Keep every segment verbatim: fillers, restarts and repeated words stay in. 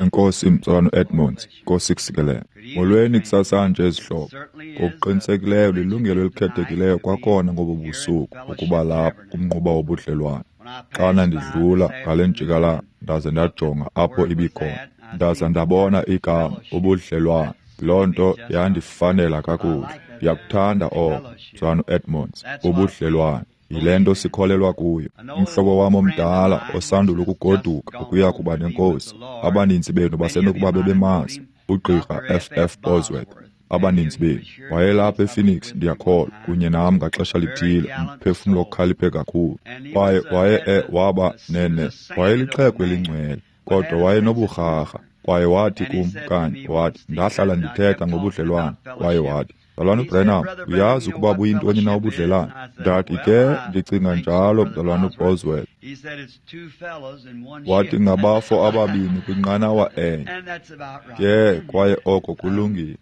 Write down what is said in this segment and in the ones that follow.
Enkosi mzalwana Edmonds, Nkosi kusikelele. Molweni kusasanje ezihlobo. Ngokuqinisekileyo lilungelo elikhethekileyo kwakhona ngobu busuku ukuba lapha kumnquba wobudlelwane. Xana ndidlula ngale njikalanga ndaze ndajonga apho ibikhona, ndaza ndabona igama ubudlelwane. Loo nto yandifanela kakuhle. Ndiyakuthanda oko, mzalwana Edmonds, ubudlelwane. Yile nto sikholelwa kuyo. Umhlobo wam omdala osandula ukugoduka ukuya kuba nenkosi, abaninzi benu basenokuba bebemazi, uGqirha F F Bosworth. Abaninzi benu wayelapha ePhoenix, ndiyakholwa, kunye nam ngaxesha lithile, umphefumlo okhaliphe kakhulu. Kwaye waye e waba nene, wayelixhego elingcwele, kodwa wayenoburharha. Kwaye wathi kum kanye, wathi, ndahlala ndithetha ngobudlelwane. Kwaye wathi, Mzalwana uBranham, uyazi ukuba buyintoni na ubudlelwane? Ndathi ke, ndicinga njalo, Mzalwana uBosworth. Wathi ngabafo ababini kwinqanawa enye. Ke, kwaye oko kulungile,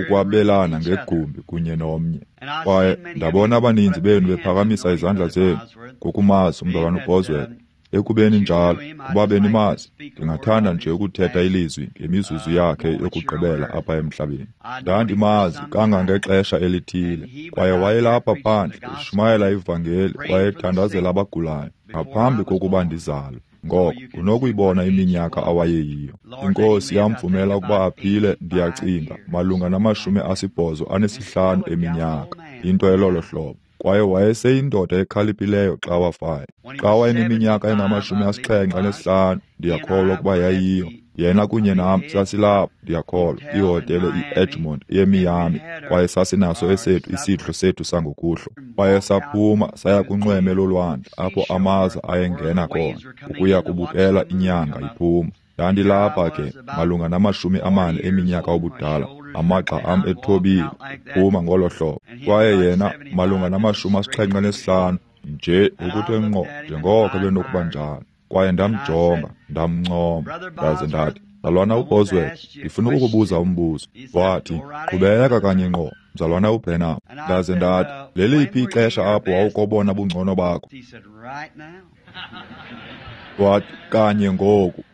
ukwabelana ngegumbi kunye nomnye. Kwaye ndabona abaninzi benu bephakamisa izandla zenu ngokumazi uMzalwana uBosworth. Ekubeni njalo, kuba benimazi, ndingathanda nje ukuthetha ilizwi ngemizuzu yakhe yokugqibela apha emhlabeni. Ndandimazi kangangexesha elithile, kwaye wayelapha phandle eshumayela ivangeli kwaye ethandazela abagulayo ngaphambi kokuba ndizalwe. Ngoko unokuyibona iminyaka awayeyiyo. Inkosi yamvumela ukuba aphile, ndiyacinga, malunga namashumi asibhozo anesihlanu eminyaka, into elolo hlobo. Kwaye wayeseyindoda ekhaliphileyo xa wafayo. Xa wayeneminyaka engamashumi asixhenxe anesihlanu, ndiyakholwa ukuba yayiyo. Yena kunye nam sasilapho, ndiyakholwa, ihotele i-Edgemont eMiami, kwaye sasinaso esethu isidlo sethu sangokuhlwa. Kwaye saphuma saya kunxweme lolwandle apho amaza ayengena khona ukuya kubukela inyanga iphuma. Ndandilapha ke malunga namashumi amane eminyaka obudala, amagxa am ethobile, phuma ngolo hlobo. Kwaye yena malunga namashumi asixhenxe nesihlanu, nje ukuthe ngqo njengoko benokuba njalo. Kwaye ndamjonga, ndamncoma, ndaze ndathi, Mzalwana uBosworth, ndifuna ukukubuza umbuzo. Wathi, qhubeka kanye ngqo, Mzalwana uBranham. Ndaze ndathi, leliphi ixesha apho wawukobona bungcono bakho? Wathi, kanye ngoku.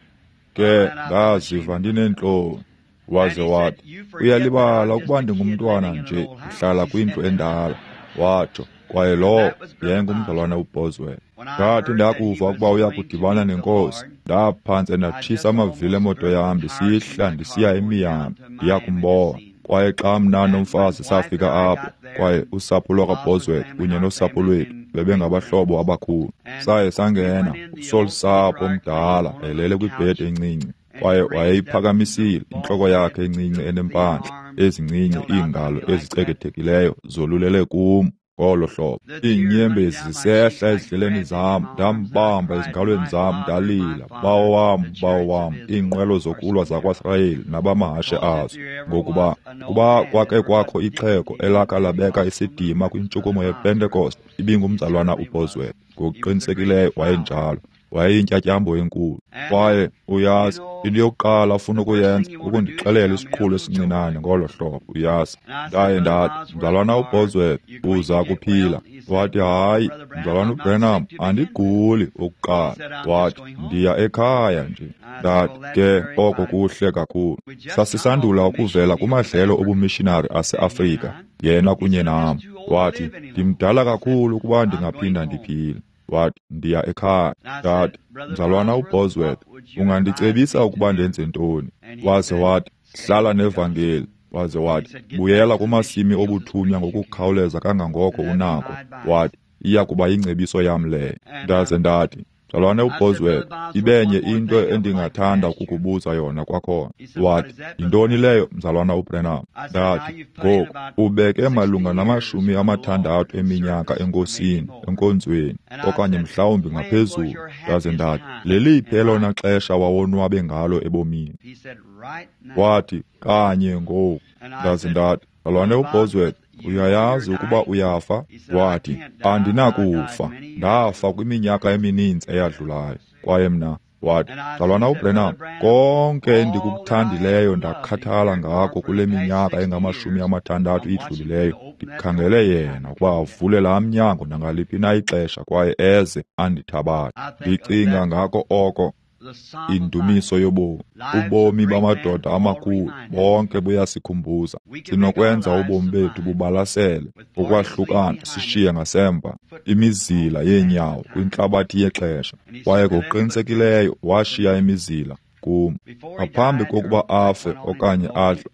Ke ndaziva ndineentloni. Waze wathi, uyalibala ukuba ndingumntwana nje, ndihlala kwindlu endala. Watsho, kwaye lowo yayingumzalwana uBosworth. Ndathi ndakuva ukuba uya kudibana nenkosi, ndaphantse ndatshisa amavili emoto yam ndisihla ndisiya eMiami, ndiya kumbona. Kwaye xa mna nomfazi safika apho, kwaye usapho lwakwaBosworth kunye nosapho lwethu bebengabahlobo abakhulu. Saye sangena, usolusapho omdala elele kwibhedi encinci, kwaye wayeyiphakamisile intloko yakhe encinci enempandla, ezincinci iingalo ezicekethekileyo zolulele kum ngolo hlobo. Iinyembezi zisehla ezidleleni zam, ndambamba ezingalweni zam, ndalila, Bawo wam, Bawo wam, iinqwelo zokulwa zakwaSirayeli nabamahashe azo. Ngokuba kuba kwake kwakho ixhego elakha labeka isidima kwintshukumo yePentecost, ibingumzalwana uBosworth. Ngokuqinisekileyo wayenjalo. Wayeyintyatyambo enkulu. Kwaye uyazi, into yokuqala afuna ukuyenza ukundixelela isiqhulo esincinane ngolo hlobo, uyazi. Ndaye ndathi, Mzalwana uBosworth, uza kuphila. Wathi, hayi, Mzalwana uBranham, andiguli okokuqala. Wathi, ndiya ekhaya nje. Ndathi, ke oko kuhle kakhulu. Sasisandula ukuvela kumadlelo obumishinari aseAfrika, yena kunye nam. Wathi, ndimdala kakhulu ukuba ndingaphinda ndiphile. Wathi, ndiya ekhaya. Ndathi, Mzalwana uBosworth, ungandicebisa ukuba ndenze ntoni? Waze wathi, hlala nevangeli. Waze wathi, buyela kumasimi obuthunywa ngokukhawuleza kangangoko unako. Wathi, iya kuba yingcebiso yam leyo. Ndaze ndathi, Mzalwana uBosworth, ibenye into endingathanda ukukubuza yona kwakhona. Wathi, yintoni leyo, Mzalwana uBranham? Ndathi, ngoku ubeke malunga namashumi amathandathu eminyaka enkosini, enkonzweni, okanye mhlawumbi ngaphezulu. Ndaze ndathi, leliphi elona xesha wawonwabe ngalo ebomini? Wathi, kanye ngoku. Ndaze ndathi, Mzalwana uBosworth, uyayazi ukuba uyafa? Wathi, andinakufa, ndafa kwiminyaka emininzi eyadlulayo. Kwaye mna, wathi, Mzalwana uBranham, konke endikuthandileyo ndakhathala ngako kule minyaka engamashumi amathandathu idlulileyo, ndikhangele yena ukuba avule laa mnyango nangaliphi na ixesha kwaye eze andithabathe. Ndicinga ngako oko Indumiso yobomi, ubomi bamadoda amakhulu, bonke buyasikhumbuza. Sinokwenza ubomi bethu bubalasele ngokwahlukana sishiye ngasemva imizila yeenyawo kwintlabathi yexesha. Kwaye ngokuqinisekileyo washiya imizila kum. Ngaphambi kokuba afe okanye adle,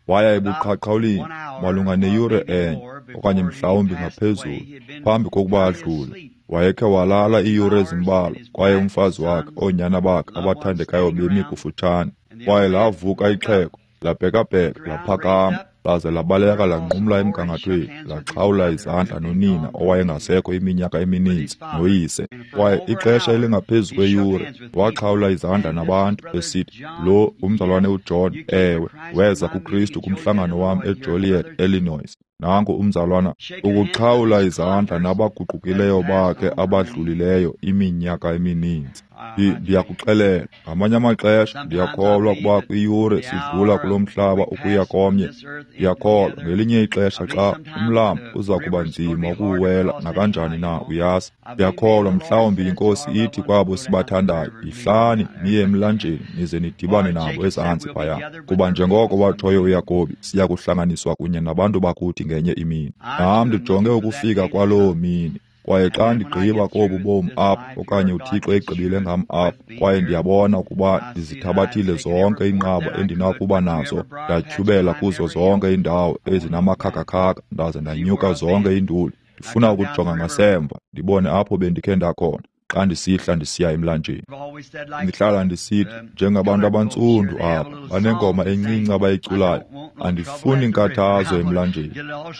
waya ebuqhaqhawulini malunga neyure enye okanye mhlawumbi ngaphezulu phambi kokuba adlule. Wayekhe walala iiyure ezimbalwa kwaye umfazi wakhe, oonyana bakhe abathandekayo bemi kufutshane. Kwaye lavuka ixhego, labhekabheka, laphakama, laze labaleka lanqumla emgangathweni, laxhawula izandla nonina owayengasekho iminyaka emininzi noyise. Kwaye ixesha elingaphezu kweyure waxhawula izandla nabantu esithi, lo ngumzalwane uJohn, ewe, weza kuKristu kumhlangano wam eJoliet, Illinois. Nanku umzalwana, ukuxhawula izandla nabaguqukileyo bakhe abadlulileyo iminyaka emininzi. Ndiyakuxelela, ngamanye amaxesha ndiyakholwa ukuba kwiyure sidlula kulo mhlaba ukuya komnye. Ndiyakholwa ngelinye ixesha xa umlambo uza kuba nzima ukuwela nakanjani na, uyazi. Ndiyakholwa mhlawumbi iNkosi ithi kwabo sibathandayo, yihlani niye emlanjeni nize nidibane nabo ezantsi phaya. Kuba njengoko watshoyo uYakobi, siya kuhlanganiswa kunye nabantu bakuthi ngenye imini. Nam ndijonge ukufika kwaloo mini. Kwaye xa ndigqiba kobu bomi apha okanye uThixo egqibile ngam apha, kwaye ndiyabona ukuba ndizithabathile zonke iinqaba endinakuba nazo, ndatyhubela kuzo zonke iindawo ezinamakhakhakha ndaze ndanyuka zonke iinduli, ndifuna ukujonga ngasemva ndibone apho bendikhe ndakhona xa ndisihla ndisiya emlanjeni. Ndihlala ndisithi, njengabantu abantsundu apha banengoma encinci abayiculayo, andifuni nkathazo emlanjeni,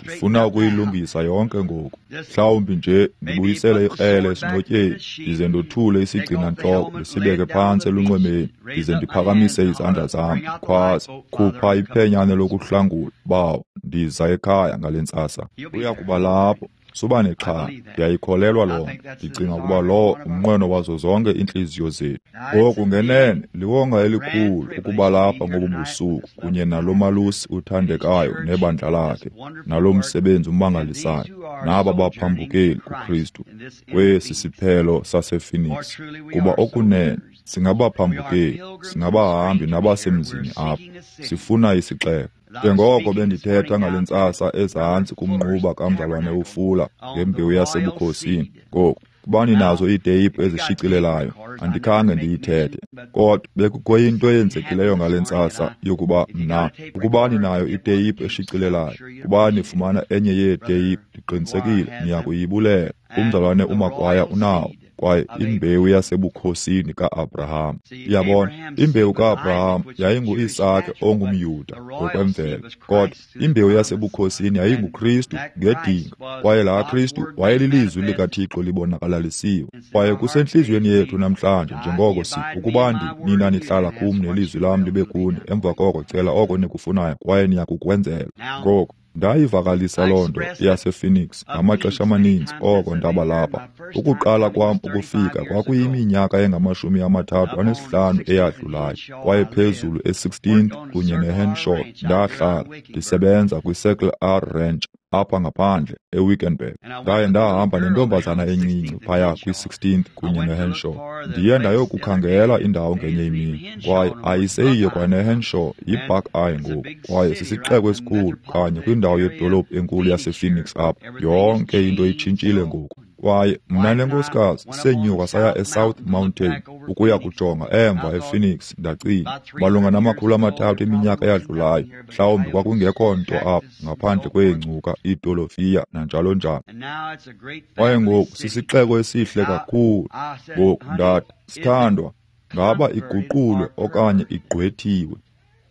ndifuna ukuyilungisa yonke ngoku. Mhlawumbi nje ndibuyisele ikrele esinqotyeni, ndize ndothule isigcina-ntloko ndisibeke phantsi elunxwemeni, ndize ndiphakamise izandla zam ndikhwaze, khupha iphenyane lokuhlangula, bawo, ndiza ekhaya ngale ntsasa. Uya kuba lapho. Suba nexhala, ndiyayikholelwa loo nto. Ndicinga ukuba lowo umnqweno wazo zonke iintliziyo zethu. Ngoku ngenene liwonga elikhulu ukuba lapha ngobu busuku kunye nalo malusi uthandekayo nebandla lakhe, nalo msebenzi umangalisayo, naba baphambukeli kuKristu kwesi siphelo sasePhoenix. Kuba okunene singabaphambukeli, singabahambi nabasemzini apha, sifuna isixeko. Njengoko bendithetha ngale ntsasa ezantsi kumnquba kamzalwane uFula ngembewu yasebukhosini. Ngoku, kubani nazo iiteyiphu ezishicilelayo, andikhange ndiyithethe. Kodwa bekukho into eyenzekileyo ngale ntsasa yokuba mna, ukuba ninayo iteyiphu eshicilelayo, kuba nifumana enye yeeteyiphu, ndiqinisekile niya kuyibulela. Umzalwane uMakwaya unawo. Kwaye imbewu yasebukhosini ka-Abraham. Uyabona, imbewu ka-Abraham yayingu-Isake ongumYuda ngokwemvelo, kodwa imbewu yasebukhosini yayinguKristu ngedinga, kwaye laa Kristu wayelilizwi likaThixo libonakalalisiwe. Kwaye kusentliziyweni yethu namhlanje, njengoko si ukuba ndi nina nihlala kum nelizwi lam libe kuni, emva koko cela oko nikufunayo kwaye niya kukwenzela. Ngoku ndayivakalisa loo nto yasePhoenix ngamaxesha amaninzi oko ndaba lapha. Ukuqala kwam ukufika kwakuyiminyaka engamashumi amathathu anesihlanu eyadlulayo, kwaye phezulu e-sixteenth kunye neHenshaw ndahlala ndisebenza kwiCircle R Ranch apha ngaphandle eWickenburg. Ndaye ndahamba nentombazana encinci phaya kwi-sixteenth kunye neHenshaw. Ndiye ndayokukhangela indawo ngenye imini, kwaye ayiseyiyo kwaneHenshaw, yiBuckeye ngoku, kwaye sisixeko esikhulu kanye kwindawo yedolophu enkulu yasePhoenix apha. Yonke into itshintshile ngoku. Kwaye mna nenkosikazi senyuka saya eSouth Mountain ukuya kujonga emva ePhoenix. Ndacinga, malunga namakhulu amathathu eminyaka eyadlulayo, mhlawumbi kwakungekho nto apha ngaphandle kweengcuka, iidolofiya nanjalo njalo. Kwaye ngoku sisixeko esihle kakhulu. Ngoku ndathi, sithandwa, ngaba iguqulwe okanye igqwethiwe?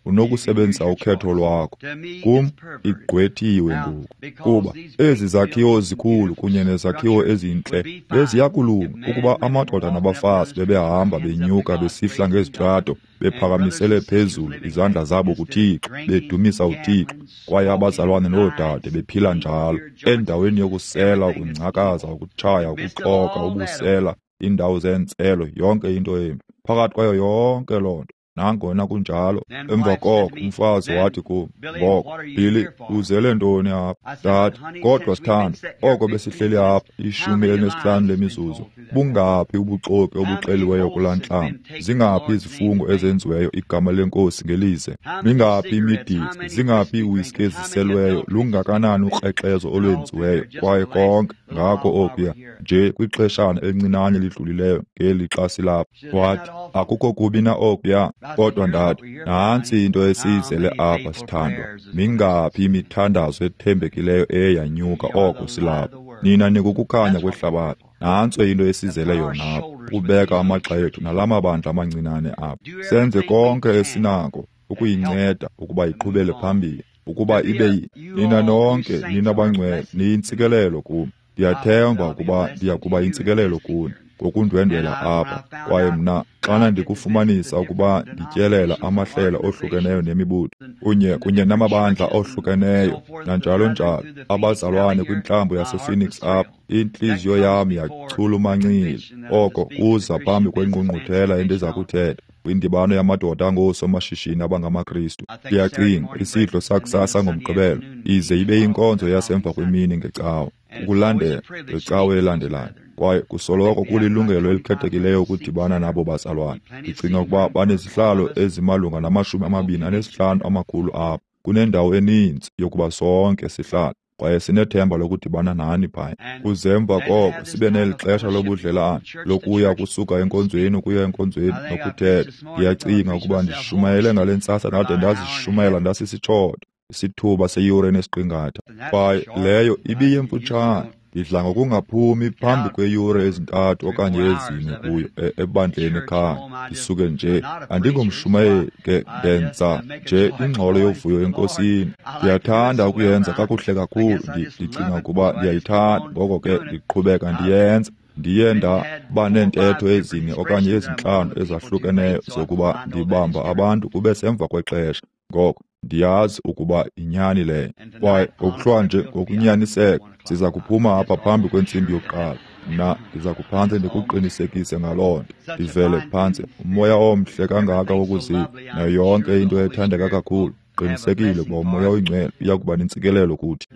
Unokusebenzisa ukhetho lwakho. Kum igqwethiwe ngoku, kuba ezi zakhiwo zikhulu kunye nezakhiwo ezintle beziya kulunga ukuba amadoda nabafazi bebehamba benyuka besihla ngezitrato, bephakamisele phezulu izandla zabo kuThixo, bedumisa uThixo, kwaye abazalwane noodade bephila njalo, endaweni yokusela, ukungcakaza, ukutshaya, ukuxoka, ubusela, iindawo zeentselo, yonke into embi. Phakathi kwayo yonke loo nto, Nangona kunjalo, emva koko umfazi wathi kum, ngoko, Billy, uzele ntoni apha? Ndathi, kodwa sithando, oko besihleli apha ishumi elinesihlanu lemizuzu, bungaphi ubuxoki obuxeliweyo kulaa ntlambo? Zingaphi izifungo ezenziweyo igama leNkosi ngelize? Mingaphi imiditsi, zingaphi iiwiski eziselweyo, lungakanani ukrexezo olwenziweyo, kwaye konke ngako okuya nje kwixeshana elincinane elidlulileyo ngeli xa silapha. Wathi, akukho kubi na okuya? Kodwa ndathi, nantsi into esiyizele apha, sithandwa. Mingaphi imithandazo ethembekileyo eye yanyuka oko silapha? Nina nikukukhanya kwehlabathi. Nantso into esizele yona apha, ukubeka amagxa ethu nala mabandla amancinane apha. Senze konke esinako ukuyinceda ukuba iqhubele phambili, ukuba ibe nina nonke, nina bangcwele, niyintsikelelo kum. Ndiyathemba ukuba ndiya kuba yintsikelelo kuni ngokundwendwela apha. Kwaye mna xana ndikufumanisa ukuba ndityelela amahlelo ohlukeneyo nemibutho kunye kunye namabandla ohlukeneyo nanjalo njalo, abazalwane kwintlambo yasePhoenix apha, intliziyo yam yachulumancile. Oko kuza phambi kwengqungquthela endiza kuthetha kwindibano yamadoda angoosomashishini abangamaKristu. Ndiyacinga isidlo sakusasa ngoMgqibelo ize ibe yinkonzo yasemva kwemini ngeCawa, ukulandela ngeCawa elandelayo. Kwaye kusoloko kulilungelo elikhethekileyo ukudibana nabo bazalwane. Ndicinga ukuba banezihlalo ezimalunga namashumi amabini anesihlanu amakhulu apha. Kunendawo eninzi yokuba sonke sihlale, kwaye sinethemba lokudibana nani phaya. Kuze emva koko sibe neli xesha lobudlelane lokuya kusuka enkonzweni ukuya enkonzweni nokuthetha. Ndiyacinga ukuba ndishumayele ngale ntsasa ndade ndazishumayela ndasisitshoto isithuba seyure enesiqingatha, kwaye leyo ibiyemfutshane. Ndidla ngokungaphumi phambi kweeyure ezintathu okanye ezine kuyo ebandleni ekhaya. Ndisuke nje, andingomshumayeli ke, ndenza nje ingxolo yovuyo eNkosini. Ndiyathanda ukuyenza kakuhle kakhulu, ndicinga ukuba ndiyayithanda, ngoko ke ndiqhubeka ndiyenza. Ndiye ndaba neentetho ezine okanye ezintlanu ezahlukeneyo zokuba ndibamba abantu kube semva kwexesha. Ngoko ndiyazi ukuba inyani leyo. Kwaye ngokuhlwanje ngokunyaniseka siza kuphuma apha phambi kwentsimbi yokuqala. Mna ndiza kuphantse ndikuqinisekise ngaloo nto. Ndivele phantse umoya omhle kangaka wokuziva nayo yonke into ethandeka kakhulu. Qinisekile ukuba umoya oyingcwele uya kuba nentsikelelo kuthi.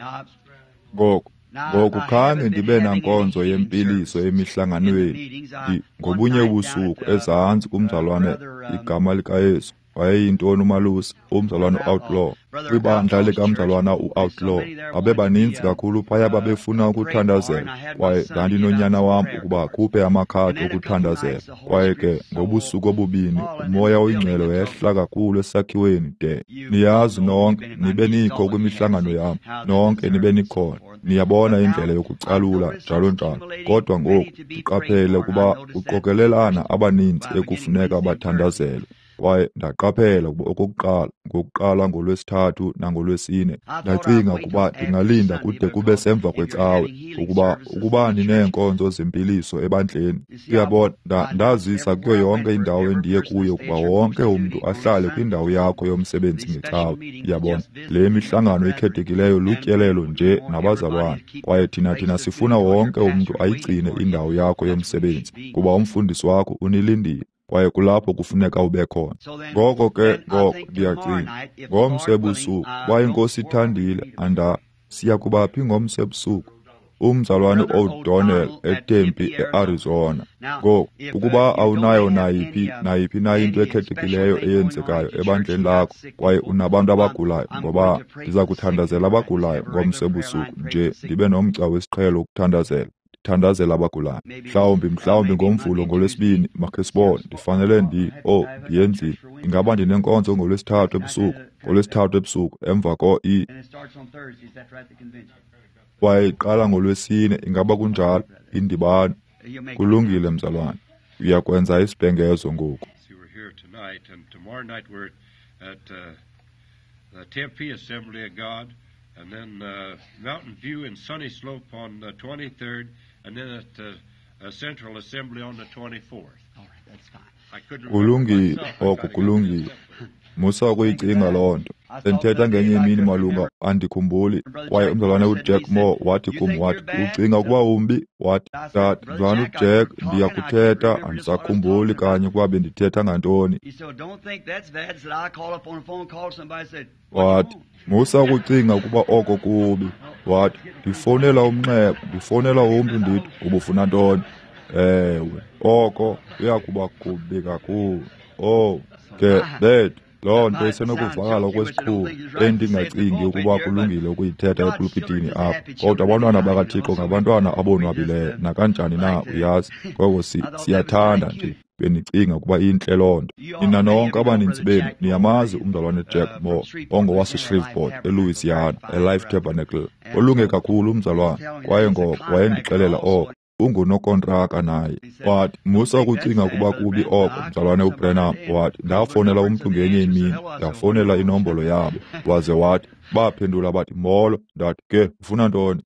Ngoko ngoku khange ndibe nankonzo yempiliso emihlanganweni. Ngobunye ubusuku ezantsi kumzalwane igama likaYesu wayeyintoni umalusi, umzalwana u-Outlaw, kwibandla likamzalwana u-Outlaw. Babebaninzi kakhulu phaya babefuna ukuthandazela, kwaye ndandinonyana wam ukuba akhuphe amakhadi okuthandazela. Kwaye ke ngobusuku obubini umoya oyingcwele wehla kakhulu esakhiweni de niyazi nonke nibe nikho kwimihlangano yam, nonke nibe nikhona. Niyabona indlela yokucalula njalo njalo. Kodwa ngoku ndiqaphele ukuba kuqokelelana abaninzi ekufuneka bathandazelwe. Kwaye ndaqaphela ukuba okokuqala, ngokuqala ngoLwesithathu nangoLwesine, ndacinga ukuba ndingalinda kude kube semva kwecawe, ukuba ukuba nineenkonzo zempiliso ebandleni. Uyabona, ndazisa kuyo yonke indawo endiye kuyo ukuba wonke umntu ahlale kwindawo yakho yomsebenzi ngecawe. Uyabona, le mihlangano ikhethekileyo lutyelelo nje nabazalwane, kwaye thina thina sifuna wonke umntu ayigcine indawo yakho yomsebenzi, kuba umfundisi wakho unilindile. Kwaye kulapho kufuneka ube khona. Ngoko ke ngoko ndiyacinga ngomso ebusuku, kwaye iNkosi ithandile, anda siya kuba phi ngomso ebusuku? Umzalwane O'Donnell eTempe eArizona. Ngoku ukuba awunayo nayiphi nayiphi na into ekhethekileyo eyenzekayo ebandleni lakho, kwaye unabantu abagulayo, ngoba ndiza kuthandazela abagulayo ngomso ebusuku nje ndibe nomgca wesiqhelo wokuthandazela. Thandazela abagulayo. Mhlawumbi mhlawumbi ngoMvulo ngoLwesibini, makhe sibone. Ndifanele ndi oh ndiyenzile. Ingaba ndinenkonzo ngoLwesithathu ebusuku, ngoLwesithathu ebusuku emva ko i kwaye iqala ngoLwesine, ingaba kunjalo? Indibano. Kulungile mzalwane. Uyakwenza isibhengezo ngoku. And then uh, Mountain View and Sunny Slope on the twenty-third, and then at the uh, Central Assembly on the twenty-fourth. All right, that's fine. I couldn't remember Kulungile, myself. I oko kinda got kulungile. mixed up with it. Musa ukuyicinga loo nto. Bendithetha ngenye imini malunga andikhumbuli, kwaye umzalwane uJack Moore wathi kum, wathi, ucinga ukuba umbi? Wathi, ndathi, mzalwane uJack, ndiyakuthetha, andisakhumbuli kanye ukuba bendithetha ngantoni. Wathi, musa ukucinga ukuba oko kubi. Wathi, ndifowunela umnxeba, ndifowunela umntu ndithi, ubufuna ntoni? Ewe, oko kuyakuba kubi kakhulu. Oh, ke bethu, loo nto isenokuvakala okwesiqhulo endingacingi ukuba kulungile ukuyithetha epulpitini apha, kodwa abantwana bakaThixo ngabantwana abonwabileyo nakanjani na, uyazi. Ngoko si, siyathanda nje. Bendicinga ukuba intle loo nto. Nina nonke abaninzi benu niyamazi umzalwane Jack Moore, ongowase-Shreveport eLouisiana, eLife Tabernacle. Olunge kakhulu umzalwane, kwaye ngoko wayendixelela oko. Ungunokontraka naye. Wathi, musa ukucinga ukuba kubi oko, mzalwane uBranham. Wathi, ndafowunela umntu ngenye imini, ndafowunela inombolo yabo. Waze wathi, baphendula bathi, molo. Ndathi, ke, ufuna ntoni?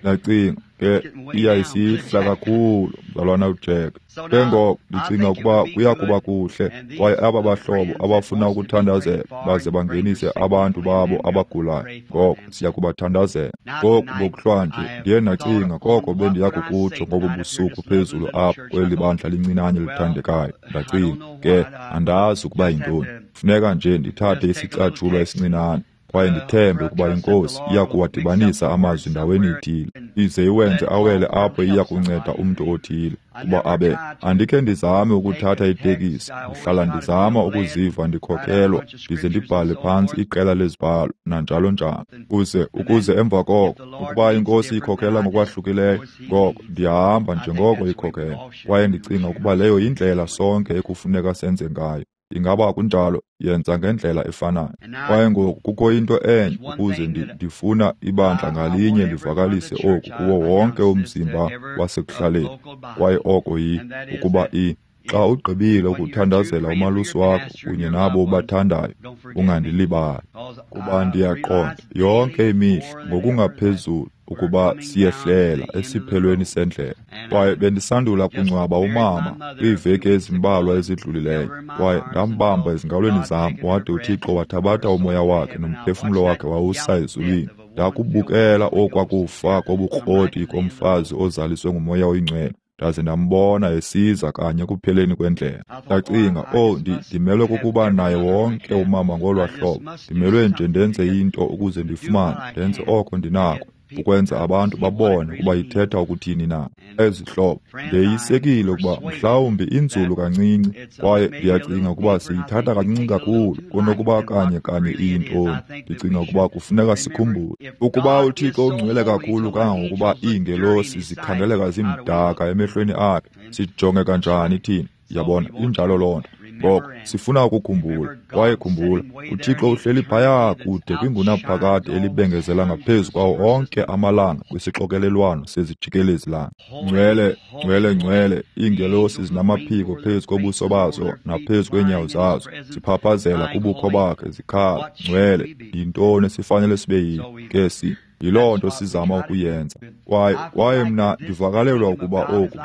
Ndacinga, ke, iya isihla kakhulu, mzalwana uJack. Ke ngoko, ndicinga ukuba kuya kuba kuhle, kwaye aba bahlobo abafuna ukuthandazela baze bangenise abantu babo abagulayo, ngoko siya kubathandazela. Ngoku ngokuhlwanje ndiye ndacinga koko bendiya kukutsho ngobu busuku phezulu apha kweli bandla lincinane lithandekayo. Ndacinga, ke, andazi ukuba yintoni. Funeka nje ndithathe isicatshulwa esincinane, kwaye ndithembe ukuba iNkosi iya kuwadibanisa amazwi ndaweni ithile, ize iwenze awele apho iya kunceda umntu othile kuba abe. Andikhe ndizame ukuthatha itekisi, ndihlala ndizama ukuziva ndikhokelwa, ndize ndibhale phantsi iqela lezibhalo nanjalo njalo, kuze ukuze emva koko, ukuba iNkosi ikhokela ngokwahlukileyo, ngoko ndiyahamba njengoko ikhokela. Kwaye ndicinga ukuba leyo yindlela sonke ekufuneka senze ngayo. Ingaba kunjalo? Yenza ngendlela efanayo. Kwaye ngoku kukho into enye ukuze ndifuna ibandla ngalinye livakalise oku kuwo wonke umzimba wasekuhlaleni. Kwaye oko yi ukuba i xa ugqibile ukuthandazela umalusi wakho kunye nabo ubathandayo, ungandilibali, kuba ndiyaqonda yonke imihla ngokungaphezulu ukuba siyehlela esiphelweni sendlela. Kwaye bendisandula kungcwaba umama kwiiveki ezimbalwa ezidlulileyo, kwaye ndambamba ezingalweni zam, wade uThixo wathabatha umoya wakhe nomphefumlo wakhe wawusa ezulwini. Ndakubukela okwakufa kobukroti komfazi ozaliswe nguMoya oyiNgcwele, ndaze ndambona esiza kanye ekupheleni kwendlela. Ndacinga, oh, ndimelwe kukuba naye wonke umama ngolwa hlobo. Ndimelwe nje ndenze into ukuze ndifumane, ndenze oko ndinako ukwenza abantu babone ukuba ithetha ukuthini na. Ezihlobo, ndeyisekile ukuba mhlawumbi inzulu kancinci, kwaye ndiyacinga ukuba siyithatha kancinci kakhulu kunokuba kanye kanye iyintoni. Ndicinga ukuba kufuneka sikhumbule ukuba uThixo ungcwele kakhulu kangangokuba iingelosi zikhangeleka zimdaka emehlweni akhe. Sijonge kanjani thina? Yabona, injalo loo nto. Ngoko sifuna ukukhumbula, kwaye khumbula, uThixo uhleli phaya kude kwingunaphakade elibengezela ngaphezu kwawo onke amalanga kwisixokelelwano sezijikelezi-langa. Ngcwele, ngcwele, ngcwele, iingelosi zinamaphiko phezu kobuso bazo naphezu kweenyawo zazo, ziphaphazela kubukho bakhe zikhala, ngcwele. Yintoni esifanele sibe yiyo? Ke si yiloo nto sizama ukuyenza. Kwaye kwaye mna ndivakalelwa ukuba oku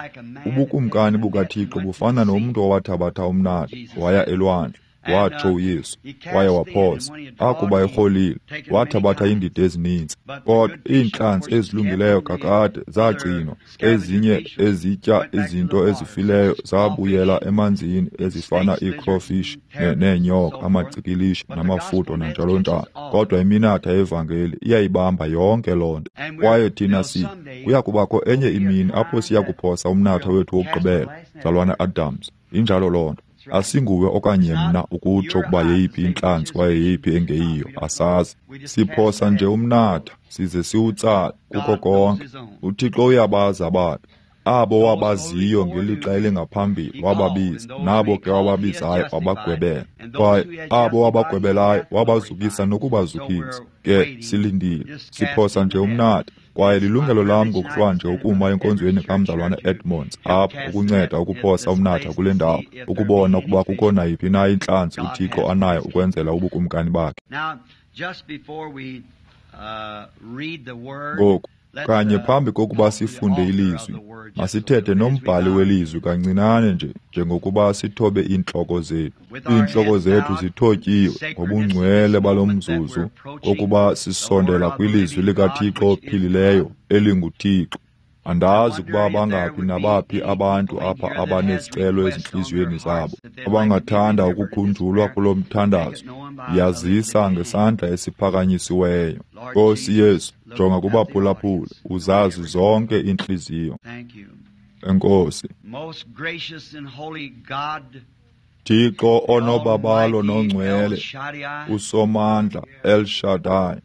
ubukumkani bukaThixo bufana nomntu owathabatha umnatha waya elwandle, watsho uYesu, waye waphosa. Akuba erholile, wathabatha iindidi ezininzi, kodwa iintlanzi ezilungileyo kakade zagcinwa, ezinye ezitya izinto ezifileyo zabuyela emanzini, ezifana iicrawfish neenyoka, amacikilishe namafutho nanjalo njalo. Kodwa iminatha yevangeli iyayibamba yonke loo nto. Kwaye thina si kuya kubakho enye imini apho siya kuphosa umnatha wethu wokugqibela, mzalwana Adams. Injalo loo nto. Asinguwe okanye mna ukutsho ukuba yeyiphi intlanzi kwaye yeyiphi engeyiyo, asazi. Siphosa nje umnatha size siwutsale kuko konke. UThixo uyabazi abantu. Abo wabaziyo ngelixa elingaphambili wababiza, nabo ke wababizayo wabagwebela. Kwaye abo wabagwebelayo wabazukisa nokubazukisa. Ke silindile, siphosa nje umnatha. Kwaye lilungelo lam ngokuhlwanje ukuma enkonzweni kamzalwana Edmonds apha ukunceda ukuphosa umnatha kule ndawo, ukubona ukuba kukho nayiphi na intlanzi uThixo anayo ukwenzela ubukumkani bakhe. Ngoku, Kanye phambi kokuba sifunde ilizwi, masithethe nombhali welizwi kancinane nje, njengokuba sithobe iintloko zethu. Iintloko zethu zithotyiwe ngobungcwele balo mzuzu kokuba sisondela kwilizwi likaThixo ophilileyo elinguThixo. Andazi ukuba bangaphi nabaphi abantu apha abanezicelo ezintliziyweni zabo, abangathanda ukukhunjulwa kulo mthandazo. Yazisa ngesandla esiphakanyisiweyo. Nkosi Yesu, jonga kubaphulaphuli, uzazi zonke iintliziyo. Enkosi. Thixo onobabalo nongcwele, uSomandla El Shaddai,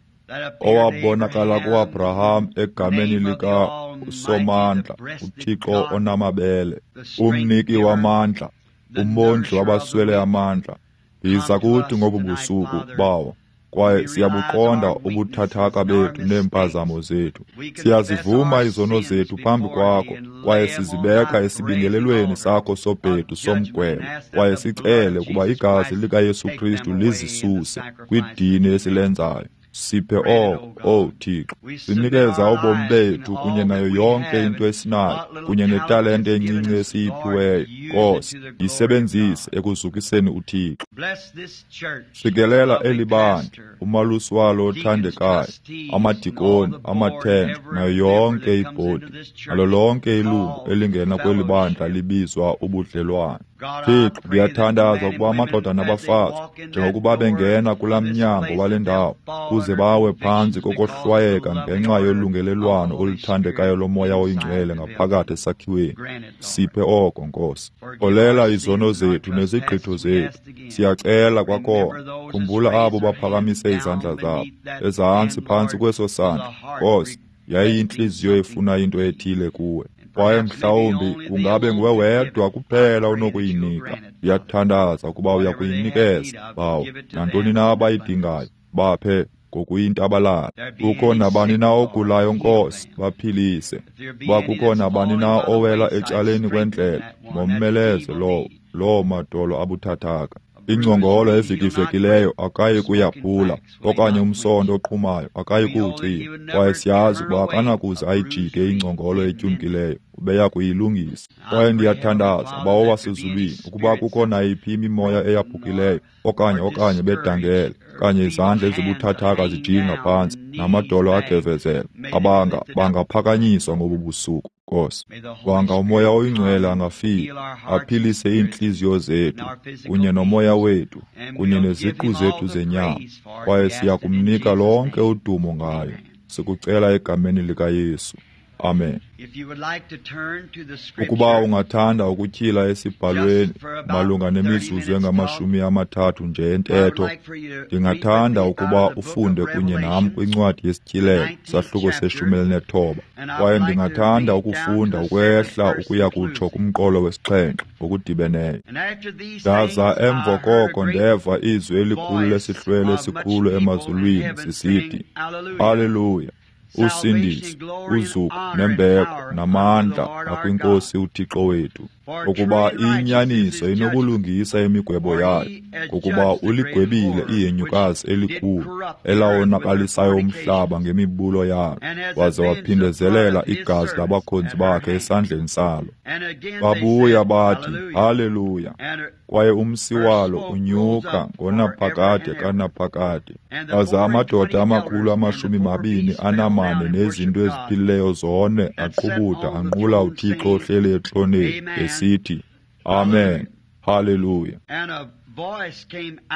owabonakala kuAbraham egameni lika uSomandla, uThixo onamabele, umniki wamandla, umondli wabaswele amandla. Yiza kuthi ngobu busuku, Bawo, kwaye siyabuqonda ubuthathaka bethu neempazamo zethu. Siyazivuma izono zethu phambi kwakho, kwaye sizibeka esibingelelweni sakho sobhedu somgwebo, kwaye sicele ukuba igazi likaYesu Kristu lizisuse kwidini esilenzayo. Siphe oko, oh Thixo. Sinikeza ubomi bethu kunye nayo yonke into esinayo, kunye netalente encinci esiyiphiweyo. Nkosi, yisebenzise ekuzukiseni uThixo. Sikelela eli bandla, umalusi walo othandekayo, amadikoni, amathenjwa, nayo yonke ibhodi, nalo lonke ilungu elingena kweli bandla libizwa ubudlelwane. Thixo, ndiyathandaza ukuba amadoda nabafazi, njengokuba bengena kulaa mnyango wale ndawo, kuze bawe phantsi kokohlwayeka ngenxa yolungelelwano oluthandekayo loMoya oyiNgcwele ngaphakathi esakhiweni. Siphe oko, Nkosi. Xolela izono zethu nezigqitho zethu. Siyacela kwakhona, khumbula abo baphakamise izandla zabo ezantsi phantsi kweso sandla. Nkosi, yayiyintliziyo efuna into ethile kuwe, kwaye mhlawumbi kungabe nguwe wedwa kuphela onokuyinika. Ndiyathandaza ukuba uya kuyinikeza, Bawo, nantoni na abayidingayo, baphe ngokuyintabalala. Kukho nabani na ogulayo, Nkosi, baphilise. Uba kukho nabani na owela ecaleni kwendlela, mommeleze lowo, loo madolo abuthathaka. Ingcongolo evikivekileyo akayi kuyaphula, okanye umsonto oqhumayo akayi kuwucima, kwaye siyazi ukuba akanakuze ayijike ingcongolo etyumkileyo, ubeya kuyilungisa. Kwaye ndiyathandaza, Bawo wasezulwini, ukuba kukho nayiphi imimoya eyaphukileyo, okanye okanye bedangele, okanye izandla ezibuthathaka zijinga phantsi, namadolo agevezela, abanga bangaphakanyiswa ngobu busuku. Nkosi, wanga uMoya oyiNgcwele angafika aphilise iintliziyo zethu kunye nomoya wethu kunye neziqu zethu zenyama, kwaye siya kumnika lonke udumo ngayo. Sikucela egameni likaYesu. Amen. Ukuba ungathanda ukutyhila esibhalweni malunga nemizuzu engamashumi amathathu nje entetho, ndingathanda ukuba ufunde kunye nam kwincwadi yesiTyhilelo, sahluko seshumi elinethoba, kwaye ndingathanda ukufunda ukwehla ukuya kutsho kumqolo wesixhenxe ngokudibeneyo. Ndaza emva koko ndeva izwi elikhulu lesihlwele esikhulu emazulwini sisithi, Haleluya! Usindiso, uzuko, nembeko, namandla akwiNkosi uThixo wethu, ngokuba iyinyaniso inobulungisa imigwebo yayo, ngokuba uligwebile ihenyukazi elikhulu elawonakalisayo umhlaba ngemibulo yalo, waze waphindezelela igazi labakhonzi bakhe esandleni salo. Babuya bathi, Haleluya! Kwaye umsi walo unyuka ngonaphakade kanaphakade. Aza amadoda amakhulu amashumi mabini anamane nezinto eziphilileyo zone aqubuda anqula uThixo ohleli etroneni, esithi, Amen, Haleluya.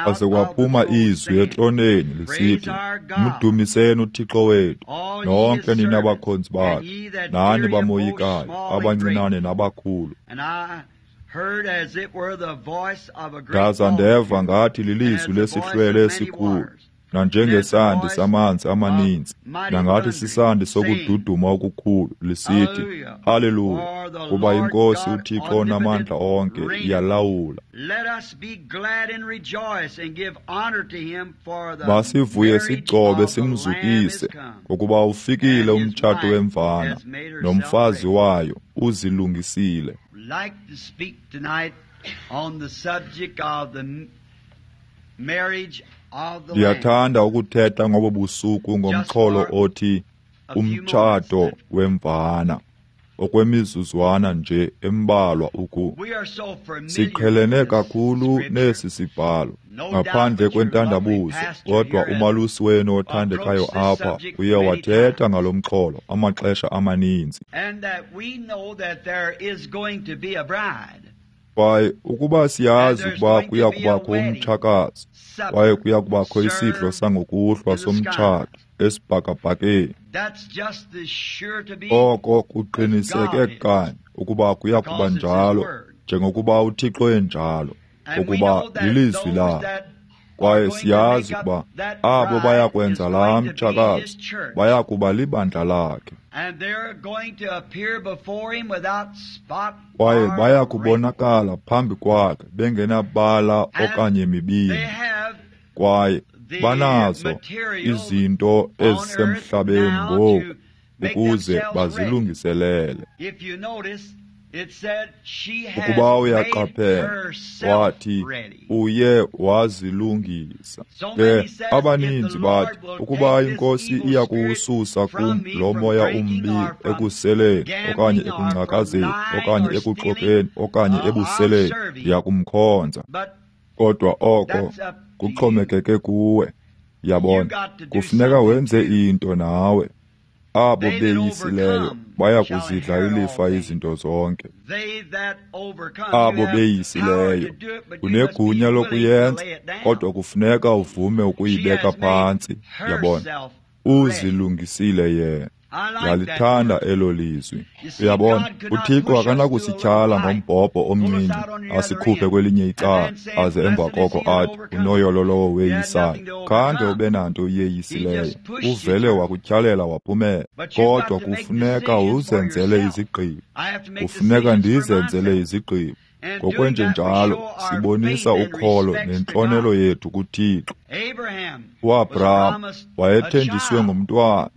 Kwaze kwaphuma izwi etroneni lisithi, Mdumiseni uThixo wethu, nonke nina bakhonzi bakhe, nani bamoyikayo, abancinane nabakhulu. Ndaza ndeva ngathi lilizwi lesihlwele esikhulu, nanjengesandi samanzi amaninzi, nangathi sisandi sokududuma okukhulu, lisithi, Haleluya, kuba iNkosi uThixo onamandla onke iyalawula. Masivuye sigcobe simzukise, ngokuba ufikile umtshato wemvana, nomfazi wayo uzilungisile. Like to speak tonight on the subject of the marriage of the Lamb. Ndiyathanda ukuthetha ngobo busuku ngomxholo othi Umtshato wemvana, okwemizuzwana nje embalwa uku. Siqhelene kakhulu nesi sibhalo, ngaphandle kwentandabuzo, kodwa umalusi wenu othandekayo apha uye wathetha ngalo mxholo amaxesha amaninzi. Kwaye ukuba siyazi ukuba kuya kubakho umtshakazi, kwaye kuya kubakho isidlo sangokuhlwa somtshato esibhakabhakeni, oko kuqiniseke kanye ukuba kuya kuba njalo, njengokuba uThixo enjalo, ukuba lilizwi lakhe. Kwaye siyazi ukuba abo baya kwenza laa mtshakazi baya kuba libandla lakhe, kwaye baya kubonakala phambi kwakhe bengenabala okanye mibini, kwaye banazo izinto ezisemhlabeni ngoku ukuze bazilungiselele. Ukuba uyaqaphela, wathi uye wazilungisa. Ke abaninzi bathi, ukuba iNkosi iya kuwususa kum lo moya umbi ekuseleni okanye ekungcakazeni okanye ekuxokeni okanye ebuseleni, ndiya kumkhonza. Kodwa oko kuxhomekeke kuwe. Yabona, kufuneka wenze into nawe. Abo beyisileyo baya kuzidla ilifa izinto zonke. Abo beyisileyo, unegunya lokuyenza, kodwa kufuneka uvume ukuyibeka phantsi. Yabona, uzilungisile yena. Ndiyalithanda elo lizwi. Uyabona, uThixo akanakusityhala ngombhobho omncinci asikhuphe kwelinye icala, aze emva koko athi unoyolo lowo weyisayo. Khange ube nanto uyeyisileyo, uvele wakutyhalela waphumela. Kodwa kufuneka uzenzele izigqibo. Kufuneka ndizenzele izigqibo. Ngokwenjenjalo sibonisa ukholo nentlonelo yethu kuThixo. UAbraham wayethenjiswe ngumntwana,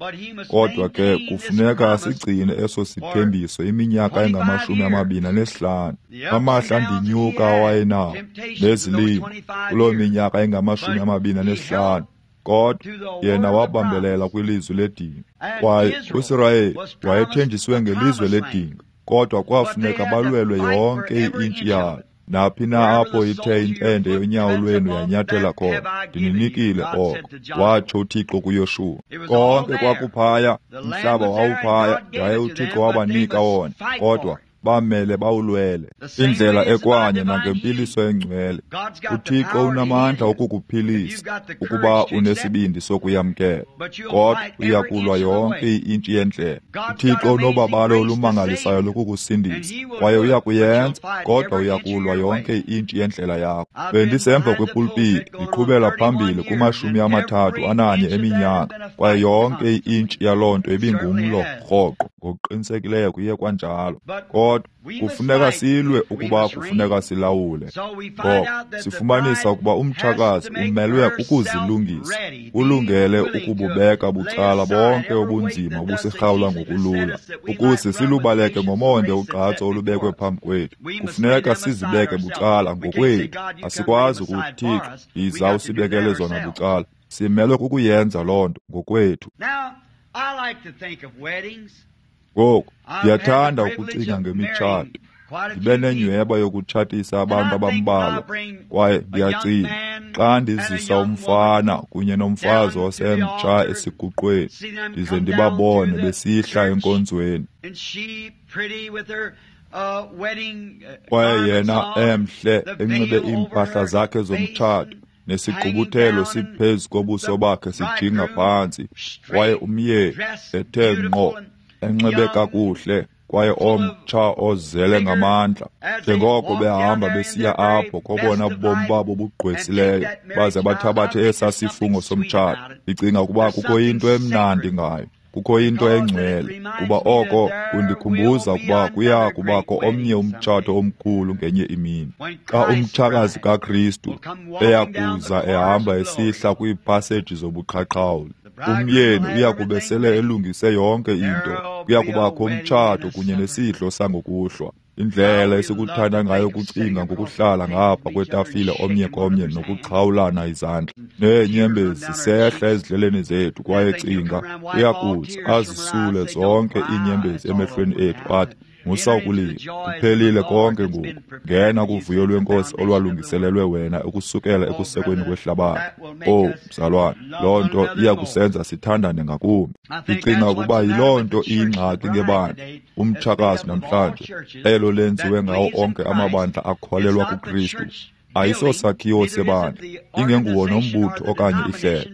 kodwa ke kufuneka asigcine eso sithembiso iminyaka engamashumi amabini anesihlanu. Amahla ndinyuka awayenawo nezilimo kuloo minyaka engamashumi amabini anesihlanu, kodwa yena wabambelela kwilizwi ledinga. Kwaye uSirayeli wayethenjiswe ngelizwe ledinga, kodwa kwafuneka balwelwe yonke i-intshi yalo. Naphi na apho ithe intende yonyawo lwenu yanyathela khona, ndininikile oko, watsho uThixo kuYoshuwa. Konke kwakuphaya, umhlaba wawuphaya, yaye uThixo wabanika wona, kodwa bamele bawulwele. Indlela ekwanye nangempiliso engcwele, uThixo unamandla okukuphilisa ukuba unesibindi sokuyamkela, kodwa uyakulwa yonke i-intshi yendlela. uThixo unobabalo olumangalisayo lokukusindisa, kwaye uyakuyenza, kodwa uyakulwa yonke i-intshi yendlela yakho. Bendisemva kwepulpiti ndiqhubela phambili kumashumi amathathu ananye eminyaka, kwaye yonke i-intshi yaloo nto ibingumlo rhoqo. Ngokuqinisekileyo kuye kwanjalo. Kodwa kufuneka silwe ukuba kufuneka silawule. Ngoko sifumanisa ukuba umtshakazi umelwe kukuzilungisa, ulungele ukububeka bucala bonke ubunzima obusirhawula ngokulula, ukuze silubaleke ngomonde ugqatso olubekwe phambi kwethu. Kufuneka sizibeke bucala ngokwethu. Asikwazi ukuthi Thixo, yiza usibekele zona bucala. Simelwe kukuyenza loo nto ngokwethu. Ngoku ndiyathanda ukucinga ngemitshato. Ndibe nenyweba yokutshatisa abantu abambalwa, kwaye ndiyacinga xa ndizisa umfana kunye nomfazi osemtsha esiguqweni, ndize ndibabone besihla enkonzweni, kwaye yena emhle enxibe iimpahla zakhe zomtshato, nesigqubuthelo siphezu kobuso bakhe sijinga phantsi, kwaye umyeni ethe ngqo enxibe kakuhle, kwaye omtsha ozele ngamandla. Njengoko behamba besiya apho kobona bubomi babo bugqwesileyo, baze bathabathe esaa sifungo somtshato. Ndicinga ukuba kukho into emnandi ngayo, kukho into engcwele, kuba oko kundikhumbuza ukuba kuya kubakho omnye umtshato omkhulu ngenye imini, xa umtshakazi kaKristu eya kuza ehamba esihla kwiipaseji zobuqhaqhawuli. Umyeni uya kube sele elungise yonke into. Kuya kubakho umtshato kunye nesidlo sangokuhlwa. Indlela esikuthanda ngayo ukucinga ngokuhlala ngapha kwetafile omnye komnye nokuxhawulana izandla, Neenyembezi zisehla ezidleleni zethu, kwaye cinga uyakuza azisule zonke iinyembezi emehlweni ethu, athi, musa ukulila, kuphelile konke ngoku. Ngena kuvuyo lweNkosi olwalungiselelwe wena ukusukela ekusekweni kwehlabathi. Owu, mzalwane, loo nto iya kusenza sithandane ngakumbi. Ndicinga ukuba yiloo nto iyingxaki ngebandla, umtshakazi namhlanje, elo lenziwe ngawo onke amabandla akholelwa kuKristu. Ayisosakhiwo sebandla, ingenguwo nombutho okanye ihlelo,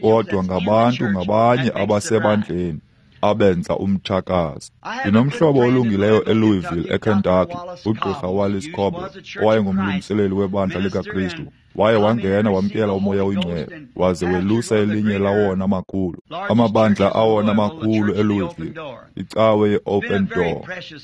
kodwa ngabantu ngabanye abasebandleni abenza umtshakazi. Ndinomhlobo olungileyo eLouisville, eKentucky, ugqirha Wallace Cobble, owayengumlungiseleli webandla likaKristu. Waye wangena wamkela uMoya oyiNgcwele, waze welusa elinye lawona makhulu amabandla awona makhulu eLouisville, icawe ye-Open Door.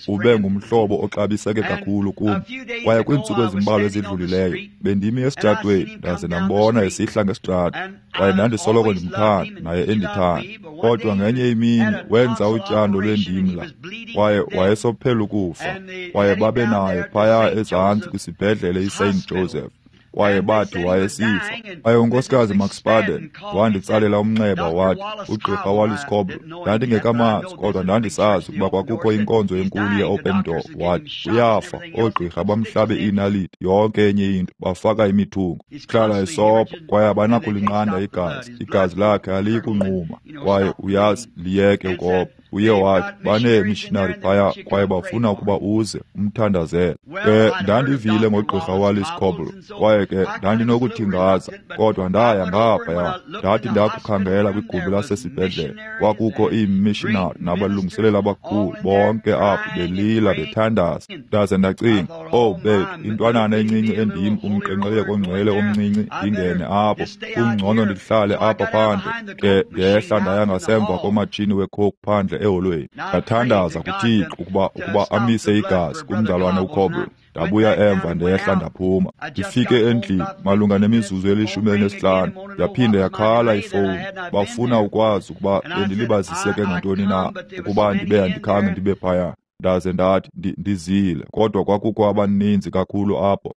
Ube ngumhlobo oxabiseke kakhulu kum. Kwaye kwiintsuku ezimbalwa ezidlulileyo bendimi esitratweni, ndaze ndambona esihla ngesitrato. Kwaye ndandisoloko ndimthanda, naye endithanda. Kodwa ngenye imini wenza utyando lwendimla, kwaye wayesophela ukufa. Kwaye babe naye phaya ezantsi kwisibhedlele iSaint Joseph. Kwaye bathi wayesifa. Kwaye unkosikazi McSpadden wanditsalela umnxeba wathi, ugqirha Wallace Cobble, ndandingekamazi kodwa ndandisazi ukuba kwakukho inkonzo enkulu ye-Open Door. Wathi, uyafa, oogqirha bamhlabe iinaliti, yonke enye into, bafaka imithungo. Hlala esopha, kwaye abanakulinqanda igazi, igazi lakhe aliyi kunquma, kwaye uyazi liyeke ukopha. Uye wathi, baneemishinari phaya kwaye bafuna ukuba uze umthandazele. Ke ndandivile ngogqirha Wallace Cobble, kwaye ke ndandinokuthingaza, kodwa ndaya ngaphaya. Ndathi ndakukhangela kwigumbi lasesibhedlele, kwakukho iimishinari nabalungiseleli abakhulu bonke apho belila bethandaza. Ndaze ndacinga, oh bethu, intwanana encinci endim, umqenqeleko ongcwele omncinci, ndingene apho, kungcono ndihlale apha phandle. Ke ndehla ndaya ngasemva komatshini weCoke phandle eholweni. Ndathandaza kuThixo ukuba ukuba amise igazi kumzalwane uCobble. Ndabuya emva ndehla ndaphuma. Ndifike endlini malunga nemizuzu elishumi elinesihlanu, yaphinde yakhala ifowuni. Bafuna ukwazi ukuba bendilibaziseke ngantoni na, ukuba ndibe andikhange ndibe phaya. Ndaze ndathi, ndizile, kodwa kwakukho abaninzi kakhulu apho.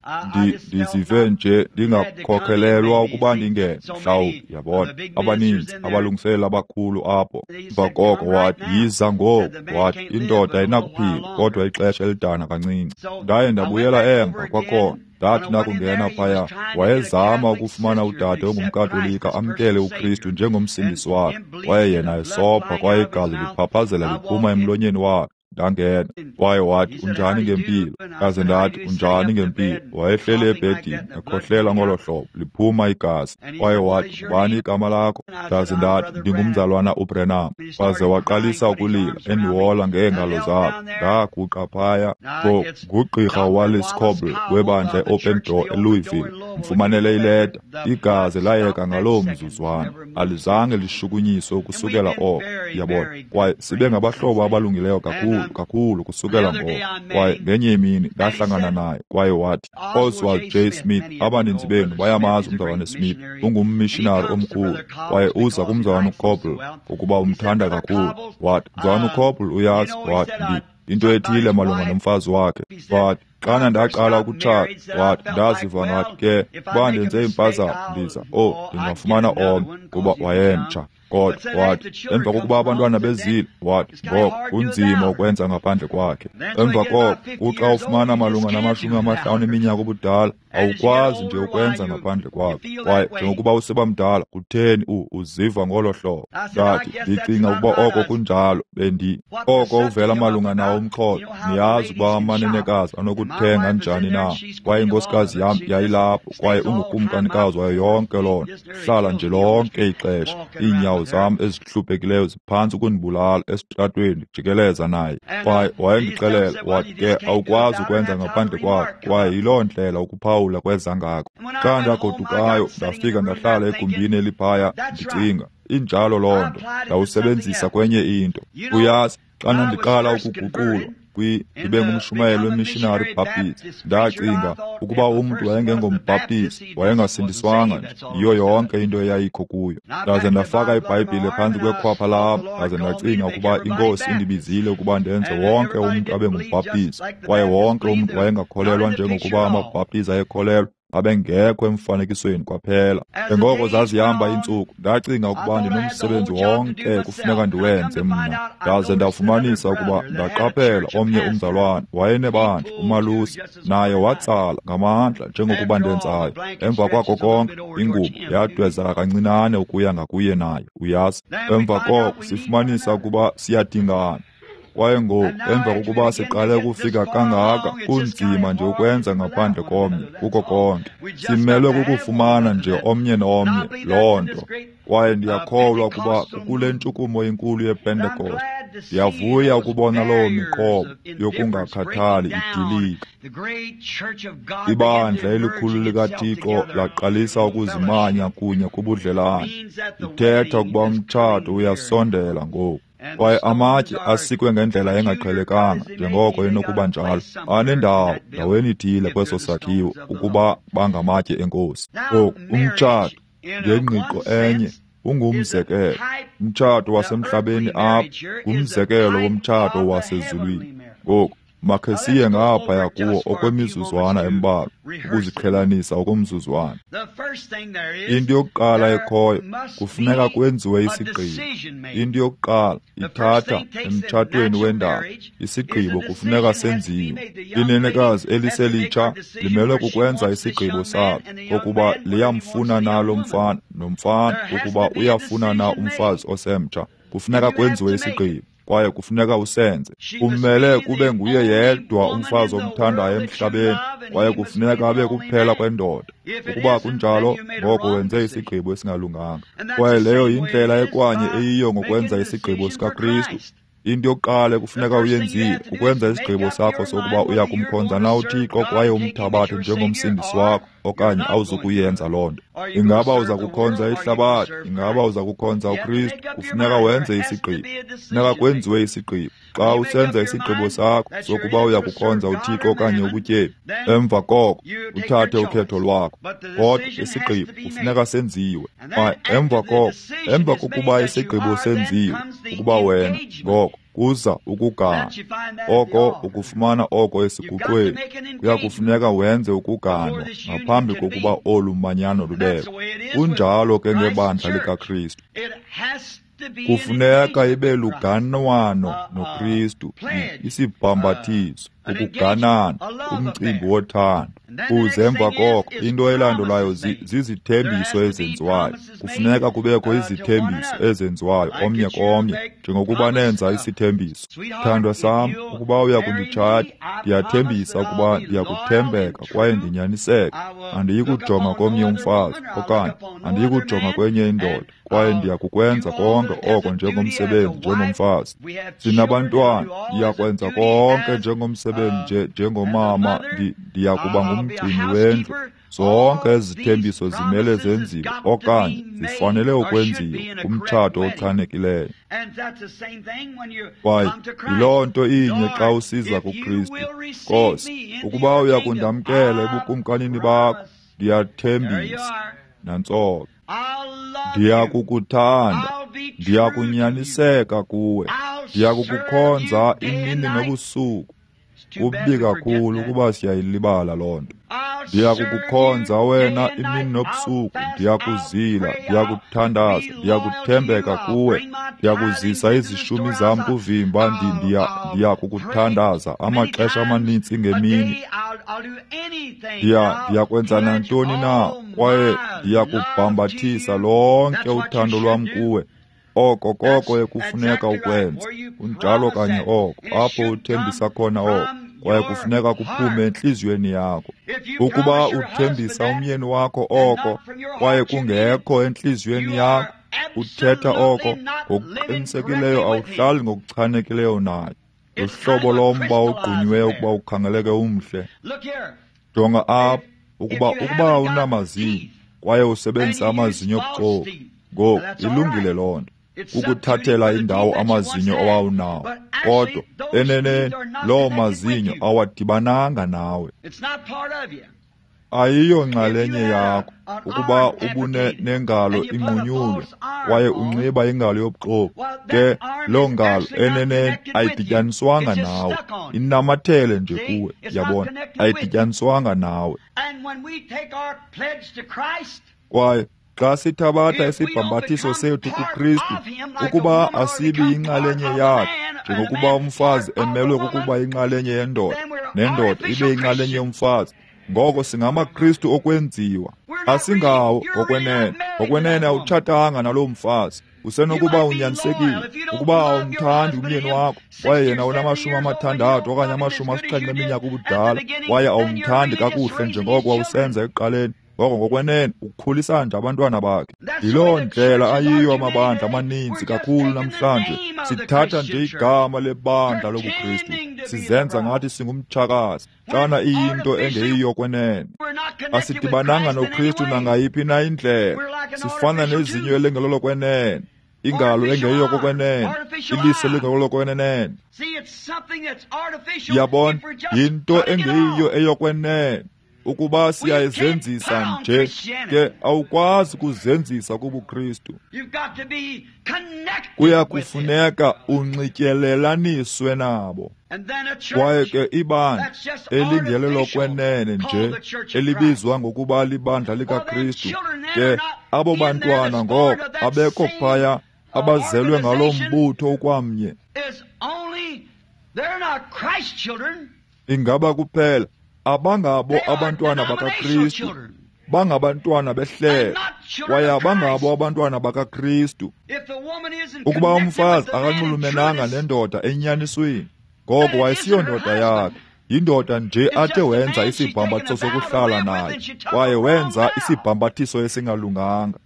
Ndizive nje ndingakhokhelelwa ukuba ndingene, mhlawumbi, yabona, abaninzi abalungiseleli abakhulu apho. Emva koko wathi, yiza ngoku. Wathi, indoda ayinakuphila, kodwa ixesha elidana kancinci. Ndaye ndabuyela emva kwakhona. Ndathi nakungena phaya, wayezama ukufumana udade ongumKatolika amkele uKristu njengomsindisi wakhe. Kwaye yena esopha, kwaye igazi liphaphazela liphuma emlonyeni wakhe. Ndangena. Kwaye wathi, unjani ngempilo? Ndaze ndathi, unjani ngempilo? Wayehleli ebhedini, ekhohlela ngolo hlobo, liphuma igazi. Kwaye wathi, ngubani igama lakho? Ndaze ndathi, ndingumzalwana uBrenham. Waze waqalisa ukulila, endiwola ngeengalo zakhe. Ndaguqa phaya. Ngugqirha Wallace Cobble webandla e-Open Door eLouisville. Mfumanele ileta. Igazi layeka ngaloo mzuzwana. Alizange lishukunyiswe ukusukela oko, yabona. Kwaye sibe ngabahlobo abalungileyo kakhulu kakhulu kusukela ngoko. Kwaye ngenye imini ndahlangana naye, kwaye wathi, Oswald J. Smith, abaninzi benu bayamazi umzalwane Smith, ungummishinari omkhulu, kwaye uza kumzalwane uCobble ngokuba umthanda kakhulu. Wathi, mzalwane uCobble uyazi, wathi, ndi into ethile malunga nomfazi wakhe. Wathi, xana ndaqala ukutshata, wathi, ndaziva ngathi ke kuba ndenze impazamo, ndiza, oh, ndingafumana omnye, kuba wayemtsha. Kodwa wathi, emva kokuba abantwana bezile, wathi, ngoko kunzima ukwenza ngaphandle kwakhe. Emva koko, kuxa ufumana malunga namashumi amahlanu eminyaka ubudala, awukwazi nje ukwenza ngaphandle kwakhe. Kwaye njengokuba usiba mdala, kutheni uziva ngolo hlobo? Ndathi, ndicinga ukuba oko kunjalo, bendi oko uvela malunga nawo umxholo. Niyazi ukuba amanenekazi anokuthenga njani na. Kwaye inkosikazi yam yayilapho, kwaye ungukumkanikazi wayo yonke loo nto. Hlala nje lonke ixesha, iinyawo zam ezihluphekileyo ziphantsi ukundibulala esitratweni jikeleza naye. Kwaye wayendixelela, wathi ke awukwazi ukwenza ngaphandle kwakhe, kwaye yiloo ndlela ukuphawula kweza ngako. Xa ndagodukayo, ndafika ndahlala egumbini eliphaya, ndicinga, injalo loo nto, ndawusebenzisa kwenye into. Uyazi, xa ndandiqala ukuguqulwa ndibe ngumshumayeli wemissionary Baptist, ndacinga ukuba umntu wayengengombhaptizi, wayengasindiswanga nje, yiyo yonke into eyayikho kuyo. Ndaze ndafaka iBhayibhile phantsi kwekhwapha lam, ndaze ndacinga ukuba iNkosi indibizile ukuba ndenze wonke umntu abe ngumbhaptizi, kwaye wonke umntu wayengakholelwa njengokuba amabhaptizi ayekholelwa. Babengekho emfanekisweni kwaphela. Njengoko zazihamba iintsuku, ndacinga ukuba ndinomsebenzi wonke kufuneka ndiwenze mna. Ndaze ndafumanisa ukuba ndaqaphela omnye umzalwane wayenebandla, umalusi, naye watsala ngamandla njengokuba ndenzayo. Emva kwako konke, ingubo yadwezeka kancinane ukuya ngakuye naye, uyazi. Emva koko sifumanisa ukuba siyadingana. Kwaye ngoku, emva kokuba siqale ukufika kangaka, kunzima nje ukwenza ngaphandle komnye kuko konke. Simelwe kukufumana nje omnye nomnye loo nto. Kwaye ndiyakholwa ukuba kule ntshukumo inkulu yePentekoste, ndiyavuya ukubona loo miqobo yokungakhathali idilika. Ibandla elikhulu likaThixo laqalisa ukuzimanya kunye kubudlelane. Ithetha ukuba umtshato uyasondela ngoku. Kwaye amatye asikwe ngendlela engaqhelekanga njengoko enokuba njalo, anendawo ndaweni ithile kweso sakhiwo ukuba bangamatye enkosi. Ngoku umtshato ngengqiqo enye ungumzekelo. Umtshato wasemhlabeni apha ngumzekelo womtshato wasezulwini. Ngoku makhe siye ngaphaya kuwo okwemizuzwana embalwa ukuziqhelanisa okomzuzwana. Into yokuqala ekhoyo kufuneka kwenziwe isigqibo. Into yokuqala ithatha emtshatweni wendalo. Isigqibo kufuneka senziwe. Inenekazi eliselitsha limelwe kukwenza isigqibo salo kokuba liyamfuna na lo mfana, nomfana ukuba uyafuna na umfazi osemtsha. Kufuneka kwenziwe isigqibo kwaye kufuneka usenze. Kumele kube nguye yedwa umfazi omthandayo emhlabeni, kwaye kufuneka abe kuphela kwendoda. Ukuba kunjalo, ngoko wenze isigqibo esingalunganga. Kwaye leyo yindlela ekwanye eyiyo ngokwenza isigqibo sikaKristu. Into yokuqala ekufuneka uyenzile kukwenza isigqibo sakho sokuba uya kumkhonza na uThixo kwaye umthabathe njengomsindisi wakho, okanye awuzukuyenza loo nto. Ingaba uza kukhonza ihlabathi? Ingaba uza kukhonza uKristu? Kufuneka wenze isigqibo. Kufuneka kwenziwe isigqibo. Xa usenza isigqibo sakho sokuba uya kukhonza uThixo okanye ubutyebi, emva koko uthathe ukhetho lwakho. Kodwa isigqibo kufuneka senziwe. Kwaye emva koko, emva kokuba isigqibo senziwe, ukuba wena ngoko kuza ukuganwa. Oko ukufumana oko esiguqweni, kuya kufuneka wenze ukuganwa ngaphambi kokuba olu manyano lubekho. Kunjalo ke ngebandla likaKristu. Kufuneka ibe luganwano noKristu, isibhambathiso, ukuganana, umcimbi wothando. Kuze emva koko, into elandelayo zizithembiso ezenziwayo. Kufuneka kubekho izithembiso ezenziwayo omnye komnye, njengokuba nenza isithembiso. Thandwa sam, ukuba uya kunditshata, ndiyathembisa ukuba ndiyakuthembeka kwaye ndinyaniseke. Andiyi kujonga komnye umfazi okanye andiyi kujonga kwenye indoda, kwaye ndiyakukwenza konke oko njengomsebenzi, njengomfazi. Sinabantwana, ndiyakwenza konke njengomsebenzi, nje njengomama, ndiyakuba ngumgcini wendlu. Zonke ezithembiso zimele zenziwe okanye zifanele ukwenziwa kumtshato ochanekileyo. Kwaye yiloo nto inye xa usiza kuKristu. Nkosi, ukuba uya kundamkela ebukumkanini bakho, ndiyathembisa. Nantso. Ndiyakukuthanda, ndiyakunyaniseka kuwe, ndiyakukukhonza imini nobusuku. Kubi kakhulu ukuba siyayilibala loo nto. Ndiyakukukhonza wena imini nobusuku, ndiyakuzila, ndiyakuthandaza, ndiyakuthembeka kuwe, ndiyakuzisa izishumi zam kuvimba, ndiya ndiyakukuthandaza amaxesha amanintsi ngemini. Ndiya ndiyakwenza nantoni na, kwaye ndiyakubhambathisa lonke uthando lwam kuwe. Oko koko ekufuneka ukwenze. Kunjalo kanye oko, apho uthembisa khona oko, kwaye kufuneka kuphume entliziyweni yakho. Ukuba uthembisa umyeni wakho oko, kwaye kungekho entliziyweni yakho, uthetha oko, ngokuqinisekileyo awuhlali ngokuchanekileyo naye. Luhlobo lomba ogqunyiweyo ukuba ukhangeleke umhle. Jonga apha, ukuba ukuba unamazinyo, kwaye usebenzisa amazinyo okuxoka, ngoku ilungile loo nto, ukuthathela indawo amazinyo owawunawo. Kodwa eneneni loo mazinyo awadibananga nawe. Ayiyo nxalenye yakho ukuba ubune nengalo inqunyulwe kwaye unxiba ingalo yobuxoki. Ke loo ngalo eneneni ayidityaniswanga nawe, inamathele nje kuwe, yabona, ayidityaniswanga nawe. Kwaye xa sithabatha isibhambathiso sethu kuKristu, ukuba asibi yinxalenye yakhe, njengokuba umfazi emelwe kukuba yinxalenye yendoda, nendoda ibe yinxalenye yomfazi, ngoko singamaKristu okwenziwa. Asingawo ngokwenene. Ngokwenene awutshatanga naloo mfazi. Usenokuba unyanisekile ukuba awumthandi umyeni wakho, kwaye yena unamashumi amathandathu okanye amashumi asixhenxe eminyaka ubudala, kwaye awumthandi kakuhle njengoko wawusenza ekuqaleni. Ngoko ngokwenene ukhulisa nje abantwana bakhe. Yiloo ndlela ayiyo amabandla amaninzi kakhulu namhlanje. Sithatha nje igama lebandla lobuKristu, sizenza ngathi singumtshakazi, xana iyinto engeyiyo kwenene. Asidibananga noKristu nangayiphi na indlela. Sifana nezinyo elingelolo kwenene, ingalo engeyiyo kokwenene, iliso elingelolo kwenene. Yabona, yinto engeyiyo eyokwenene. Ukuba siyayizenzisa nje, ke awukwazi kuzenzisa kubuKristu. Kuya kufuneka unxityelelaniswe nabo. Kwaye ke ibandla elingelelo kwenene nje, elibizwa ngokuba libandla likaKristu, ke abo bantwana ngoko abekho phaya abazelwe ngaloo mbutho ukwamnye. Ingaba kuphela abangabo abantwana bakaKristu, bangabantwana behlelo, kwaye abangabo abantwana bakaKristu. Ukuba umfazi akanxulumenanga nendoda enyanisweni, ngoko wayesiyondoda yakhe, yindoda nje athe wenza isibhambathiso sokuhlala naye, kwaye wenza isibhambathiso esingalunganga.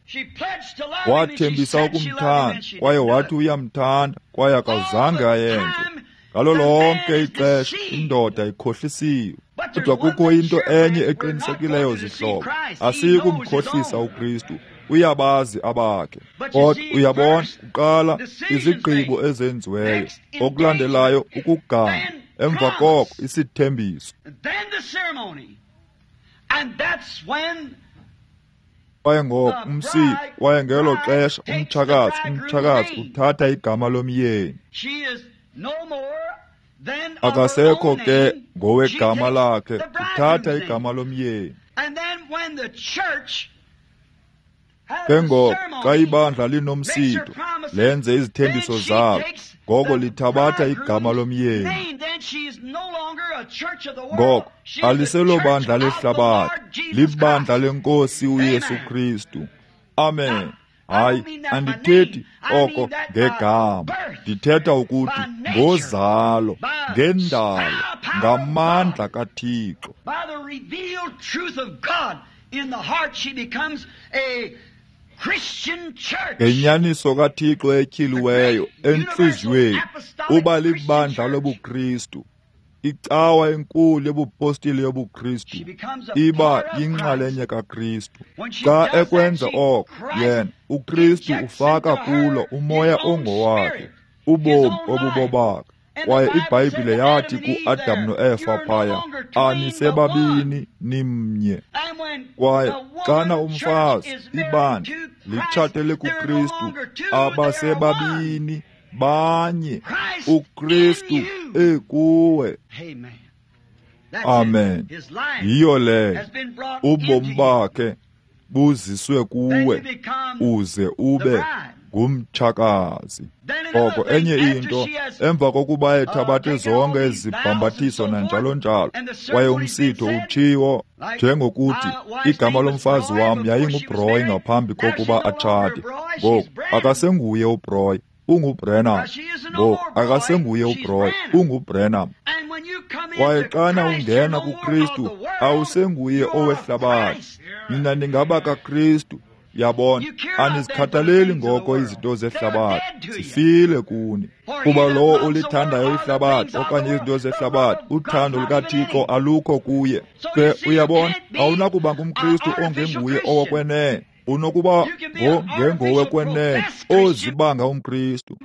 Wathembisa ukumthanda, kwaye wathi uyamthanda, kwaye akazange ayenze. Ngalo lonke ixesha indoda ikhohlisiwe. Kodwa kukho into enye eqinisekileyo, zihlobo, asiyi kumkhohlisa uKristu. Uyabazi abakhe. Kodwa uyabona, kuqala izigqibo ezenziweyo, okulandelayo ukuganga, emva koko isithembiso. Kwaye ngoko umsitho, kwaye ngelo xesha umtshakazi, umtshakazi uthatha igama lomyeni. Akasekho ke ngowegama lakhe, uthatha igama lomyeni. Ke ngoko xa ibandla linomsitho, lenze izithembiso zalo, ngoko lithabatha igama lomyeni. Ngoko aliselobandla lehlabathi, libandla lenkosi uYesu Kristu. Amen. Hayi, andithethi oko ngegama, ndithetha ukuthi ngozalo, ngendalo, ngamandla kaThixo. Ngenyaniso kaThixo etyhiliweyo entliziyweni, uba libandla lobuKristu. Icawa enkulu yobupostile yobuKristu iba yinxalenye kaKristu. Xa ekwenza oko, yena uKristu ufaka kulo umoya ongowakhe, ubomi obubobakhe. Kwaye iBhayibhile yathi kuAdam noEfa phaya, anisebabini nimnye. Kwaye xana umfazi, ibandla, litshatele kuKristu, abasebabini banye, uKristu ekuwe. Amen. Yiyo leyo, ubomi bakhe buziswe kuwe uze ube ngumtshakazi. Oko enye into, emva kokuba ethabathe zonke ezibhambathiso nanjalo njalo, kwaye umsitho utshiwo njengokuthi igama lomfazi wam yayinguBroy ngaphambi kokuba atshate. Ngoku akasenguye uBroy, unguBrenham. Ngoku akasenguye uBroy, unguBrenham. Kwaye xana ungena kuKristu, awusenguye owehlabathi. Nina ningaba kaKristu. Yabona, anizikhathaleli ngoko izinto zehlabathi, zifile kuni. Kuba lowo ulithandayo ihlabathi okanye izinto zehlabathi, uthando lukaThixo alukho kuye. Ke uyabona, awunakuba ngumKristu ongenguye owokwenene. Unokuba ngengowekwenene ozibanga umKristu,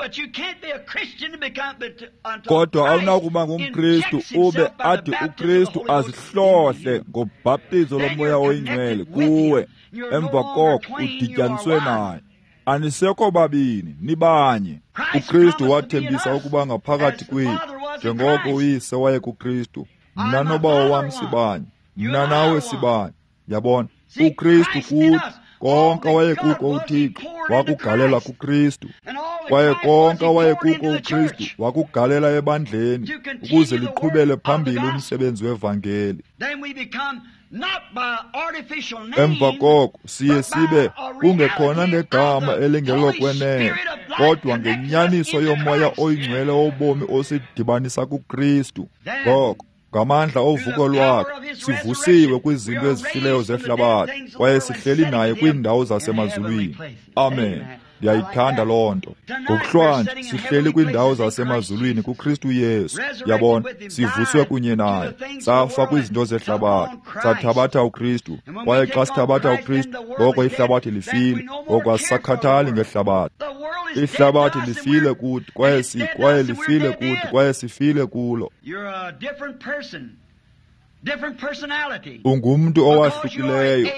kodwa awunakuba ngumKristu ube ade uKristu azihlohle ngobhaptizo loMoya oyiNgcwele kuwe. Emva koko udityaniswe naye. Anisekho babini, nibanye. UKristu wathembisa ukuba ngaphakathi kwethu, njengoko uYise wayekuKristu. Mna noBawo wam sibanye, mna nawe sibanye. Yabona, uKristu kuthi, konke wayekuko uThixo wakugalela kuKristu, kwaye konke wayekuko uKristu wakugalela ebandleni ukuze liqhubele phambili umsebenzi wevangeli. Emva koko siye sibe kungekhona ngegama elingelokwenene, kodwa ngenyaniso yoMoya oyiNgcwele wobomi osidibanisa kuKristu. Ngoko ngamandla ovuko lwakhe sivusiwe kwizinto ezifileyo zehlabathi, kwaye sihleli naye kwiindawo zasemazulwini. Amen. Ndiyayithanda loo nto. Ngokuhlwanje sihleli kwiindawo zasemazulwini kuKristu Yesu. Yabona, sivuswe kunye naye, safa kwizinto zehlabathi, sathabatha uKristu. Kwaye xa sithabatha uKristu, ngoko ihlabathi lifile, ngoko asisakhathali ngehlabathi. Ihlabathi lifile kuthi, kwaye si kwaye lifile kuthi, kwaye sifile kulo. Ungumntu owahlukileyo,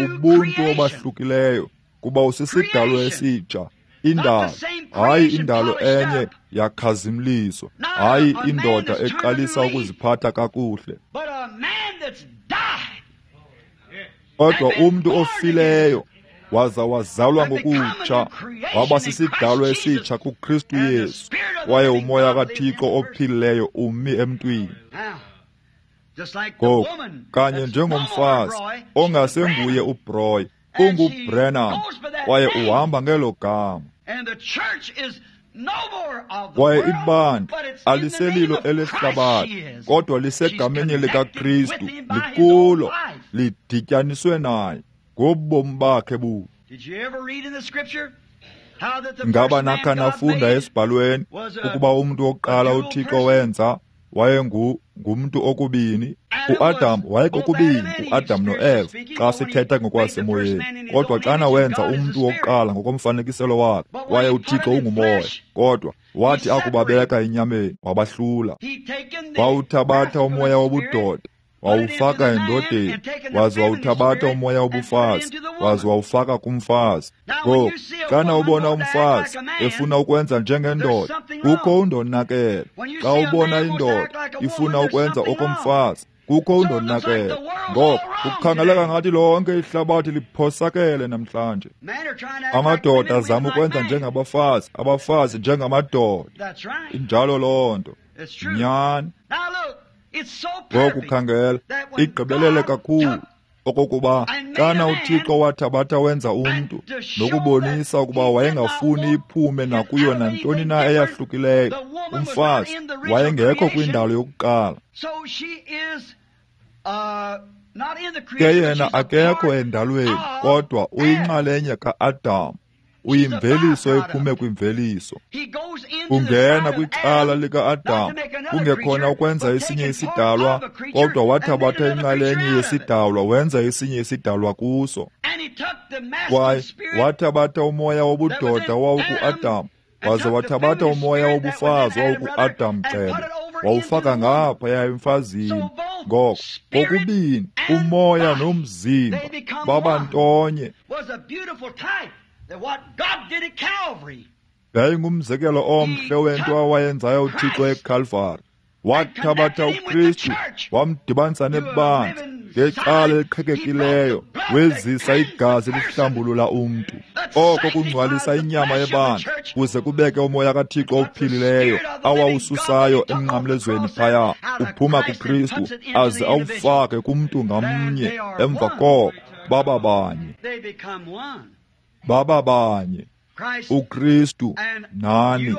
ubuntu obahlukileyo, kuba usisidalwa esitsha. Indalo, hayi indalo enye yakhazimliswa, hayi indoda eqalisa ukuziphatha kakuhle, kodwa umntu ofileyo waza wazalwa ngokutsha, waba sisidalwa esitsha kuKristu Yesu, kwaye uMoya kaThixo ophilileyo umi emntwini. Ngoku, kanye njengomfazi ongasenguye uBroy, unguBrenham, kwaye uhamba ngelo gama. Kwaye ibandla aliselilo elehlabathi, kodwa lisegameni likaKristu, likulo, lidityaniswe naye ngobomi bakhe bu. Ngaba nakha nafunda esibhalweni ukuba umntu wokuqala uThixo wenza wayengu ngumntu okubini? uAdam wayekokubini, uAdam noEva, xa sithetha ngokwasemoyeni. Kodwa xana wenza umntu wokuqala ngokomfanekiselo wakhe, kwaye uThixo ungumoya, kodwa wathi akubabeka enyameni wabahlula. Wawuthabatha umoya wobudoda wawufaka endodeni, waze wawuthabatha umoya wobufazi waze wawufaka kumfazi. Ngoku xana ubona umfazi efuna ukwenza njengendoda, kukho undonakele. Xa ubona indoda ifuna ukwenza okomfazi, kukho undonakele. Ngoko kukhangeleka ngathi lonke ihlabathi liphosakele namhlanje. Amadoda azama ukwenza njengabafazi, abafazi njengamadoda. Injalo loo nto. Nyani. Ngoku khangela, igqibelele kakhulu okokuba xana uThixo wathabatha wenza umntu nokubonisa ukuba wayengafuni iphume nakuyo nantoni na eyahlukileyo, umfazi wayengekho kwindalo yokuqala. Ke yena akekho endalweni, kodwa uyinxalenye ka-Adam, uyimveliso ephume kwimveliso. Ungena kwicala lika-Adam, kungekhona ukwenza esinye isidalwa, kodwa wathabatha inxalenye yesidalwa wenza esinye isidalwa kuso. Kwaye wathabatha umoya wobudoda owawuku-Adam, waze wathabatha umoya wobufazi owawuku-Adam gxebe, wawufaka ngaphaya emfazini. Ngoko kokubini umoya nomzimba baba ntonye. Yayingumzekelo omhle wento awayenzayo uThixo eKalvari. Wathabatha uKristu wamdibanisa nebandla ngecala eliqhekekileyo, wezisa igazi elihlambulula umntu. Oko kungcwalisa inyama yebandla kuze kubeke umoya kaThixo ophilileyo awawususayo emnqamlezweni phaya uphuma kuKristu aze awufake kumntu ngamnye. Emva koko baba banye, baba banye. uKristu nani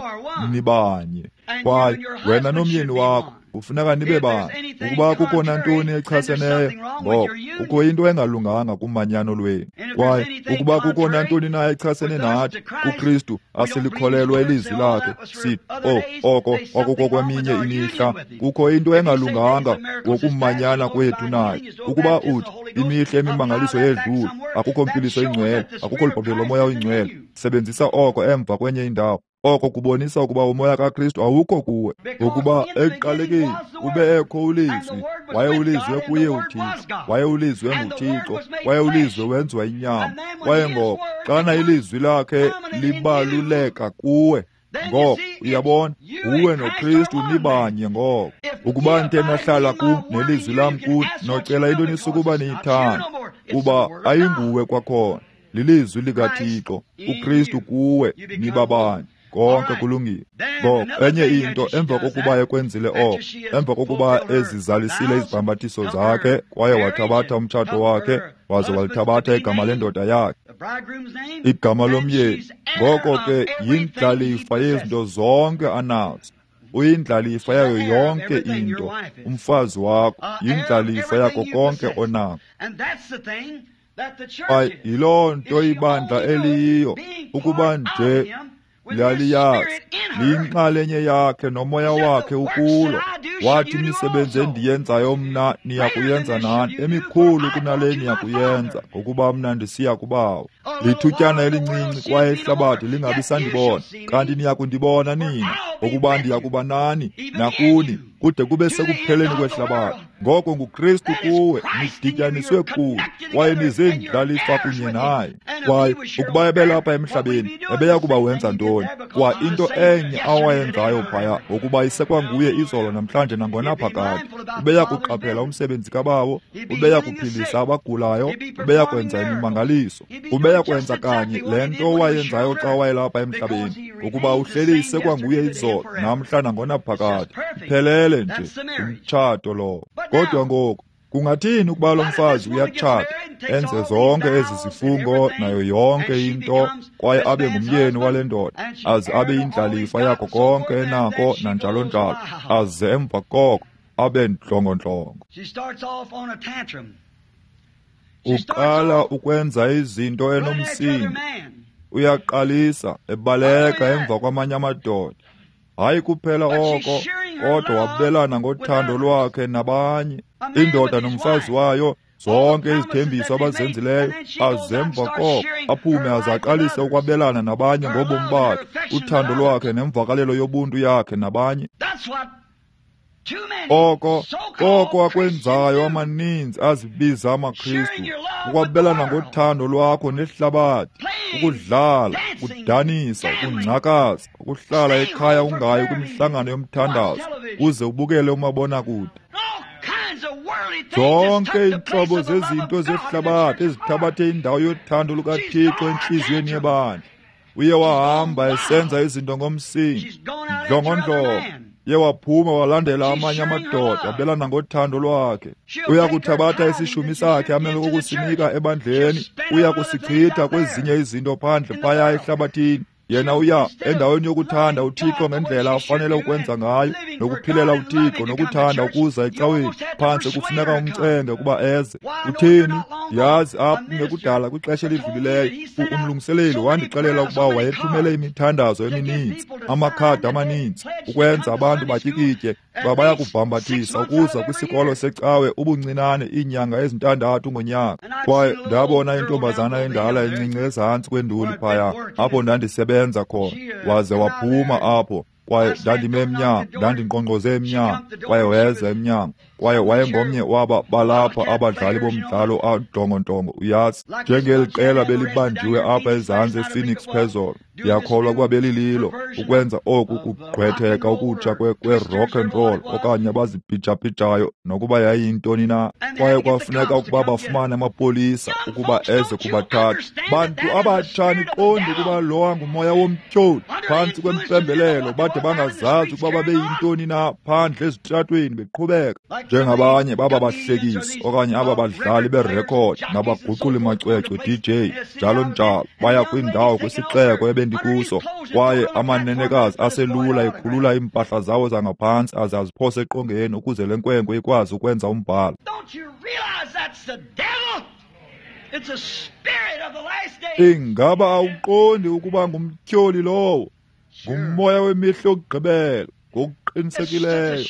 nibanye. Kwaye wena nomyeni wakho Kufuneka nibe banye. Ukuba kukho nantoni echaseneyo, ngoko kukho into engalunganga kumanyano lwenu. Kwaye ukuba kukho nantoni na echasene nathi kuKristu, asilikholelwa ilizwi lakhe, sithi, oh, oko kwakukokweminye imihla. Kukho into engalunganga ngokumanyana kwethu naye. Ukuba uthi imihla emimangaliso yedlula, akukho mpiliso ingcwele, akukho lubhaptizo lomoya oyingcwele, sebenzisa oko emva kwenye indawo. Oko kubonisa ukuba umoya kaKristu awukho kuwe. Ngokuba ekuqalekeni ube ekho ulizwi, waye ulizwe kuye uThixo, waye ulizwe nguThixo, waye ulizwe wenziwa inyama. Kwaye ngoko xana ilizwi lakhe libaluleka kuwe, ngoko uyabona, uwe noKristu nibanye. Ngoko ukuba nte nahlala kum nelizwi lam kuni, nocela into nisukuba niyithanda, kuba ayinguwe kwakhona, lilizwi likaThixo, uKristu kuwe, nibabanye. Konke kulungile. Ngoko enye into, emva kokuba ekwenzile oko, emva kokuba ezizalisile izibhambathiso zakhe, kwaye wathabatha umtshato wakhe, waze walithabatha igama lendoda yakhe, igama lomyeni. Ngoko ke yindlalifa yezinto zonke anazo. Uyindlalifa yayo yonke into. Umfazi wakho yindlalifa yakho konke onako. Kwaye yiloo nto ibandla eliyiyo, ukuba nje liyaliyazi, liyinxalenye yakhe nomoya wakhe ukulo. Wathi, imisebenzi endiyenzayo mna niyakuyenza nani, emikhulu kunale niyakuyenza, ngokuba mna ndisiya kubawo. Lithutyana elincinci kwaye ihlabathi lingabi sandibona, kanti niyakundibona nina, ngokuba ndiyakuba nani nakuni kude kube sekupheleni kwehlabathi. Ngoko nguKristu kuwe, nidityaniswe kuye, kwaye niziindlalifa kunye naye. Kwaye ukuba ebelapha emhlabeni, ebeya kuba wenza ntoni? Kwa into enye awayenzayo phaya, ngokuba isekwanguye izolo namhlanje nangonaphakade. Ubeya kuqaphela umsebenzi kabawo, ubeya kuphilisa abagulayo, ubeya kwenza imimangaliso, ubeya kwenza kanye le nto wayenzayo xa wayelapha emhlabeni, ngokuba uhleli isekwanguye izolo namhla nangonaphakade. Iphelele nje umtshato lowo. Kodwa ngoku kungathini ukuba lo mfazi uyatshata, enze zonke ezi zifungo nayo yonke into, kwaye abe ngumyeni wale ndoda, aze abe yindlalifa yakho konke enako nanjalo njalo, aze emva koko abe ntlongontlongo. Uqala ukwenza izinto enomsindo, uyaqalisa ebaleka emva kwamanye amadoda. Hayi kuphela oko, kodwa wabelana ngothando lwakhe nabanye, indoda nomfazi wayo, zonke izithembiso abazenzileyo, azemva koko aphume azaqalise ukwabelana nabanye ngobomi bakhe, uthando lwakhe nemvakalelo yobuntu yakhe nabanye. Oko koko akwenzayo amaninzi azibiza amaKristu, ukwabelana ngothando lwakho nehlabathi, ukudlala, ukudanisa, ukungcakaza, ukuhlala ekhaya ungayi kwimihlangano yomthandazo uze ubukele umabonakude. Zonke iintlobo zezinto zehlabathi ezithabathe indawo yothando lukaThixo entliziyweni yebandla. Uye wahamba esenza izinto ngomsindo, ndlongondlongo. Uye waphuma walandela amanye amadoda, wabelana ngothando lwakhe. Uya kuthabatha isishumi sakhe amele ukusinika ebandleni, uya kusichitha kwezinye izinto phandle phaya ehlabathini. Yena uya endaweni yokuthanda uThixo ngendlela afanele ukwenza ngayo, nokuphilela uThixo, nokuthanda ukuza ecaweni. Phantse kufuneka umcenge ukuba eze. Utheni? Yazi apha kungekudala kwixesha elidlulileyo, umlungiseleli wandixelela ukuba wayethumele imithandazo emininzi, amakhadi amaninzi, ukwenza abantu batyikitye ukuba baya kubhambathisa ukuza kwisikolo secawe ubuncinane iinyanga ezintandathu ngonyaka. Kwaye ndabona intombazana endala encinci ezantsi kwenduli phaya, apho ndandisebenza khona, waze waphuma apho. Kwaye ndandime emnyango, ndandinqonqoze emnyango, kwaye weza emnyango. Kwaye wayengomnye waba balapha abadlali bomdlalo andongontongo, uyazi, njengeli qela belibanjiwe apha ezantsi ePhoenix phezolo. Ndiyakholwa ukuba belililo ukwenza oku kugqwetheka ukutsha kwe-rock and roll okanye abazibhijabhijayo nokuba yayiyintoni na. Kwaye kwafuneka ukuba bafumane amapolisa ukuba eze kubathatha. Bantu abatsha, niqondi ukuba lowa ngumoya womtyholi phantsi kwempembelelo, bade bangazazi ukuba babeyintoni na phandle ezitratweni beqhubeka njengabanye baba bahlekisi okanye aba badlali berekhodi nabaguquli macwecwe D J njalo njalo, baya kwindawo kwisixeko ebe ebendikuso, kwaye amanenekazi aselula ekhulula iimpahla zawo zangaphantsi aze aziphose eqongeni ukuze le nkwenkwe ikwazi ukwenza umbhalo. Ingaba awuqondi ukuba ngumtyholi lowo? Ngumoya wemihla yokugqibela, ngokuqinisekileyo.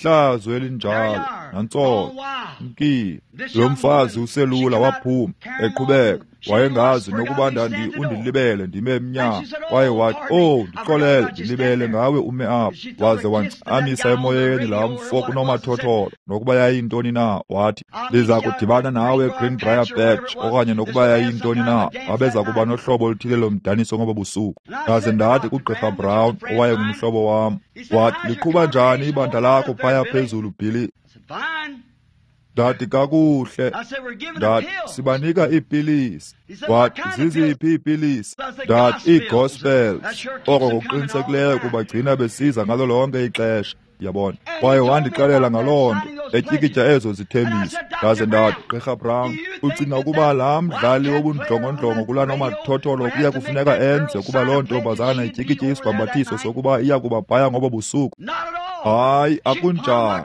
Hlazo elinjalo, nantsolo, mkile. Lo mfazi uselula waphuma, eqhubeka. Wayengazi nokuba ndandi undilibele ndime emnyango. Kwaye wathi, "Oh, ndixolele, ndilibele ngawe ume apha." Waze wancamisa emoyeni laa mfo kunomathotholo, nokuba yayintoni na. Wathi, "Ndiza kudibana nawe eGreenbrier Patch," okanye nokuba yayintoni na. Babeza kuba nohlobo oluthile lomdaniso ngobo busuku. Ndaze ndathi kuGqirha Brown, owayengumhlobo wam, wathi, "Liqhuba njani ibandla lakho phaya phezulu, Billy?" Ndathi, "Kakuhle." Ndathi, "Sibanika iipilisi." Wathi, "Ziziphi iipilisi?" Ndathi, "Ii-gospels." Oko ngokuqinisekileyo kubagcina besiza ngalo lonke ixesha, yabona. Kwaye wandixelela ngaloo nto, etyikitya ezo zithembiso. Ndaze ndathi, "Gqirha Brown, ucinga ukuba laa mdlali wobundlongondlongo kulaa nomathotholo kuya kufuneka enze ukuba loo ntombazana ityikitye isibhambathiso sokuba iya kuba phaya ngobo busuku?" Hayi, akunjalo.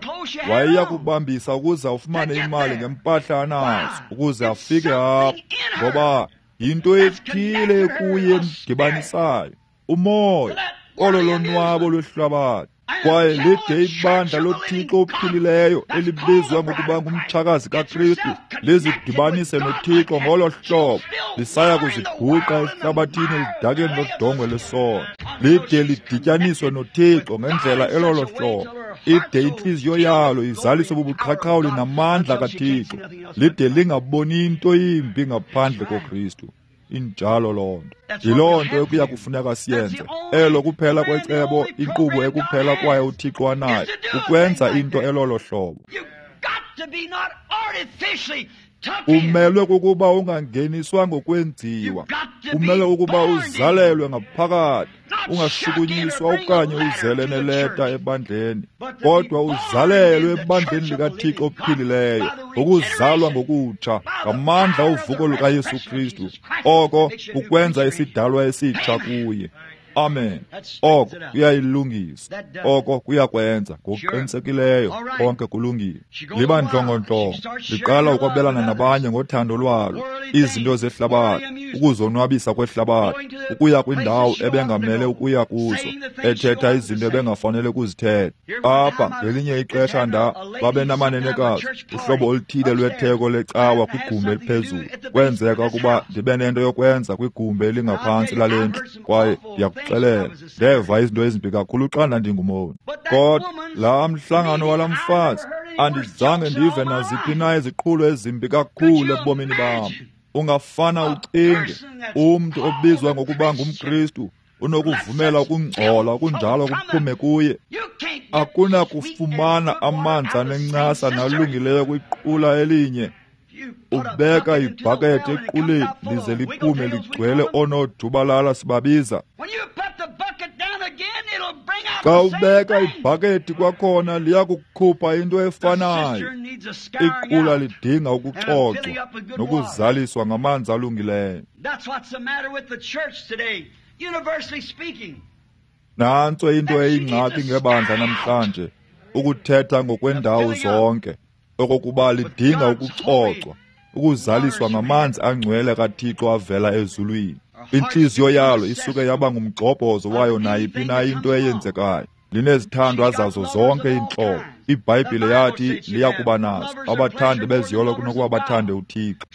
Wayeya kubambisa ukuze afumane imali ngempahla anazo, ukuze afike apho, ngoba yinto ethile kuye emdibanisayo, umoya, olo lonwabo lwehlabathi. Kwaye lide ibandla loThixo ophilileyo elibizwa ngokuba ngumtshakazi kaKristu lizidibanise noThixo ngolo hlobo, lisaya kuziguqa ehlabathini elidakeni lodongwe lesono. Lide lidityaniswe noThixo ngendlela elolo hlobo, ide intliziyo yalo izaliswe bubuqhaqhawuli namandla kaThixo, lide lingaboni into imbi ngaphandle koKristu. Injalo loo nto. Yiloo nto ekuya kufuneka siyenze. Elo kuphela kwecebo, inkqubo ekuphela kwayo uThixo anayo, ukwenza into elolo hlobo. Umelwe kukuba ungangeniswa ngokwenziwa. Umelwe ukuba uzalelwe ngaphakathi, ungashukunyiswa okanye uzele neleta ebandleni, kodwa uzalelwe ebandleni likaThixo ophilileyo, ngokuzalwa ngokutsha ngamandla ovuko lukaYesu Kristu. Oko kukwenza isidalwa esitsha kuye. Amen. Oko kuyayilungisa. Oko kuyakwenza ngokuqinisekileyo konke kulungile. Liba ndlongondlongo, liqala ukwabelana nabanye ngothando lwalo, izinto zehlabathi, ukuzonwabisa kwehlabathi, ukuya kwindawo ebengamele ukuya kuzo, ethetha izinto ebengafanele ukuzithetha. Apha ngelinye ixesha nda babenamanenekazi, uhlobo oluthile lwetheko lecawa kwigumbi eliphezulu. Kwenzeka ukuba ndibe nento yokwenza kwigumbi elingaphantsi lale ndlu, kwaye ndiyakuxelela, ndeva izinto ezimbi kakhulu xa ndandingumoni. Kodwa laa mhlangano walaa mfazi, andizange ndive naziphi na iziqhulo ezimbi kakhulu ebomini bam. Ungafana ucinge, umntu obizwa ngokuba ngumKristu unokuvumela ukungcola okunjalo kuphume kuye. Akunakufumana amanzi anencasa nalungileyo kwiqula elinye. Ubeka ibhakethe equleni lize liphume ligcwele oonojubalala sibabiza. Xa ubeka ibhakethi kwakhona liya kukhupha into efanayo. Iqula lidinga ukucocwa nokuzaliswa ngamanzi alungileyo. Nantso into eyingxaki ngebandla namhlanje, ukuthetha ngokwendawo zonke, okokuba lidinga ukucocwa, ukuzaliswa ngamanzi angcwele kaThixo avela ezulwini. Intliziyo yalo isuke yaba ngumgxobhozo wayo nayiphi na into eyenzekayo. Linezithandwa zazo zonke iintlobo. IBhayibhile yathi liya kuba nazo, abathandi beziyolo kunokuba bathande uThixo,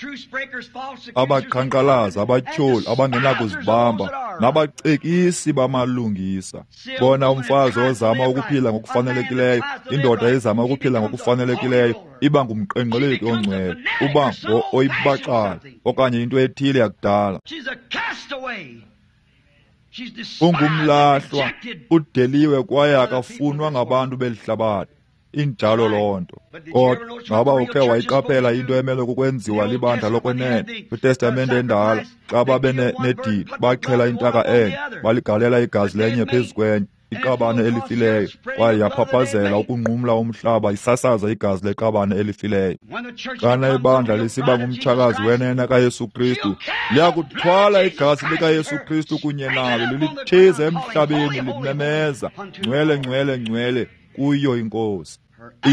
abaqhankqalazi, abatyholi, abangenakuzibamba, nabacekisi bamalungisa. Bona umfazi ozama ukuphila ngokufanelekileyo, indoda ezama ukuphila ngokufanelekileyo, iba ngumqengqeleki ongcwele, uba ngo oyibaxayo okanye into ethile yakudala. Ungumlahlwa, udeliwe kwaye akafunwa ngabantu beli hlabathi. Injalo loo nto. Kodwa ngaba ukhe wayiqaphela into emele kukwenziwa libandla lokwenene kwiTestamente endala? Xa babe nedili, baxhela intaka enye, baligalela igazi lenye phezu kwenye, iqabane elifileyo, kwaye yaphaphazela ukunqumla umhlaba isasaza igazi leqabane elifileyo. Xana ibandla lisiba ngumtshakazi wenene kaYesu Kristu, liyakuthwala igazi likaYesu Kristu kunye nalo, lilithize emhlabeni, limemeza, ngcwele, ngcwele, ngcwele, kuyo iNkosi.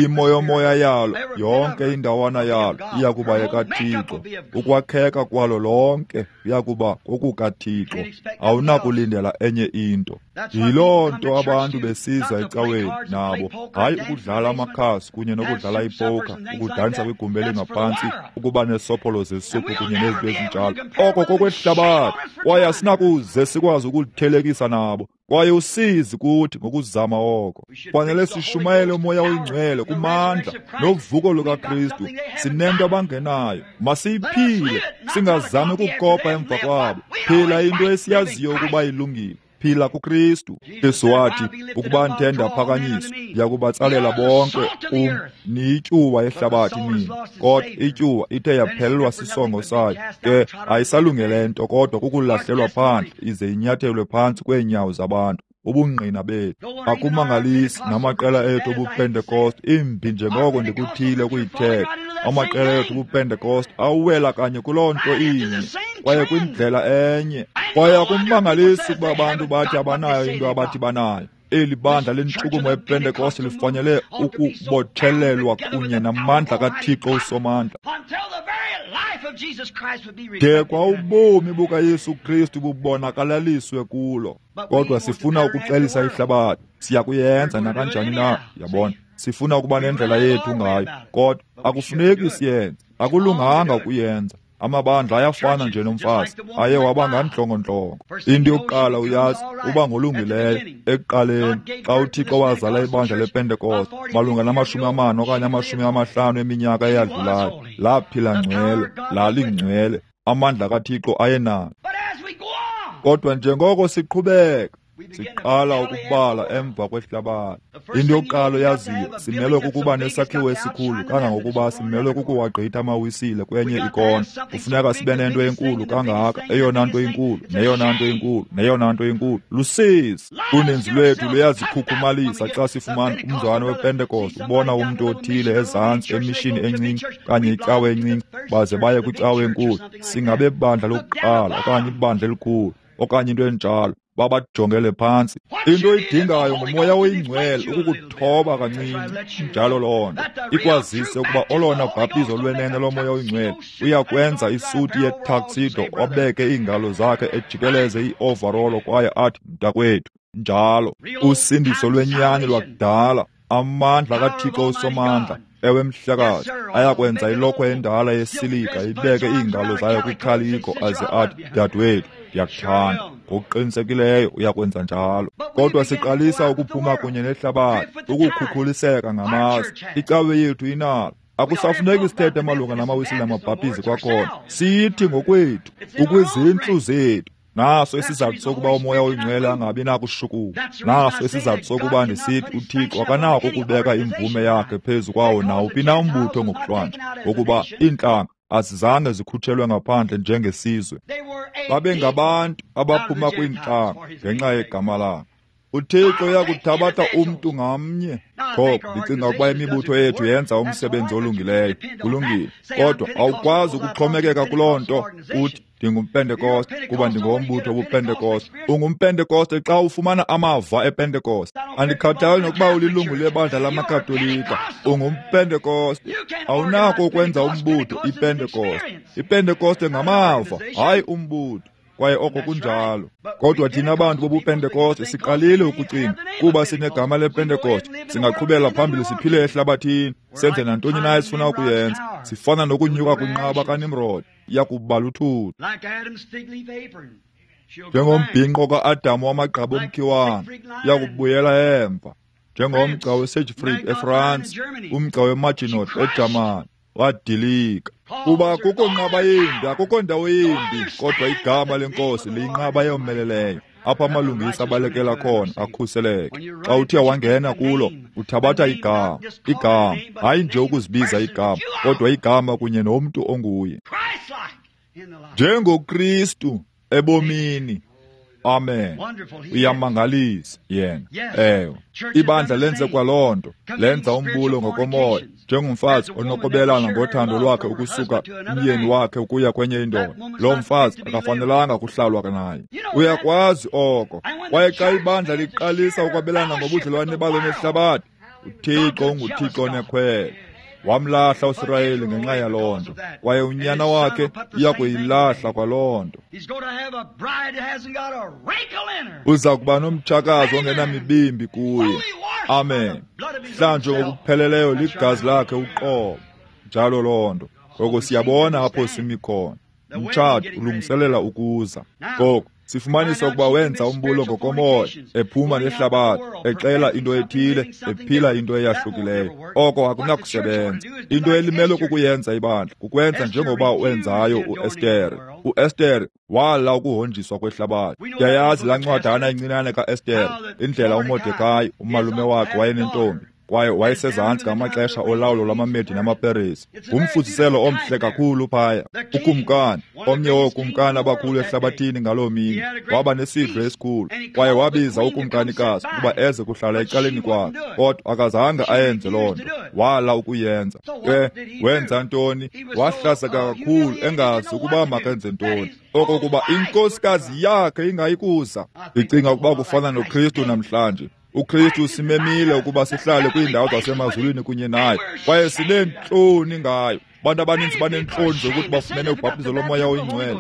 Imo yomoya yalo, yonke indawana yalo, iyakuba yekaThixo. Ukwakheka kwalo lonke iyakuba kokukaThixo. Awunakulindela enye into. Yiloo nto abantu besiza ecaweni nabo, hayi ukudlala amakhasi kunye nokudlala ipoka, ukudansa kwigumbi elingaphantsi, ukuba nesopholo zesuphu kunye nezinto ezinjalo. Oko kokwehlabathi, kwaye asinakuze sikwazi ukulithelekisa nabo. Kwaye usizi kuthi ngokuzama oko. Fanele sishumayele uMoya oyiNgcwele kumandla novuko lukaKristu. Sinento abangenayo, masiyiphile, singazami ukukopa emva kwabo. Phila into esiyaziyo ukuba ilungile. Phila kuKristu. Yesu wathi, ukuba ndithe ndaphakanyiswa, ndiyakubatsalela bonke kum. Niyityuwa yehlabathi nina, kodwa ityuwa ithe yaphelelwa sisongo sayo, ke ayisalungele nto kodwa kukulahlelwa phandle ize inyathelwe phantsi kweenyawo zabantu. Ubungqina bethu akumangalisi namaqela ethu obuPentekoste imbi njengoko ndikuthile ukuyithetha. Amaqela ethu obuPentekoste awela kanye kuloo nto inye kwaye kwindlela enye. Kwaye akumangalisi ukuba abantu bathi abanayo into abathi banayo. Eli bandla lentshukumo yePentekoste lifanele ukubotshelelwa kunye namandla kaThixo uSomandla, de kwa ubomi bukaYesu Kristu bubonakalaliswe kulo. Kodwa sifuna ukuxelisa ihlabathi, siyakuyenza nakanjani na, yabona. Sifuna ukuba nendlela yethu ngayo, kodwa akufuneki siyenze, akulunganga ukuyenza. Amabandla ayafana nje nomfazi, aye waba ngandlongondlongo. Into yokuqala uyazi, uba ngolungileyo ekuqaleni. Xa uThixo wazala ibandla lePentekoste malunga namashumi amane okanye amashumi amahlanu eminyaka eyadlulayo, laphila ngcwele, lalingcwele, amandla kaThixo ayenalo. Kodwa njengoko siqhubeka, siqala ukubala emva kwehlabathi. Into yokuqala oyaziyo, simelwe kukuba nesakhiwo esikhulu kangangokuba simelwe kukuwagqitha amawisile kwenye ikona. Kufuneka sibe nento enkulu kangaka, eyona nto inkulu, neyona nto inkulu, neyona nto inkulu. Lusizi. Uninzi lwethu luyazikhukhumalisa xa sifumana umzalwane wePentekoste, ubona umntu othile ezantsi emishini encinci okanye icawe encinci, baze baye kwicawe enkulu. Singabe ibandla lokuqala okanye ibandla elikhulu okanye into enjalo, babajongele phantsi. Into oyidingayo nguMoya oyiNgcwele ukukuthoba kancinci, njalo loo nto ikwazise ukuba olona bhaptizo lwenene loMoya oyiNgcwele uyakwenza isuti yetuxedo, obeke iingalo zakhe ejikeleze iovarolo kwaye athi, mntakwethu. Njalo usindiso lwenyani lwakudala, amandla kaThixo uSomandla, ewe mhlekazi, ayakwenza ilokhwe endala yesilika ibeke iingalo zayo kwikhaliko aze athi, dadewethu, ndiyakuthanda. Ngokuqinisekileyo uyakwenza njalo. Kodwa siqalisa ukuphuma kunye nehlabathi, ukukhukhuliseka ngamazwe. Icawe yethu inalo. Akusafuneki sithethe malunga namawisile namabhaptizi kwakhona. Sithi ngokwethu, kukwizintlu zethu. Naso isizathu sokuba uMoya oyiNgcwele angabi nakushukuma. Naso isizathu sokuba ndisithi uThixo akanako ukubeka imvume yakhe phezu kwawo nawuphi na umbutho ngokuhlwanje, ngokuba iintlanga azizange zikhutshelwe ngaphandle njengesizwe. Babengabantu abaphuma kwiintlanga ngenxa yegama lakhe. UThixo uyakuthabatha umntu ngamnye. Ngoko ndicinga ukuba imibutho yethu yenza umsebenzi olungileyo. Kulungile, kodwa awukwazi ukuxhomekeka kuloo nto uthi ndingumPentekoste kuba ndingombutho wobuPentekoste. UngumPentekoste xa ufumana amava ePentekoste. Andikhathali nokuba ulilungu lebandla lamaKatolika, ungumPentekoste. Awunako ukwenza umbutho iPentekoste. IPentekoste ngamava, hayi umbutho. Kwaye oko kunjalo. Kodwa thina bantu bobuPentekoste siqalile ukucinga kuba sinegama lePentekoste, singaqhubela phambili siphile ehlabathini, senze nantoni na esifuna ukuyenza. Sifana nokunyuka kwinqaba kaNimrod, iyakuba luthuthu. Njengombhinqo ka-Adamu wamagqabi omkhiwane, iyakubuyela emva. Njengomgca weSiegfried eFrance, umgca weMaginot eJamani, wadilika. Kuba akukho nqaba yimbi, akukho ndawo yimbi, kodwa igama leNkosi liyinqaba yomeleleyo. Apho amalungisa abalekela khona akhuseleke. Xa uthe wangena kulo, uthabatha igama, igama, hayi nje ukuzibiza igama, kodwa igama kunye nomntu onguye. NjengoKristu ebomini. Amen. Uyamangalisa yena. Ewe. Ibandla lenze kwaloo nto, lenza umbulo ngokomoya, njengomfazi onokobelana ngothando lwakhe ukusuka umyeni wakhe ukuya kwenye indoda. Lo mfazi akafanelanga kuhlalwa naye. Uyakwazi oko. Kwaye xa ibandla liqalisa ukwabelana ngobudlelwane balo nehlabathi, uThixo unguThixo onekhwele. Wamlahla uSirayeli ngenxa yaloo nto, kwaye unyana wakhe uya kuyilahla kwaloo nto. Uza kuba nomtshakazi ongenamibimbi kuye. Amen. Hlanjwe ngokupheleleyo ligazi lakhe uqobo. Njalo loo nto. Ngoko siyabona apho simi khona. Umtshato ulungiselela ukuza. Ngoko sifumanisa ukuba wenza umbulo ngokomoya, ephuma nehlabathi, exela into ethile, ephila into eyahlukileyo. Oko akunakusebenza. Into elimele kukuyenza ibandla, kukwenza njengoba wenzayo uEstere. uEstere wala ukuhonjiswa kwehlabathi. Uyayazi laa ncwadana incinane kaEstere, indlela uMordekayi, umalume wakhe, wayenentombi, kwaye wayesezantsi ngamaxesha olawulo lwamaMedi namaPeresi. Ngumfuziselo omhle kakhulu phaya. Ukumkani, omnye wookumkani abakhulu ehlabathini ngaloo mini, waba nesidlo esikhulu, kwaye wabiza ukumkanikazi ukuba eze kuhlala ecaleni kwakhe, kodwa akazange ayenze loo nto. Wala ukuyenza. Ke wenza ntoni? Wahlazeka kakhulu engazi ukuba makenze ntoni, okokuba inkosikazi yakhe ingayikuza. Ndicinga ukuba kufana noKristu namhlanje. uKristu usimemile ukuba sihlale kwiindawo zasemazulwini kunye naye, kwaye sineentloni ngayo. Abantu abaninzi baneentloni zokuthi bafumene ubhaptizo lomoya oyingcwele.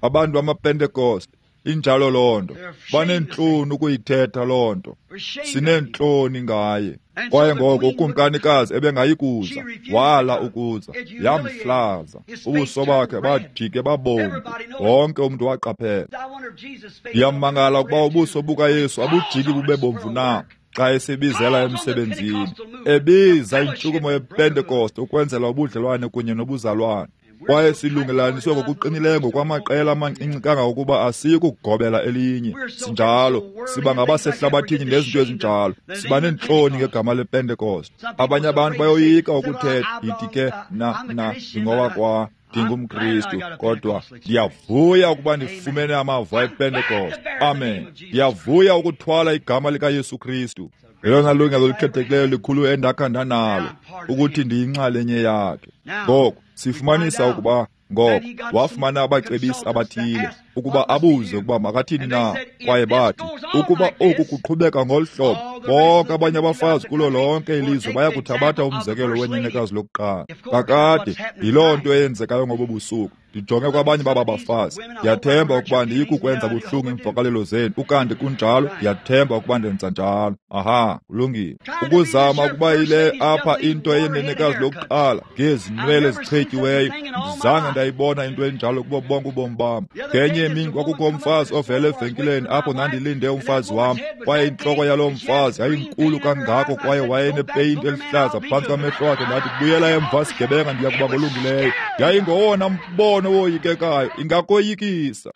Abantu bamaPentekoste, injalo loo nto, baneentloni ukuyithetha loo nto. Sineentloni ngaye. Kwaye ngoko ukumkanikazi ebengayikuza, wala ukuza, yamhlaza. Ubuso bakhe bajike babomvu, wonke umntu waqaphela. Ndiyamangala ukuba ubuso bukaYesu abujiki bube bomvu na xa esibizela emsebenzini, ebiza intshukumo yePentekoste ukwenzela ubudlelwane kunye nobuzalwane. Kwaye silungelaniswe ngokuqinileyo ngokwamaqela amancinci kangangokuba asiyi kugobela elinye. Sinjalo, siba ngabasehlabathini nezinto ezinjalo. Siba neentloni ngegama lePentekoste. Abanye abantu bayoyika ukuthetha, yithi ke na na ndingowakwa, ndingumKristu, kodwa ndiyavuya ukuba ndifumene amava ePentekoste. Amen. Ndiyavuya ukuthwala igama likaYesu Kristu. Elona lungelo likhethekileyo likhulu endakha ndanalo, ukuthi ndiyinxalenye yakhe. Ngoko sifumanisa ukuba ngoko wafumana abacebisi abathile ukuba abuze ukuba makathini na, kwaye bathi ukuba oku kuqhubeka ngolu hlobo, bonke abanye abafazi kulo lonke ilizwe baya kuthabatha umzekelo wenenekazi lokuqala. Kakade yiloo nto eyenzekayo ngobo busuku. Ndijonge kwabanye baba bafazi, ndiyathemba ukuba ndiyikukwenza buhlungu iimvakalelo zenu, ukanti kunjalo, ndiyathemba ukuba ndenza njalo. Aha, kulungile. Ukuzama ukuba yile apha into eyenenekazi lokuqala ngezi nwele zichetyiweyo, ndizange ndayibona into enjalo kubo bonke ubomi bam. Ngenye imini kwakukho umfazi ovela evenkileni apho ndandilinde umfazi wam, kwaye intloko yaloo mfazi yayinkulu kangako, kwaye wayenepeyinti elihlaza phantsi kwamehlo akhe. Ndathi, buyela emva sigebenga, ndiya kuba ngolungileyo. Yayingowona mbono woyikekayo, ingakoyikisa.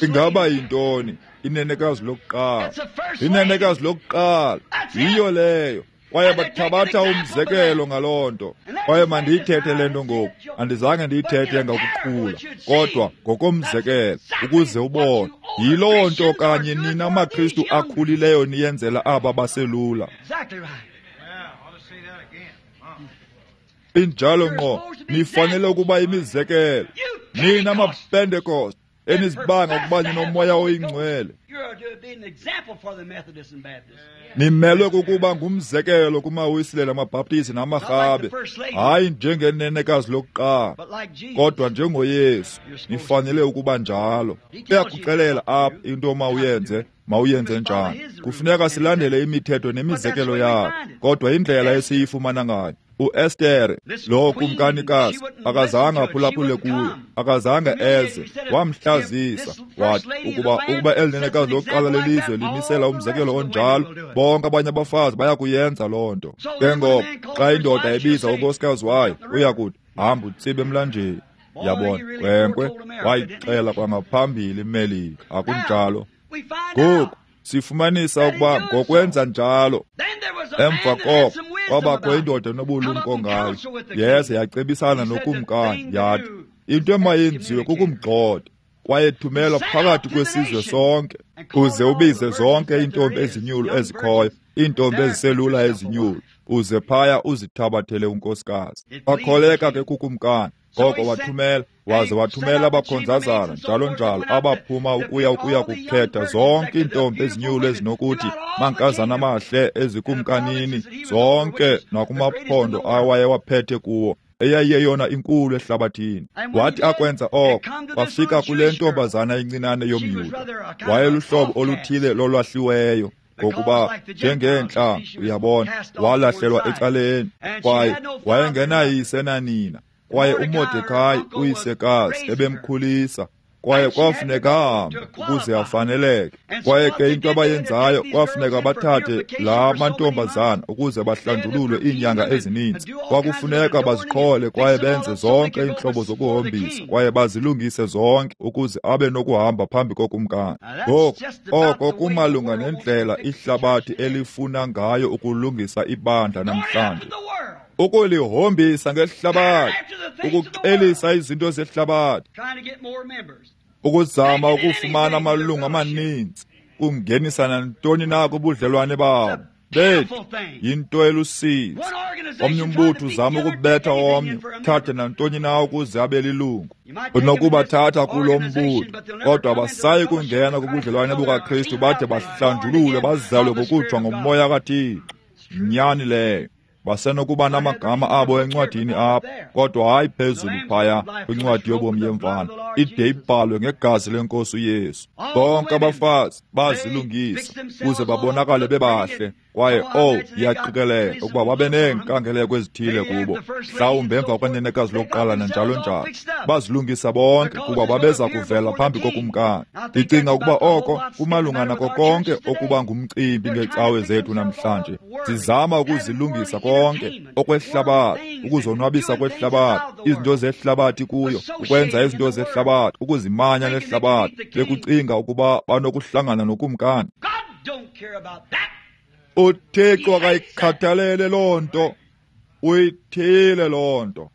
Ingaba yintoni? Inenekazi lokuqala. Inenekazi lokuqala yiyo leyo. Kwaye bathabatha umzekelo ngaloo nto. Kwaye mandiyithethe le nto ngoku, andizange ndiyithethe ngakuqhula, kodwa ngokomzekelo ukuze ubone. Yiloo nto kanye nina maKristu akhulileyo niyenzela aba baselula. Injalo ngqo, nifanele ukuba imizekelo. Nina maPentekoste enizibanga ukuba ninomoya oyingcwele, nimelwe kukuba ngumzekelo kumaWisile namaBhaptizi namaRhabe, hayi njengenenekazi lokuqala, kodwa njengoYesu. Nifanele ukuba njalo. Uyakuxelela apha into mawuyenze, mawuyenze njani. Kufuneka silandele imithetho nemizekelo yakhe, kodwa indlela esiyifumana ngayo. uEstere, lo kumkanikazi, akazange aphulaphule kuyo, akazange eze, wamhlazisa. Wathi ukuba ukuba eli nenekazi lokuqala lelizwe limisela umzekelo onjalo, bonke abanye abafazi baya kuyenza loo nto. Ke ngoko xa indoda ibiza unkosikazi wayo, uya kuthi hamba utsibe emlanjeni. Yabona, kwenkwe wayixela kwangaphambili iMelika, akunjalo? Ngoku sifumanisa ukuba ngokwenza njalo, emva koko kwabakho indoda enobulumko ngayo, yeze yacebisana nokumkani, yathi Into emayenziwe kukumgxotha. Kwaye thumela phakathi kwesizwe sonke, uze ubize zonke iintombi ezinyulu ezikhoyo, iintombi eziselula ezinyulu, uze phaya uzithabathele unkosikazi. Bakholeka ke kukumkani. Ngoko wathumela, waze wathumela abakhonzazana njalo njalo abaphuma ukuya ukuya kukhetha zonke iintombi ezinyulu ezinokuthi mankazana amahle ezikumkanini zonke nakumaphondo awayewaphethe kuwo, eyayiyeyona inkulu ehlabathini. Wathi akwenza oko, wafika kule ntombazana incinane yomYuda. Wayeluhlobo oluthile lolwahliweyo, ngokuba njengeentlanga, uyabona, walahlelwa ecaleni, kwaye wayengenayise nanina. Kwaye uMordekayi uyisekazi ebemkhulisa, kwaye kwafuneka ahambe ukuze afaneleke. Kwaye ke into abayenzayo, kwafuneka bathathe la mantombazana ukuze bahlanjululwe iinyanga ezininzi. Kwakufuneka baziqhole kwaye benze zonke iintlobo zokuhombisa, kwaye bazilungise zonke ukuze abe nokuhamba phambi kokumkani. Ngoku oko kumalunga nendlela ihlabathi elifuna ngayo ukulungisa ibandla namhlanje, ukulihombisa ngehlabathi, ukuxelisa izinto zehlabathi, ukuzama ukufumana amalungu amaninzi, kungenisa nantoni na kubudlelwane babo. Bethu, yinto elusizi. Omnye umbutho uzama ukubetha omnye, thathe nantoni na ukuze abe lilungu. Unokubathatha kulo mbutho, kodwa abasayi kungena kubudlelwane bukaKristu bade bahlanjululwe bazalwe ngokutsha ngoMoya kaThixo. Nyani leyo. Basenokuba namagama abo encwadini apha, kodwa hayi phezulu phaya kwincwadi yobomi yemvana, ide ibhalwe ngegazi lenkosi uYesu. Bonke abafazi bazilungisa ukuze babonakale bebahle, kwaye oh, iyaqikelela ukuba babe neenkangeleko ezithile kubo, mhlawumbi emva kwenenekazi lokuqala nanjalo njalo. Bazilungisa bonke kuba babeza kuvela phambi kokumkani. Ndicinga ukuba oko kumalunga nako konke okuba ngumcimbi ngeecawe zethu namhlanje. Zizama ukuzilungisa konke okwehlabathi, ukuzonwabisa kwehlabathi, izinto zehlabathi kuyo, ukwenza izinto zehlabathi, ukuzimanya nehlabathi, bekucinga ukuba banokuhlangana nokumkani. UThixo akayikhathalele loo nto, uyithile loo nto.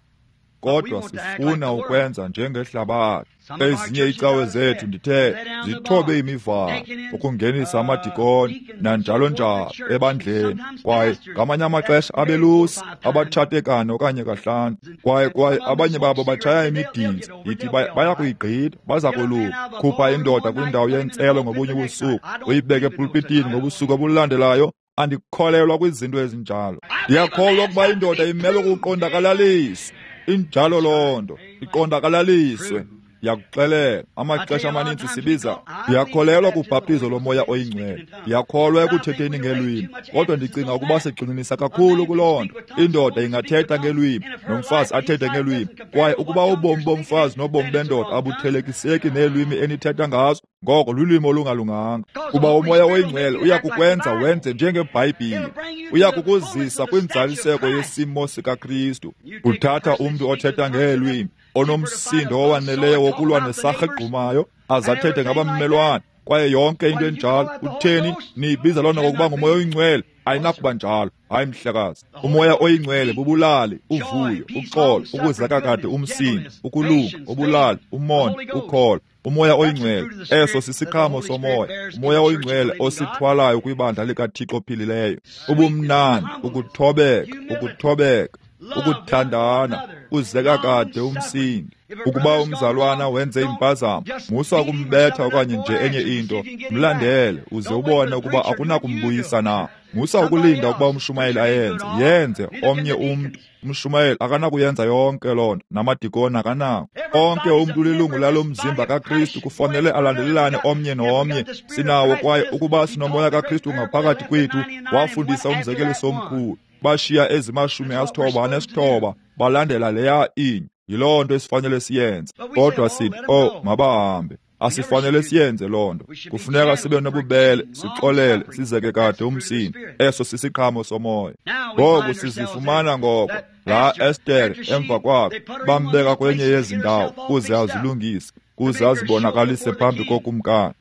Kodwa sifuna ukwenza njengehlabathi. Ezinye iicawe zethu, ndithe, zithobe imivalo ukungenisa amadikoni nanjalo njalo ebandleni, kwaye ngamanye amaxesha abelusi abatshate kane okanye kahlanu, kwaye kwaye abanye babo batshaya imidiza. Yithi baya kuyigqitha, baza koluka. Khupha indoda kwindawo yentselo ngobunye ubusuku, uyibeke epulpitini ngobusuku obulandelayo. Andikholelwa kwizinto ezinjalo. Ndiyakholwa ukuba indoda imele ukuqondakalaliswa. Injalo loo nto, iqondakalaliswe. Ndiyakuxelela, amaxesha amaninzi sibiza, ndiyakholelwa kubhaptizo loMoya oyiNgcwele, ndiyakholwa ekuthetheni ngeelwimi, kodwa ndicinga ukuba sigxininisa kakhulu kuloo nto. Indoda ingathetha ngeelwimi, nomfazi athethe ngeelwimi, kwaye ukuba ubomi bomfazi nobomi bendoda abuthelekiseki neelwimi enithetha ngazo, ngoko lulwimi olungalunganga. Kuba uMoya oyiNgcwele uyakukwenza wenze njengeBhayibhile, uyakukuzisa kwinzaliseko yesimo sikaKristu. Uthatha umntu othetha ngeelwimi, onomsindo owaneleyo wokulwa nesarha egqumayo, aze athethe ngabammelwane, kwaye yonke into enjalo. Utheni niyibiza loo nto ngokuba nguMoya oyiNgcwele? Ayinakuba njalo. Hayi mhlekazi. UMoya oyiNgcwele bubulali, uvuyo, uxolo, ukuzeka kade umsindo, ukulunga, ubulali, umonde, ukholo. UMoya oyiNgcwele, eso sisiqhamo soMoya. UMoya oyiNgcwele osithwalayo kwibandla likaThixo ophilileyo. Ubumnandi, ukuthobeka, ukuthobeka, ukuthandana, uzeka kade umsindo. Ukuba umzalwana wenze impazamo, musa ukumbetha okanye nje enye into, mlandele uze ubone ukuba akunakumbuyisa na. Musa ukulinda ukuba umshumayeli ayenze, yenze omnye umntu. Umshumayeli akanakuyenza yonke loo nto, namadikoni akanako. Onke umntu ulilungu lalo mzimba kaKristu, kufanele alandelelane omnye nomnye. Sinawo, kwaye ukuba sinoMoya kaKristu ngaphakathi kwethu, wafundisa umzekeliso omkhulu. Bashiya ezimashumi asithoba anesithoba, balandela leya inye. Yiloo nto esifanele siyenze. Kodwa sithi, oh, mabahambe. Asifanele siyenze loo nto. Kufuneka sibe nobubele, sixolele, sizeke kade umsindo. Eso sisiqhamo soMoya. Ngoku sizifumana ngoko laa Estere emva kwakhe bambeka kwenye yezi ndawo kuze azilungise, kuze azibonakalise phambi kokumkani.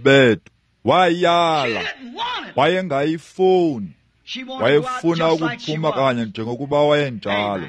Bethu wayala, wayengayifuni, wayefuna ukuphuma kanye njengokuba wayenjalo.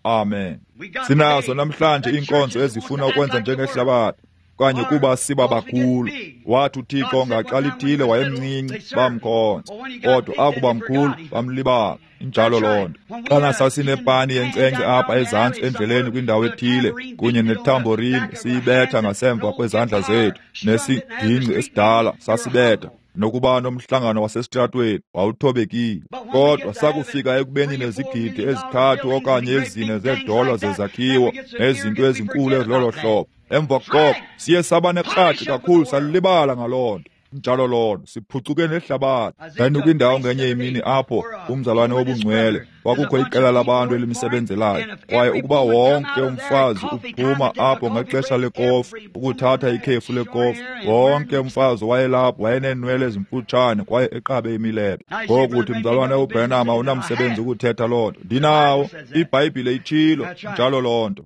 Amen. Sinazo namhlanje iinkonzo ezifuna ukwenza njengehlabathi okanye kuba siba bakhulu. Wathi uThixo ngaxa lithile wayemncinci, bamkhonza, kodwa akuba mkhulu bamlibala. Injalo loo nto. Xana sasinepani yenkcenkce apha ezantsi endleleni kwindawo ethile kunye netamborini siyibetha ngasemva kwezandla zethu, nesigingci esidala sasibetha, nokuba nomhlangano wasesitratweni wawuthobekile. Kodwa sakufika ekubeni nezigidi ezithathu okanye ezine zeedola zezakhiwo nezinto ezinkulu ezilolo hlobo, emva koko siye saba nekratshi kakhulu salibala ngaloo nto. Njalo loo nto, siphucuke nehlabathi. Ndandikwindawo ngenye imini apho umzalwane wobungcwele kwakukho iqela labantu elimsebenzelayo, kwaye ukuba wonke umfazi uphuma apho ngexesha lekofu ukuthatha ikhefu lekofu, wonke umfazi wayelapho wayeneenwele ezimfutshane kwaye eqabe imilebe. Ngoku uthi, mzalwane uBranham, awunamsebenzi ukuthetha loo nto. Ndinawo, iBhayibhile itshilo njalo loo nto.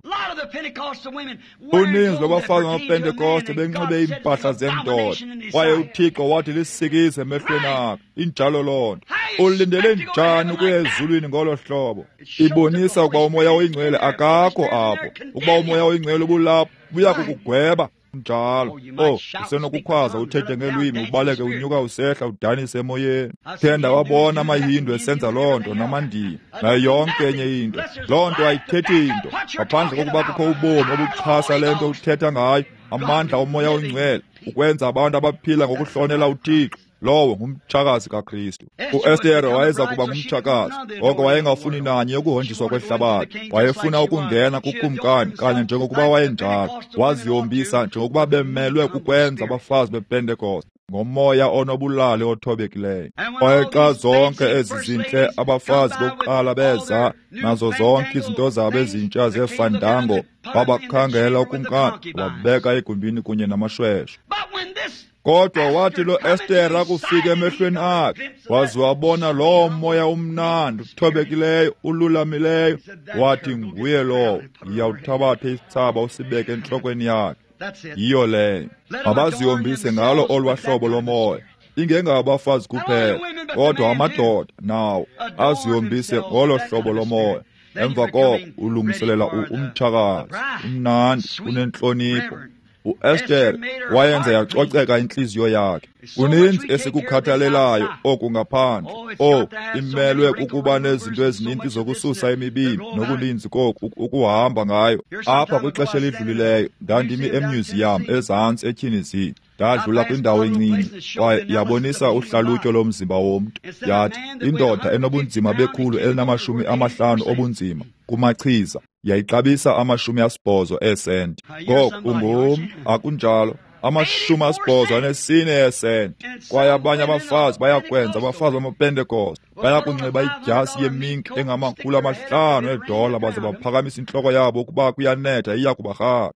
Uninzi lwabafazi bamaPentekoste benxibe iimpahla zendoda, kwaye uThixo wathi lisikize emehlweni akhe. Injalo loo nto. Ulindele njani ukuya ezulwini ngolo hlobo? Ibonisa ukuba uMoya oyiNgcwele akakho apho. Ukuba uMoya oyiNgcwele ubulapho, buya kukugweba. Njalo. Oh, usenokukhwaza uthethe ngelwimi, ubaleke unyuka usehla udanise emoyeni. Khe ndawabona amaHindu esenza loo nto namaNdiya nayo yonke enye into. Loo nto ayithethi into ngaphandle kokuba kukho ubomi obuxhasa le nto uthetha ngayo, amandla oMoya oyiNgcwele ukwenza abantu abaphila ngokuhlonela uThixo. Lowo ngumtshakazi kaKristu. UEstere wayeza kuba ngumtshakazi, ngoko wayengafuni nanye yokuhonjiswa kwehlabathi. Wayefuna ukungena kukumkani kanye njengokuba wayenjalo. Wazihombisa njengokuba bemelwe kukwenza abafazi bePentekoste ngomoya onobulali othobekileyo. Kwaye xa zonke ezi zintle abafazi bokuqala beza nazo zonke izinto zabo ezintsha zefandango, wabakhangela ukumkani, wabeka egumbini kunye namashweshwe. Kodwa wathi lo Estere akufika emehlweni akhe, waze wabona loo moya umnandi uthobekileyo ululamileyo, wathi nguye lowo, iyawuthabatha isithsaba usibeke entlokweni yakhe. Yiyo leyo. Mabazihombise ngalo olwa hlobo lomoya, ingengabafazi kuphela, kodwa amadoda nawo azihombise ngolo hlobo lomoya. Emva koko ulungiselela umtshakazi umnandi unentlonipho. UEstere wayenza yacoceka intliziyo yakhe. Kuninzi esikukhathalelayo oku ngaphandle. Oh, imelwe kukuba nezinto ezininzi zokususa imibimbi nokuninzi koku ukuhamba ngayo. Apha kwixesha elidlulileyo ndandimi emyuziyam ezantsi eTshinizi. Ndadlula kwindawo encinci kwaye yabonisa uhlalutyo lomzimba womntu. Yathi indoda enobunzima bekhulu elinamashumi amahlanu obunzima kumachiza yayixabisa amashumi asibhozo eesenti. Ngoku ungumntu, akunjalo? Amashumi asibhozo anesine eesenti. Kwaye abanye abafazi bayakwenza, abafazi bamaPentekoste bayakunxiba idyasi yeminki engamakhulu amahlanu eedola baze baphakamisa intloko yabo ukuba kuyanetha iya kubarhaba.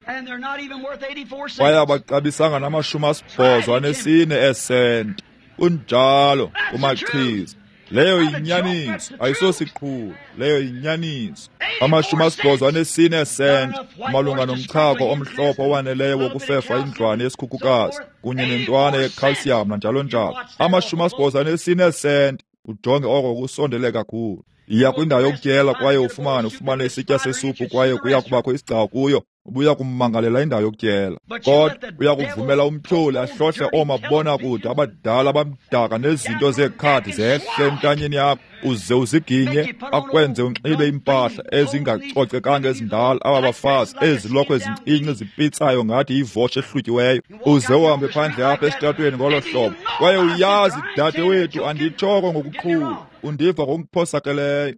Kwaye abaxabisanga namashumi asibhozo anesine eesenti. Kunjalo kumachiza. Leyo yinyaniso, ayisosiqhulo. Leyo yinyaniso. Amashumi asibhozo anesine esenti malunga nomchako omhlophe owaneleyo wokufefa indlwane yesikhukukazi kunye nentwana yecalcium nanjalo njalo. Amashumi asibhozo anesine esenti. Ujonge oko kusondele kakhulu. Yiya kwindawo yokutyela kwaye ufumane ufumane isitya sesuphu kwaye kuya kubakho isigcawu kuyo. Ubuya kummangalela indawo yokutyela. Kodwa uya kuvumela umtyholi ahlohle oomabonakude abadala abamdaka nezinto zeekhadi zehle entanyeni yakho uze uziginye, akwenze unxibe iimpahla ezingacocekanga ezindala, aba bafazi ezilokhwe ezincinci zipitsayo ngathi yivoshe ehlutyiweyo, uze uhambe phandle apha esitratweni ngolo hlobo. Kwaye uyazi, dade wethu, anditshoko ngokuqhula, undiva ngokuphosakeleyo.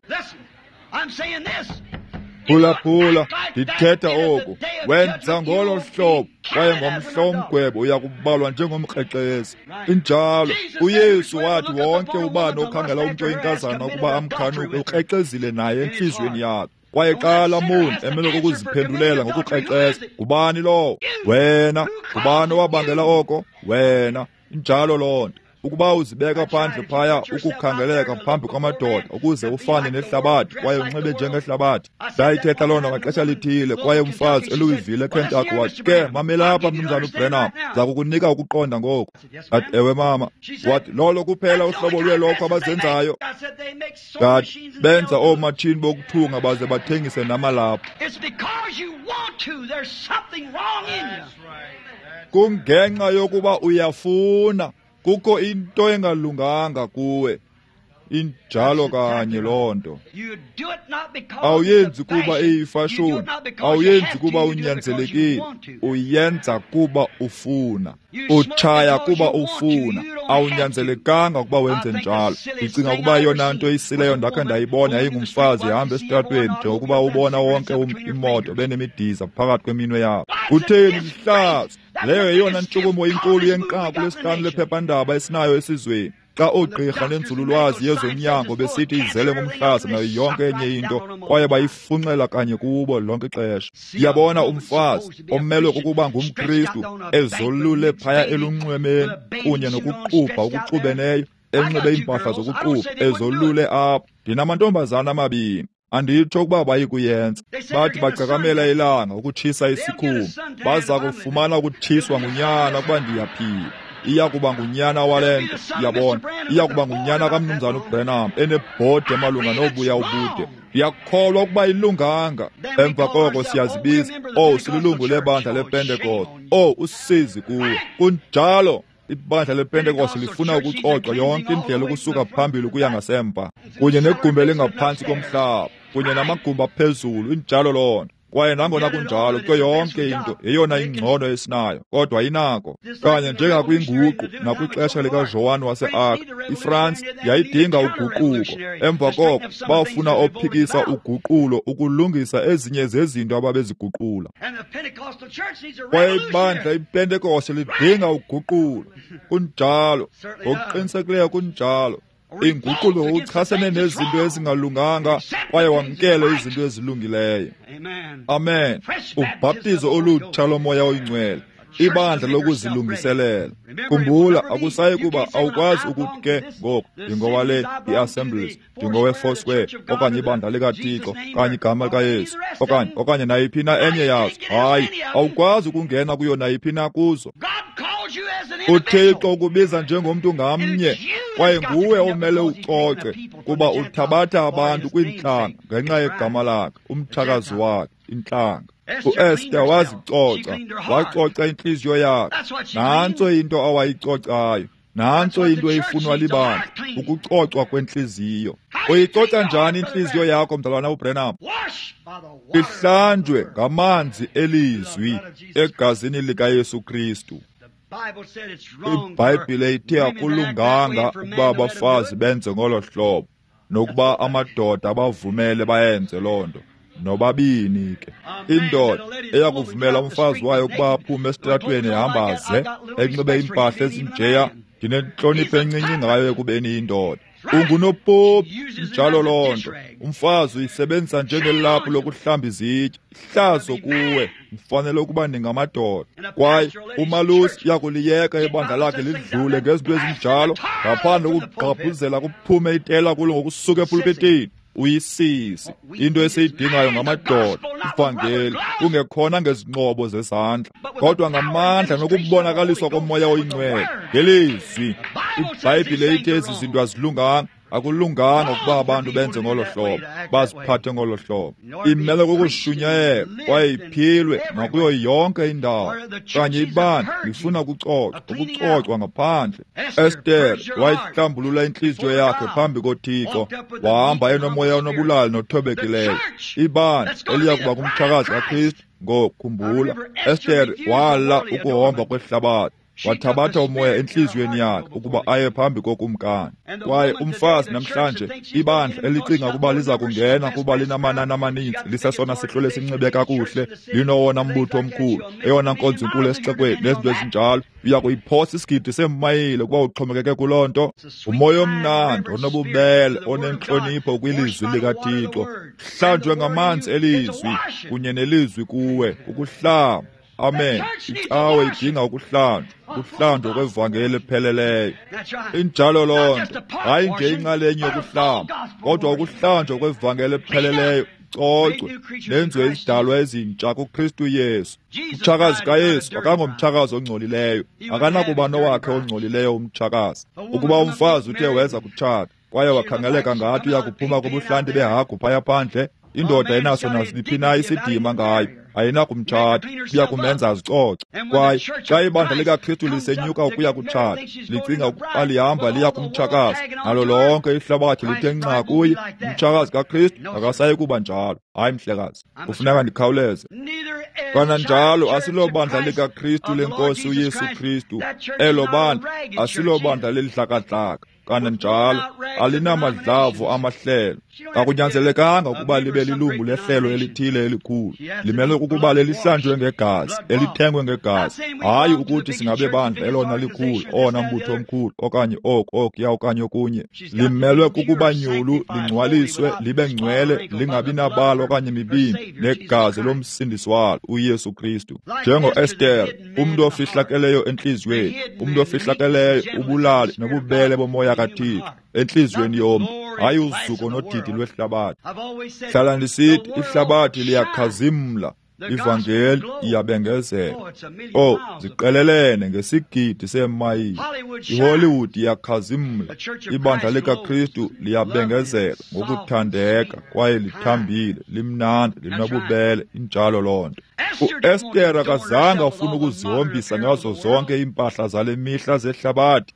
Phulaphula, ndithetha oku. Wenza ngolo hlobo kwaye ngomhla womgwebo uya kubalwa njengomkrexezi. Injalo. UYesu wathi wonke ubani okhangela umntu oyinkazana ukuba amkhanuke ukrexezile naye entliziyweni yakhe. Kwaye xa laa moni emele kukuziphendulela ngokukrexeza, ngubani lowo? Wena. Ngubani owabangela oko? Wena. Injalo loo nto. Ukuba uzibeka phandle phaya ukukhangeleka phambi kwamadoda ukuze ufane nehlabathi kwaye unxibe njengehlabathi. Ndayithetha loo nto ngaxesha lithile, kwaye umfazi eLouisville eKentucky wathi, ke mamela apha, Mnumzana uBrenham, ndiza kukunika ukuqonda ngoku. Ndathi, ewe mama. Wathi, lolo kuphela uhlobo lwelokhwe abazenzayo. Ndathi, benza oomatshini bokuthunga baze bathengise namalaphu. Kungenxa yokuba uyafuna. Kukho into engalunganga kuwe. Injalo kanye loo nto. Awuyenzi kuba iyifashoni, awuyenzi kuba unyanzelekile, uyenza kuba ufuna. Utshaya kuba ufuna, awunyanzelekanga ukuba wenze njalo. Ndicinga ukuba eyona nto isileyo ndakhe ndayibona yayingumfazi ehamba esitratweni njengokuba ubona wonke imoto benemidiza phakathi kweminwe yabo. Kutheni lihlazo? Leyo yeyona ntshukumo inkulu yenqaku lesihlanu lephephandaba esinayo esizweni. Xa oogqirha nenzululwazi yezonyango besithi izele ngumhlaza nayo yonke enye into, kwaye bayifunxela kanye kubo lonke ixesha. Ndiyabona umfazi omelwe kukuba ngumKristu ezolule phaya elunxwemeni kunye nokuqubha okuxubeneyo, enxibe iimpahla zokuqubha, ezolule apho. Ndinamantombazana amabini. Anditsho ukuba bayikuyenza. Bathi bacakamela ilanga ukutshisa isikhumba. Baza kufumana ukutshiswa ngunyana ukuba ndiyaphila. Iya kuba ngunyana wale nto, uyabona. Iya kuba ngunyana kaMnumzana uBrenham enebhodi emalunga nobuya ubude. Ndiyakholwa ukuba ilunganga. Emva koko siyazibiza, oh, sililungu lebandla lePentekoste. Oh, usizi kuwe. Kunjalo. Ibandla lePentekoste lifuna ukucocwa yonke indlela ukusuka phambili ukuya ngasemva, kunye negumbi elingaphantsi komhlaba, kunye namagumbi aphezulu, injalo loo nto. Kwaye nangona kunjalo, kuyo yonke into yeyona ingcono esinayo, kodwa inako. Kanye njengakwinguqu nakwixesha likaJoan wase-Arc, iFrance yayidinga uguquko. Emva koko bafuna ophikisa uguqulo ukulungisa ezinye zezinto ababeziguqula. Kwaye ibandla iPentekoste lidinga uguqulo. Kunjalo, ngokuqinisekileyo kunjalo. Inguqulo ngokuchasene nezinto ezingalunganga kwaye wamkele izinto ezilungileyo. Amen. Ubhaptizo olutsha lomoya oyingcwele, ibandla lokuzilungiselela. Khumbula, akusayi kuba awukwazi ukuthi ke ngoku ndingowale i-Assemblies, ndingowe-Foursquare, okanye ibandla likaThixo, okanye igama likaYesu, okanye okanye nayiphi na enye yazo. Hayi, awukwazi ukungena kuyo nayiphi na kuzo. UThixo ukubiza njengomntu ngamnye, kwaye nguwe omele ucoce, kuba uthabatha abantu kwintlanga ngenxa yegama lakhe, umtshakazi wakhe, intlanga. U-Esther wazicoca, wacoca intliziyo yakhe. Nantso into awayicocayo, nantso into eyifunwa libandla, ukucocwa kwentliziyo. Uyicoca njani intliziyo yakho, mzalwana uBrenham? Ihlanjwe ngamanzi elizwi egazini likaYesu Kristu. IBhayibhile ithe akulunganga ukuba abafazi benze ngolo hlobo, nokuba amadoda abavumele bayenze loo nto. Nobabini ke. Indoda eyakuvumela umfazi wayo ukuba aphume esitratweni ehamba ze, enxibe iimpahla ezinjeya, ndinentlonipho encinci ngayo ekubeni indoda. Ungunopopi, njalo loo nto. Umfazi uyisebenzisa njengelaphu lokuhlamba izitya. Ihlazo kuwe, mfanele ukuba ningamadoda. Kwaye umalusi uyakuliyeka ibandla lakhe lidlule ngezinto ezinjalo, ngaphandle kokugqabhuzela kuphume itela kulo ngokusuka epulpitini. Uyisisi. Into esiyidingayo ngamadoda, ivangeli, kungekhona ngezinqobo zezandla, kodwa ngamandla nokubonakaliswa komoya oyingcwele ngelizwi. IBhayibhile ithi ezi zinto azilunganga. Akulunganga ukuba abantu benze ngolo hlobo, baziphathe ngolo hlobo. Imele kukushunyayelwa kwaye iphilwe nakuyo yonke indawo. Kanye ibandla lifuna ukucocwa, ukucocwa ngaphandle. Esther wayihlambulula intliziyo yakhe phambi koThixo, wahamba enomoya onobulali nothobekileyo. Ibandla eliya kuba ngumtshakazi kaKristu. Ngokhumbula, Esther wala ukuhamba kwehlabathi. Wathabatha umoya entliziyweni yakhe ukuba aye phambi kokumkani. Kwaye umfazi namhlanje, ibandla elicinga ukuba liza kungena kuba linamanani amaninzi, lisesona sihlwele sinxibe kakuhle, linowona mbutho omkhulu, eyona nkonzo inkulu esixekweni, nezinto ezinjalo, uya kuyiphosa isigidi seemayile ukuba uxhomekeke kuloo nto. Umoya omnandi, onobubele, onentlonipho kwilizwi likaThixo, hlanjwe ngamanzi elizwi kunye nelizwi kuwe, ukuhlamba. Amen. Icawe idinga ukuhlanjwa, ukuhlanjwa kwevangeli epheleleyo. Injalo loo nto, hayi nje inxalenye yokuhlamba, kodwa ukuhlanjwa kwevangeli epheleleyo. Cocwe, nenziwe izidalwa ezintsha kuKristu Yesu. Umtshakazi kaYesu akangomtshakazi ongcolileyo, akanakuba nowakhe ongcolileyo umtshakazi. Ukuba umfazi uthe weza kutshata kwaye wakhangeleka ngathi uya kuphuma kubuhlanti behagu phaya phandle, indoda inaso nasiphi na isidima ngayo, ayinakumtshata, uya kumenza azicoce. Kwaye xa ibandla likaKristu lisenyuka ukuya kutshata, licinga ukuba lihamba liya kumtshakazi, nalo lonke ihlabathi lithe nca kuye, umtshakazi kaKristu akasayi kuba njalo. Hayi mhlekazi, kufuneka ndikhawuleze. Kananjalo asilobandla likaKristu lenkosi uYesu Kristu, elo bandla asilobandla lelihlakahlaka. Kananjalo alinamadlavu amahlelo. Akunyanzelekanga ukuba libe lilungu lehlelo elithile elikhulu. Limele ukuba lelihlanjwe ngegazi, elithengwe ngegazi. Hayi ukuthi singabe bandla elona likhulu, owona mbutho omkhulu, okanye oku okuya okanye okunye. Limelwe kukuba nyulu, lingcwaliswe, libe ngcwele, lingabi nabala okanye mibimbi, negazi lomsindisi walo, uYesu Kristu. Njengo-Esther, umntu ofihlakeleyo entliziyweni, umntu ofihlakeleyo ubulali nobubele bomoya kaThixo entliziyweni yomntu, hayi uzuko nodidi lwehlabathi. Hlala ndisithi ihlabathi liyakhazimla, ivangeli iyabengezela. Oh, ziqelelene ngesigidi seemayile. IHollywood iyakhazimla, ibandla likaKristu liyabengezela ngokuthandeka kwaye lithambile, limnandi, linobubele. Injalo loo nto. U-Esther akazange afune ukuzihombisa ngazo zonke iimpahla zale mihla zehlabathi.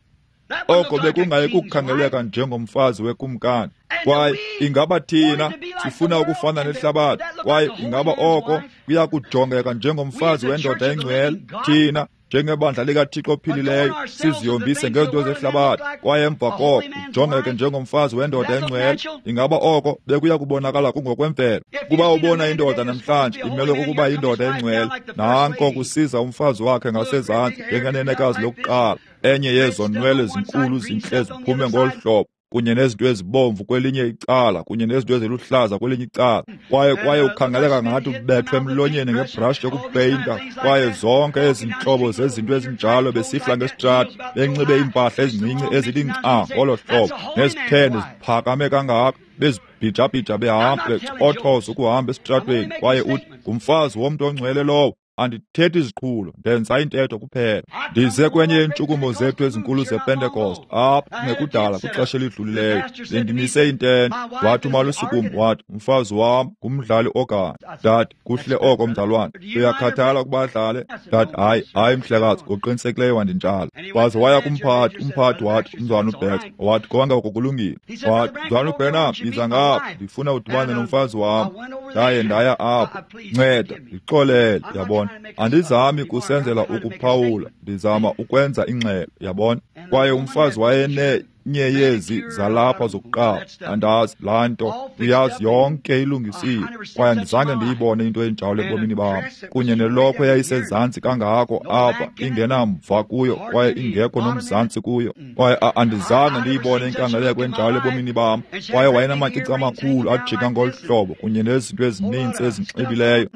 Oko bekungayi kukhangeleka njengomfazi wekumkani. Kwaye ingaba thina sifuna ukufana nehlabathi, kwaye ingaba oko kuya kujongeka njengomfazi wendoda engcwele? Thina njengebandla likaThixo ophilileyo sizihombise ngezinto zehlabathi, kwaye emva koko ujongeke njengomfazi wendoda engcwele. Ingaba oko bekuya kubonakala kungokwemvelo? Kuba ubona indoda namhlanje imelwe kukuba yindoda engcwele, nanko kusiza umfazi wakhe ngasezantsi njengenenekazi lokuqala, enye yezo nwele zinkulu zintle ziphume ngolu hlobo, kunye nezinto ezibomvu kwelinye icala, kunye nezinto eziluhlaza kwelinye icala, kwaye kwaye ukhangeleka ngathi ubethwe emlonyeni ngebrush yokupeyinta, kwaye zonke ezi ntlobo zezinto ezinjalo besihla ngesitrati, benxibe iimpahla ezincinci ezithi nca ngolo hlobo, nezithende ziphakame kangaka, bezibhijabhija behamba, becothoza ukuhamba esitratweni, kwaye uthi ngumfazi womntu ongcwele lowo. Andithethi iziqhulo, ndenza intetho kuphela. Ndize kwenye yeentshukumo zethu ezinkulu zePentecost apha kungekudala kwixesha elidlulileyo. Bendimise intente, wathi umalusi kum, wathi, umfazi wam ngumdlali ogana. Ndathi, kuhle oko mzalwane, uyakhathala ukuba adlale? Ndathi, hayi, hayi mhlekazi, ngokuqinisekileyo wandinjalo. Waze waya kumphathi, umphathi wathi, umzalwane uBex, wathi konke oko kulungile. Wathi, mzalwane uBrenham, yiza ngapha, ndifuna udibane nomfazi wam. Ndaye ndaya apho, nceda, ndixolele, yabona. Andizami kusenzela ukuphawula, ndizama ukwenza ingxelo, yabona. Kwaye umfazi wayenenye yezi zalapha zokuqala, andazi laa nto, uyazi yonke ilungisiwe, kwaye andizange ndiyibone into enjalo ebomini bam, kunye nelokhwe yayisezantsi kangako apha, ingenamva kuyo kwaye ingekho nomzantsi kuyo, kwaye andizange ndiyibone inkangeleko enjalo ebomini bam. Kwaye wayenamacici amakhulu ajika ngolu hlobo, kunye nezinto ezininzi ezinxibileyo.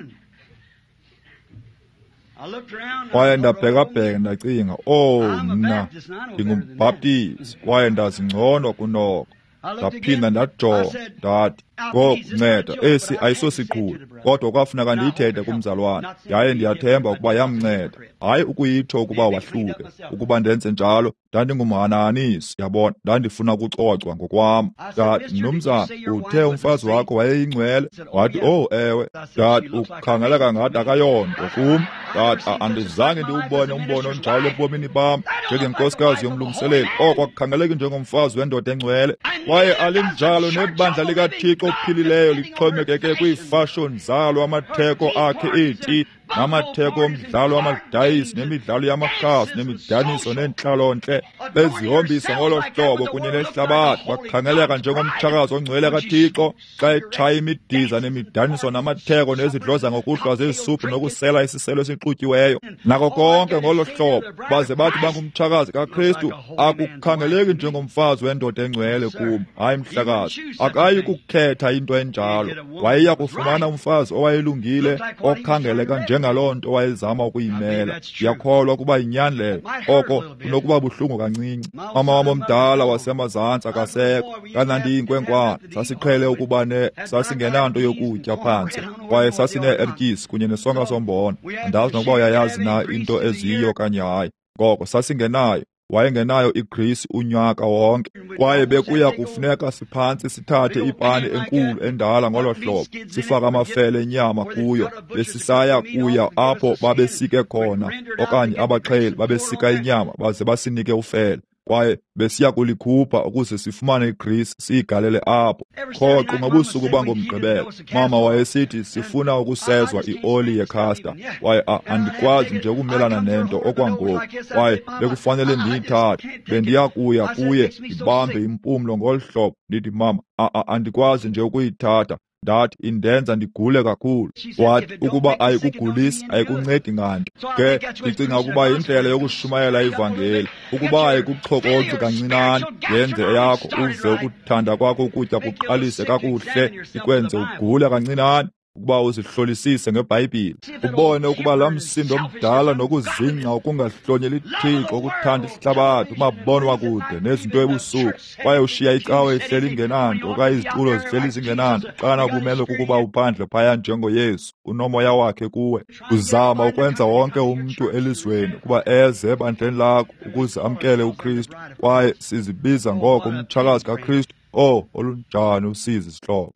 Kwaye ndabhekabheka ndacinga, oh mna ndingumbhaptizi kwaye ndazi ngcono kunoko. Ndaphinda ndajonga ndathi, ngoku nceda, esi ayisosiqhulo, kodwa kwafuneka ndiyithethe kumzalwane, yaye ndiyathemba ukuba yamnceda. Hayi ukuyitsho ukuba wahluke, ukuba ndenze njalo ndandingumhanahanisi, yabona, ndandifuna ukucocwa ngokwam. Ndathi, mnumzana, uthe umfazi wakho wayeyingcwele? Wathi, oh ewe. Ndathi, ukhangeleka ngathi akayonto kum. Ndathi, andizange ndiwubone umbono onjalo ebomini bam njengenkosikazi yomlungiseleli, oko akukhangeleki njengomfazi wendoda engcwele. Kwaye alinjalo nebandla likaThixo ophilileyo lixhomekeke kwiifashoni zalo, amatheko akhe eti, namatheko omdlalo wamadayisi, nemidlalo yamakhasi, nemidaniso neentlalontle, bezihombisa ngolo hlobo kunye nehlabathi. Bakhangeleka njengomtshakazi ongcwele kaThixo xa etshaya imidiza nemidaniso namatheko nezidlo zangokuhlwa zesuphu nokusela isiselo esixutyiweyo nako konke ngolo hlobo, baze bathi bangumtshakazi kaKristu. Akukhangeleki njengomfazi wendoda engcwele kum. Hayi mhlekazi, akayi kukhetha into enjalo. Wayeya kufumana umfazi owayelungile, okhangeleka njenga Njengaloo nto wayezama ukuyimela. Ndiyakholwa ukuba yinyani leyo. Oko kunokuba buhlungu kancinci. Mama wam omdala wasemazantsi akasekho. Kanandiyinkwenkwana sasiqhele ukuba ne sasingenanto yokutya phantsi, kwaye sasinee-ertyisi kunye nesonka sombona. Andazi nokuba uyayazi na into eziyo okanye hayi. Ngoko sasingenayo, wayengenayo igrisi unyaka wonke, kwaye bekuya kufuneka siphantsi sithathe ipani enkulu endala ngolo hlobo, sifake amafele enyama kuyo, besisaya kuya apho babesike khona, okanye abaxheli babesika inyama baze basinike ufele, kwaye besiya kulikhupha ukuze sifumane igrisi siyigalele apho. Rhoqo ngobusuku bangoMgqibelo, mama wayesithi sifuna ukusezwa ioli yekhasta, kwaye andikwazi nje ukumelana nento okwangoku, kwaye bekufanele ndiyithathe. Bendiya kuya kuye ndibambe impumlo ngolu hlobo, ndithi, mama, andikwazi nje ukuyithatha. Ndathi indenza ndigule kakhulu. Wathi ukuba ayikugulisi ayikuncedi nganto. Ke ndicinga ukuba yindlela yokushumayela ivangeli, ukuba ayikuchokozi kancinane, yenze eyakho uve ukuthanda kwakho ukutya kuqalise kakuhle, ikwenze ugule kancinane, ukuba uzihlolisise ngeBhayibhile, ubone ukuba laa msindo omdala nokuzingca ukungahlonyeli Thixo, ukuthanda ihlabathi, umabonwa kude nezinto ebusuku, kwaye ushiya icawe ihleli ingenanto okanye izitulo zihleli zingenanto, xana kumele kukuba uphandle phaya njengoYesu, unomoya wakhe kuwe, uzama ukwenza wonke umntu elizweni ukuba eze ebandleni lakho ukuze amkele uKristu, kwaye sizibiza ngoko umtshakazi kaKristu. Oh, olunjani usizi sihlobo.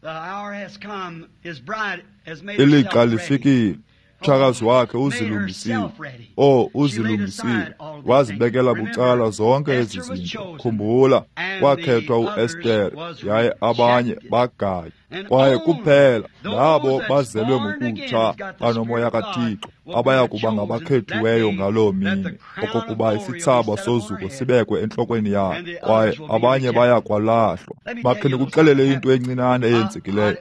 Ilixa lifikile, umtshakazi wakhe uzilungisile. Oh, uzilungisile, wazibekela bucala zonke ezi zinto. Khumbula, kwakhethwa uEstere, yaye abanye bagaya. Kwaye kuphela labo bazelwe ngokutsha banomoya kaThixo abaya kuba ngabakhethiweyo ngaloo mini, okokuba isithsaba sozuko sibekwe entlokweni yabo, kwaye abanye baya kwalahlwa. Makhe ndikuxelele into encinane eyenzekileyo.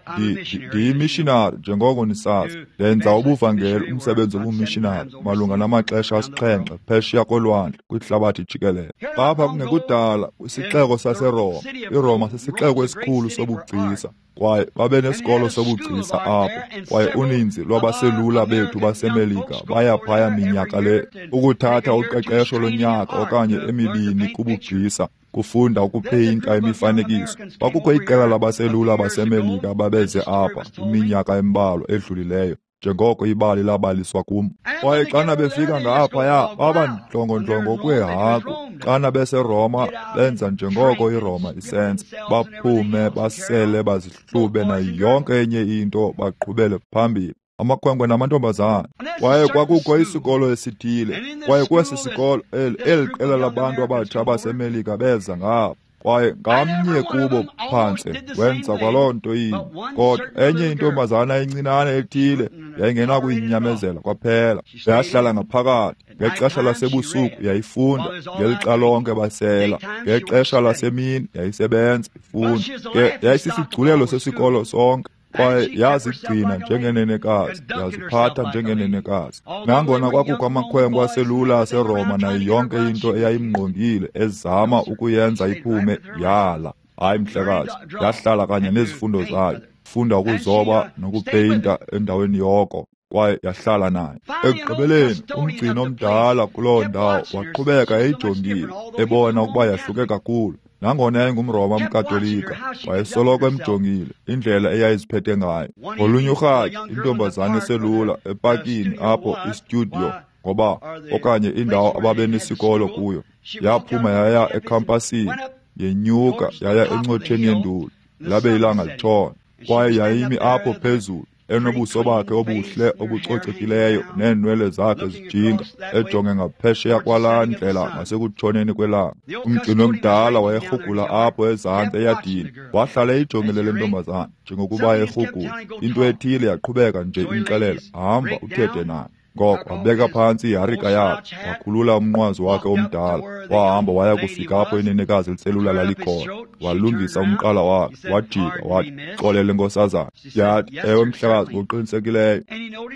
Ndiyimishinari, njengoko nisazi. Ndenza ubuvangeli, umsebenzi wobumishinari, malunga namaxesha asixhenxe phesheya kolwandle kwihlabathi jikelele. Apha kungekudala kwisixeko saseRoma. IRoma sisixeko esikhulu sobugcisa, kwaye babe nesikolo sobugcisa apho, kwaye uninzi lwabaselula bethu baseMelika baya phaya minyaka le ukuthatha uqeqesho lonyaka okanye emibini kubugcisa, kufunda ukupeyinta imifanekiso. Kwakukho iqela labaselula baseMelika ababeze apha kwiminyaka embalwa edlulileyo, njengoko ibali labaliswa kum. Kwaye xana befika ngaphaya baba ndlongondlongo kweehagu. Xana beseRoma benza njengoko iRoma isenza, baphume basele bazihlube nayo yonke enye into, baqhubele phambili, amakhwenkwe namantombazana. Kwaye kwakukho isikolo esithile, kwaye kwesi sikolo eli qela labantu abatsha abaseMelika beza ngapha, kwaye ngamnye kubo phantse wenza kwaloo nto inye, kodwa enye intombazana encinane ethile yayingenakuyinyamezela kwaphela. Yahlala ngaphakathi. Ngexesha lasebusuku yayifunda, ngelixa lonke basela. Ngexesha lasemini yayisebenza ifunda. Ke yayisisigculelo sesikolo sonke, kwaye yazigcina njengenenekazi, yaziphatha njengenenekazi. Nangona kwakukho amakhwenkwe aselula aseRoma nayo yonke into eyayimngqongile ezama ukuyenza iphume, yala. Hayi mhlekazi, yahlala kanye nezifundo zayo, funda ukuzoba nokupeyinta endaweni yoko, kwaye yahlala naye. Ekugqibeleni umgcini omdala kuloo ndawo waqhubeka eyijongile, ebona ukuba yahluke kakhulu. Nangona yayingumRoma mKatolika, wayesoloko emjongile indlela eyayiziphethe ngayo. Ngolunye urhatya, intombazana eselula epakini apho istudiyo ngoba okanye indawo ababenesikolo kuyo, yaphuma yaya ekhampasini, yenyuka yaya encotsheni yenduli, labe ilanga litshona, kwaye yayimi apho phezulu, enobuso bakhe obuhle obucocekileyo neenwele zakhe zijinga, ejonge ngaphesheya kwalaa ndlela ngasekutshoneni kwelanga. Umgcini omdala wayerhugula apho ezantsi eyadini, wahlala eyijongile le ntombazana njengokuba erhugula. Into ethile yaqhubeka nje imxelela, hamba uthethe naye. Ngoko wabeka phantsi iharika yakhe, wakhulula umnqwazi wakhe omdala, wahamba waya kufika apho inenekazi eliselula lalikhona, walungisa umqala wakhe, wajika wathi, xolele nkosazana. Yathi, ewe mhlekazi, ngokuqinisekileyo.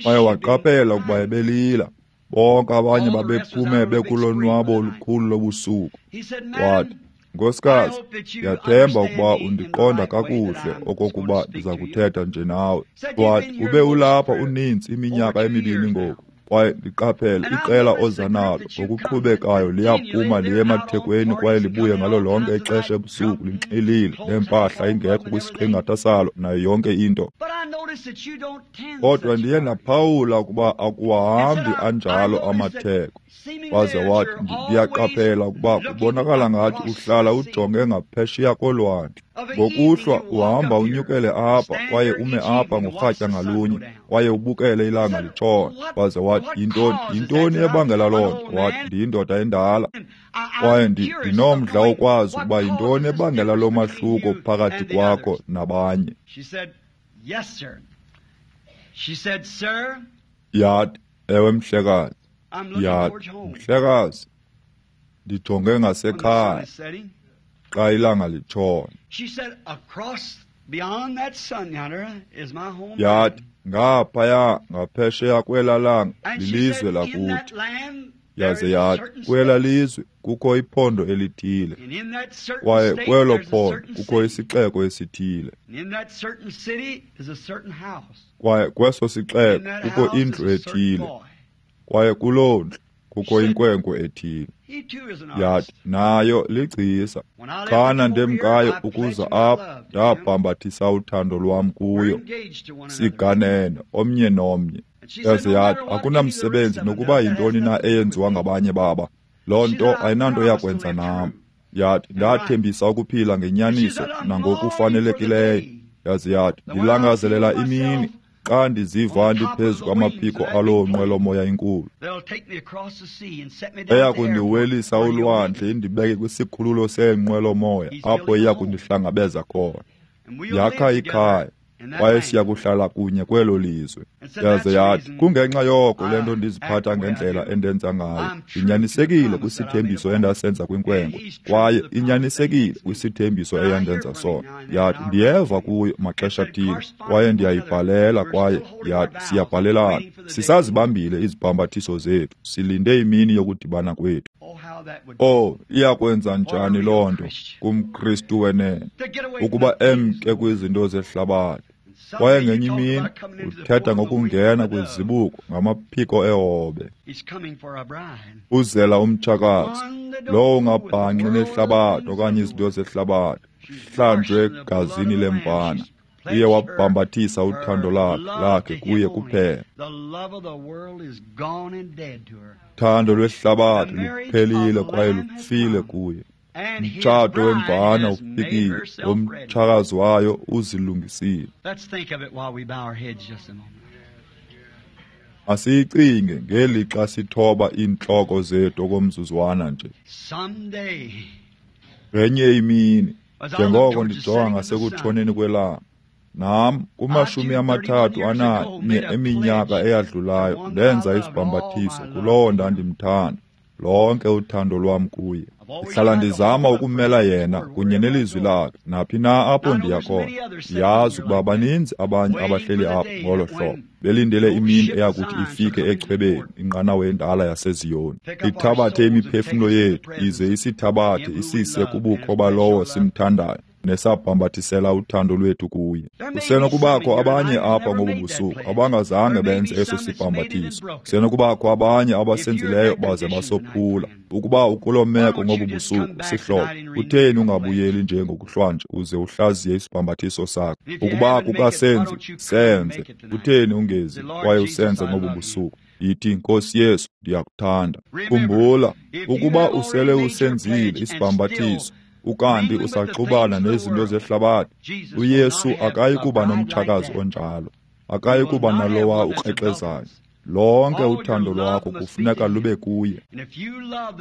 Kwaye waqaphela ukuba ebelila. Bonke abanye babephume bekulonwabo olukhulu lobusuku. Wathi, Nkosikazi, ndiyathemba ukuba undiqonda kakuhle okokuba ndiza kuthetha nje nawe. Wathi, ube ulapha uninzi iminyaka emibini ngoku, kwaye ndiqaphele iqela oza nalo ngokuqhubekayo liyaphuma liye emathekweni kwaye libuye ngalo lonke ixesha ebusuku linxilile, nempahla ingekho kwisiqingatha salo nayo yonke into. Kodwa ndiye ndaphawula ukuba akuwahambi anjalo amatheko. Waze wathi, ndiyaqaphela ukuba kubonakala ngathi uhlala ujonge ngaphesheya kolwandle. Ngokuhlwa uhamba unyukele apha kwaye ume apha ngorhatya ngalunye kwaye ubukele ilanga litshona. Waze wathi, yintoni yintoni ebangela loo nto? Wathi, ndiyindoda endala kwaye ndinomdla wokwazi ukuba yintoni ebangela lo mahluko phakathi kwakho nabanye. Yathi, ewe mhlekazi. Yathi, mhlekazi, ndijonge ngasekhaya xa ilanga litshona. Yathi, ngaphaya ngaphesheya kwela langa lilizwe lakuthi. Yaze yathi, kwela lizwe kukho iphondo elithile, kwaye kwelo phondo kukho isixeko esithile, kwaye kweso sixeko kukho indlu ethile, kwaye kuloo ndlu kukho inkwenkwe ethile. Yathi, nayo ligcisa. Xana ndemkayo ukuza apha, ndabhambathisa uthando lwam kuyo, siganene omnye nomnye. Yaze yathi, akunamsebenzi nokuba yintoni na eyenziwa ngabanye baba, loo nto ayinanto yakwenza nam. Yathi, ndathembisa ukuphila ngenyaniso nangokufanelekileyo. Yaze yathi, ndilangazelela imini xa ndiziva ndiphezu kwamaphiko aloo nqwelomoya inkulu eya kundiwelisa ulwandle indibeke kwisikhululo seenqwelomoya apho iya kundihlangabeza khona. Yakha ikhaya kwaye siya kuhlala kunye kwelo lizwe. Yaze yathi, kungenxa yoko le nto ndiziphatha ngendlela endenza ngayo. Ndinyanisekile kwisithembiso endasenza kwinkwenkwe, kwaye inyanisekile kwisithembiso eyandenza sona. Yathi, ndiyeva kuyo maxesha athile, kwaye ndiyayibhalela, kwaye yathi, siyabhalelana. Sisazibambile izibhambathiso zethu, silinde imini yokudibana kwethu. Oh, iyakwenza njani loo nto kumKristu wenene ukuba emke kwizinto zehlabathi? Kwaye ngenye imini uthetha ngokungena kwizibuko ngamaphiko ehobe. Uzela umtshakazi lowo ungabhanxi nehlabathi okanye izinto zehlabathi, hlanjwe egazini lemvana. Uye wabhambathisa uthando lakhe lakhe kuye kuphela. Uthando lwehlabathi luphelile kwaye lufile kuye. Umtshato wemvana ufikile, umtshakazi wayo uzilungisile. Asiyicinge ngelixa sithoba iintloko zethu okomzuzwana nje. Ngenye imini, njengoko ndijonga ngasekutshoneni kwelanga, nam kumashumi amathathu ananye eminyaka eyadlulayo ndenza isibhambathiso kulowo ndandimthanda, lonke uthando lwam kuye. Ndihlala ndizama ukumela yena kunye nelizwi lakhe naphi na apho ndiya khona. Ndiyazi ukuba baninzi abanye abahleli apho ngolo hlobo, belindele imini eyakuthi ifike echwebeni inqanawe endala yaseZiyoni, ithabathe imiphefumlo yethu ize isithabathe isise kubukho balowo simthandayo nesabhambathisela uthando lwethu kuye. Kusenokubakho abanye apha ngobu busuku abangazange benze eso sibhambathiso. Kusenokubakho abanye abasenzileyo baze basophula. Ukuba ukuloo meko ngobu busuku, sihlobo, utheni ungabuyeli nje ngokuhlwanje uze uhlaziye isibhambathiso sakho? Ukuba akukasenzi, senze. Utheni ungezi kwaye usenze ngobu busuku? Yithi, Nkosi Yesu, ndiyakuthanda. Khumbula, ukuba usele usenzile isibhambathiso ukanti usaxubana nezinto zehlabathi, uYesu akayi kuba nomtshakazi onjalo, akayi kuba nalowa ukrexezayo. Lonke uthando lwakho kufuneka lube kuye.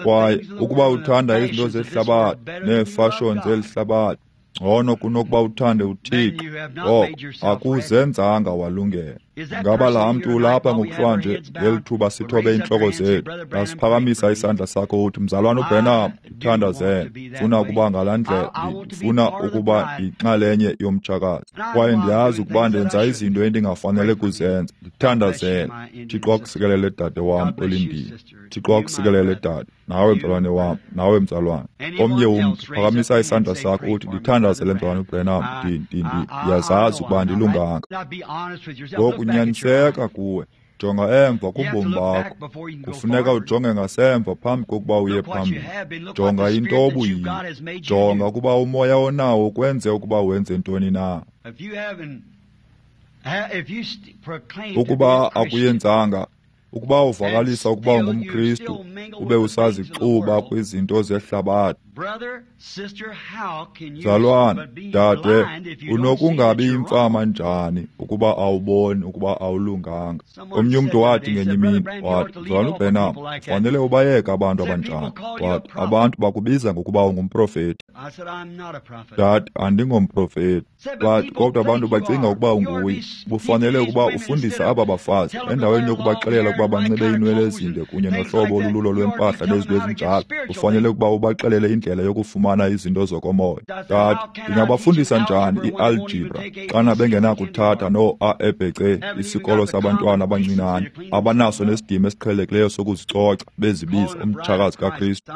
Kwaye ukuba uthanda izinto zehlabathi neefashoni zeli hlabathi ngcono kunokuba uthande uThixo, oko akuzenzanga walungela. Ngaba laa mntu ulapha ngokuhlwanje ngeli thuba sithobe iintloko zethu, ngasiphakamisa isandla sakho uthi, Mzalwana uBranham, ndithandazele. Ndifuna ukuba ngalaa ndlela, ndifuna ukuba yinxalenye yomtshakazi. Kwaye ndiyazi ukuba ndenza izinto endingafanele kuzenza. Ndithandazele. Thixo akusikelele, dade wam olindile. Thixo akusikelele, dade. Nawe mzalwane wam, nawe mzalwane. Omnye umntu, phakamisa isandla sakho uthi, ndithandazele mzalwane uBranham, ndiyazazi ukuba andilunganga. Ngoku nyaniseka kuwe. Jonga emva kubomi bakho. Kufuneka ujonge ngasemva phambi kokuba uye phambili. Jonga into obuyiyo. Jonga ukuba umoya onawo ukwenze ukuba wenze ntoni na. Ukuba akuyenzanga, ukuba uvakalisa ukuba ungumKristu, ube usazixuba kwizinto zehlabathi. Mzalwana, dade, unokungabi yimfama njani ukuba awuboni ukuba awulunganga? Omnye umntu wathi ngenye imini, wathi, Mzalwana uBranham, ufanele ubayeke abantu abanjalo. Wathi, abantu bakubiza ngokuba ungumprofeti. Ndathi, andingomprofeti. Wathi, kodwa abantu bacinga ukuba unguye. Ubufanele ukuba ufundise aba bafazi, endaweni yokubaxelela ukuba banxibe iinwele ezinde kunye nohlobo olululo lwempahla nezinto ezinjalo. Ufanele ukuba ubaxelele indlela yokufumana izinto zokomoya. Ndathi, ndingabafundisa njani i-algebra xana bengenakuthatha no-A E B C, isikolo sabantwana abancinane, abanaso nesidima esiqhelekileyo sokuzicoca, bezibiza umtshakazi kaKristu.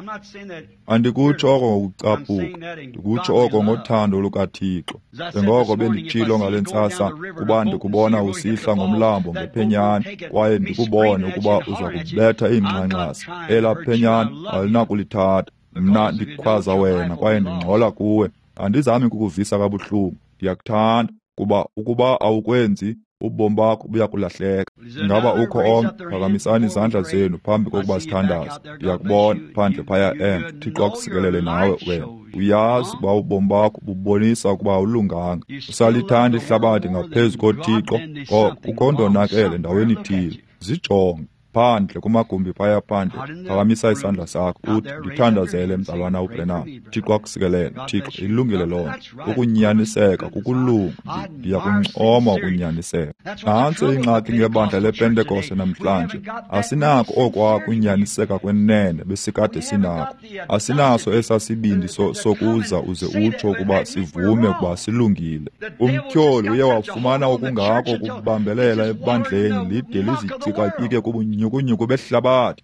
Andikutsho oko ngokucaphuka, ndikutsho oko ngothando lukaThixo. Njengoko benditshilo ngale ntsasa, kuba ndikubona usihla ngomlambo ngephenyane, kwaye ndikubone ukuba uza kubetha iingxangxasi. Elaa phenyane alinakulithatha. Mna ndikhwaza wena kwaye ndingxola kuwe. Andizami kukuvisa kabuhlungu. Ndiyakuthanda, kuba ukuba awukwenzi, ubomi bakho buyakulahleka. Ingaba ukho omnye? Phakamisani izandla zenu phambi kokuba sithandaze. Ndiyakubona phandle phaya emva. Thixo akusikelele nawe wena. Uyazi ukuba ubomi bakho bubonisa ukuba awulunganga. Usalithanda ihlabathi ngaphezu koThixo, ngoko kukho ndonakele ndaweni ithile. Zijonge phandle kumagumbi phaya phandle. Phakamisa isandla sakho uthi, ndithandazele mzalwana uBranham. Thixo akusikelele. Thixo, ilungile loo nto. Ukunyaniseka kukulunga. Ndiyakuncoma ukunyaniseka. Nantso ingxaki ngebandla lePentekoste namhlanje. Asinako okwa kunyaniseka kwenene besikade sinako. Asinaso esasibindi sokuza uze utsho ukuba sivume ukuba silungile. Umtyholi uye wafumana okungako ukubambelela ebandleni lide lizityikatyike kubunyukunyuku behlabathi.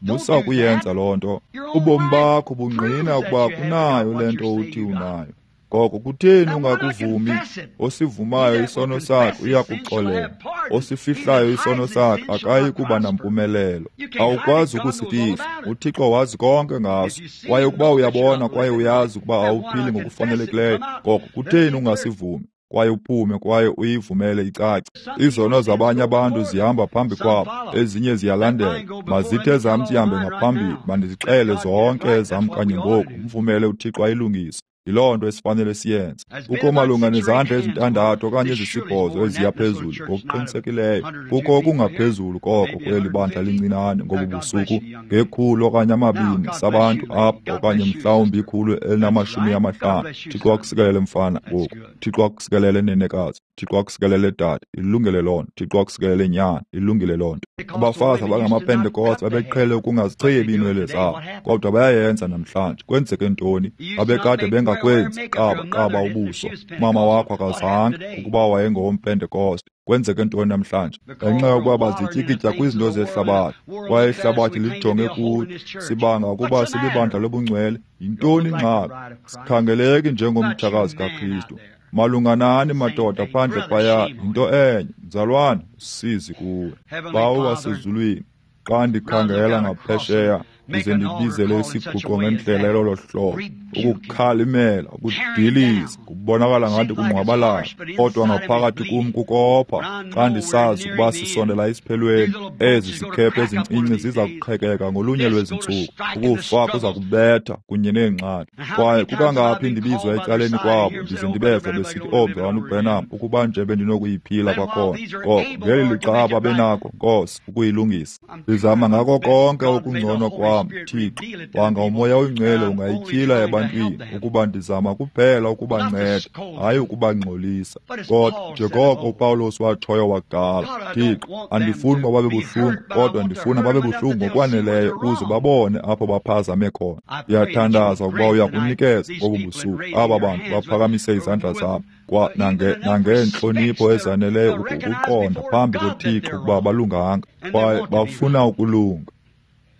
Musa ukuyenza loo nto. Ubomi bakho bungqina ukuba kunayo le nto uthi unayo. Ngoko kutheni ungakuvumi? Osivumayo isono sakhe uyakuxolela, osifihlayo isono sakhe akayi kuba nampumelelo. Awukwazi ukusifihla, uThixo wazi konke ngaso. Kwaye ukuba uyabona kwaye uyazi ukuba awuphili ngokufanelekileyo, ngoko kutheni ungasivumi kwaye uphume kwaye uyivumele icace? Izono zabanye abantu zihamba phambi kwabo, ezinye ziyalandela. Mazithi ezam zihambe ngaphambili, mandizixele zonke ezam kanye ngoku. Mvumele uThixo ayilungise. Yiloo nto esifanele siyenze. Kukho malunga nezandla ezintandathu okanye ezisibhozo eziya phezulu ngokuqinisekileyo. Kukho okungaphezulu koko kweli bandla lincinane ngobu busuku, ngekhulu okanye amabini sabantu apha, okanye mhlawumbi ikhulu elinamashumi amahlanu. Thixo akusikelele mfana ngoku. Thixo akusikelele nenekazi. Thixo akusikelele dade. Ilungele loo nto. Thixo akusikelele nyana. Ilungile loo nto. Abafazi abangamaPentekoste babeqhele ukungazichebi iinwele zabo, kodwa bayayenza namhlanje. Kwenzeke ntoni? Babekade bengakwenzi qaba qaba ubuso. Mama wakho akazange ukuba wayengowomPentekoste. Kwenzeke ntoni namhlanje? Ngenxa yokuba bazityikitya kwizinto zehlabathi, kwaye ihlabathi lijonge kuthi. Sibanga ukuba silibandla lobungcwele. Yintoni ingxaki? Sikhangeleki njengomtshakazi kaKristu. Malunga nani madoda phandle phaya, yinto enye. Mzalwane, usizi kuwe. Bawo wasezulwini, xa ndikhangela ngaphesheya ndize ndibizele isiguqo ngendlela elolo hlobo, ukukhalimela, ukudiliza, kubonakala ngathi kungqwabalala, kodwa ngaphakathi kum kukopha. Xa ndisazi ukuba sisondela esiphelweni, ezi zikhephe ezincinci ziza kuqhekeka ngolunye lwezi ntsuku. Ukufa kuza kubetha kunye neengxaki. Kwaye kukangaphi ndibizwa ecaleni kwabo, ndize ndibeve besithi, oh mzalwana uBranham, ukuba nje bendinokuyiphila kwakhona. Ngoko ngeli lixa aba benako, Nkosi, ukuyilungisa. Ndizama ngako konke okungcono kwam wam, Thixo, wanga uMoya oyiNgcwele ungayityhila ebantwini ukuba ndizama kuphela ukubanceda, hayi ukubangxolisa. Kodwa njengoko uPawulos watshoyo wakudala, Thixo, andifuni uba babe buhlungu, kodwa ndifuna babe buhlungu ngokwaneleyo ukuze babone apho baphazame khona. Ndiyathandaza ukuba uyakunikeza ngobu busuku aba bantu baphakamise izandla zabo kwa nangeentlonipho ezaneleyo ukuqonda phambi koThixo ukuba balunganga kwaye bafuna ukulunga.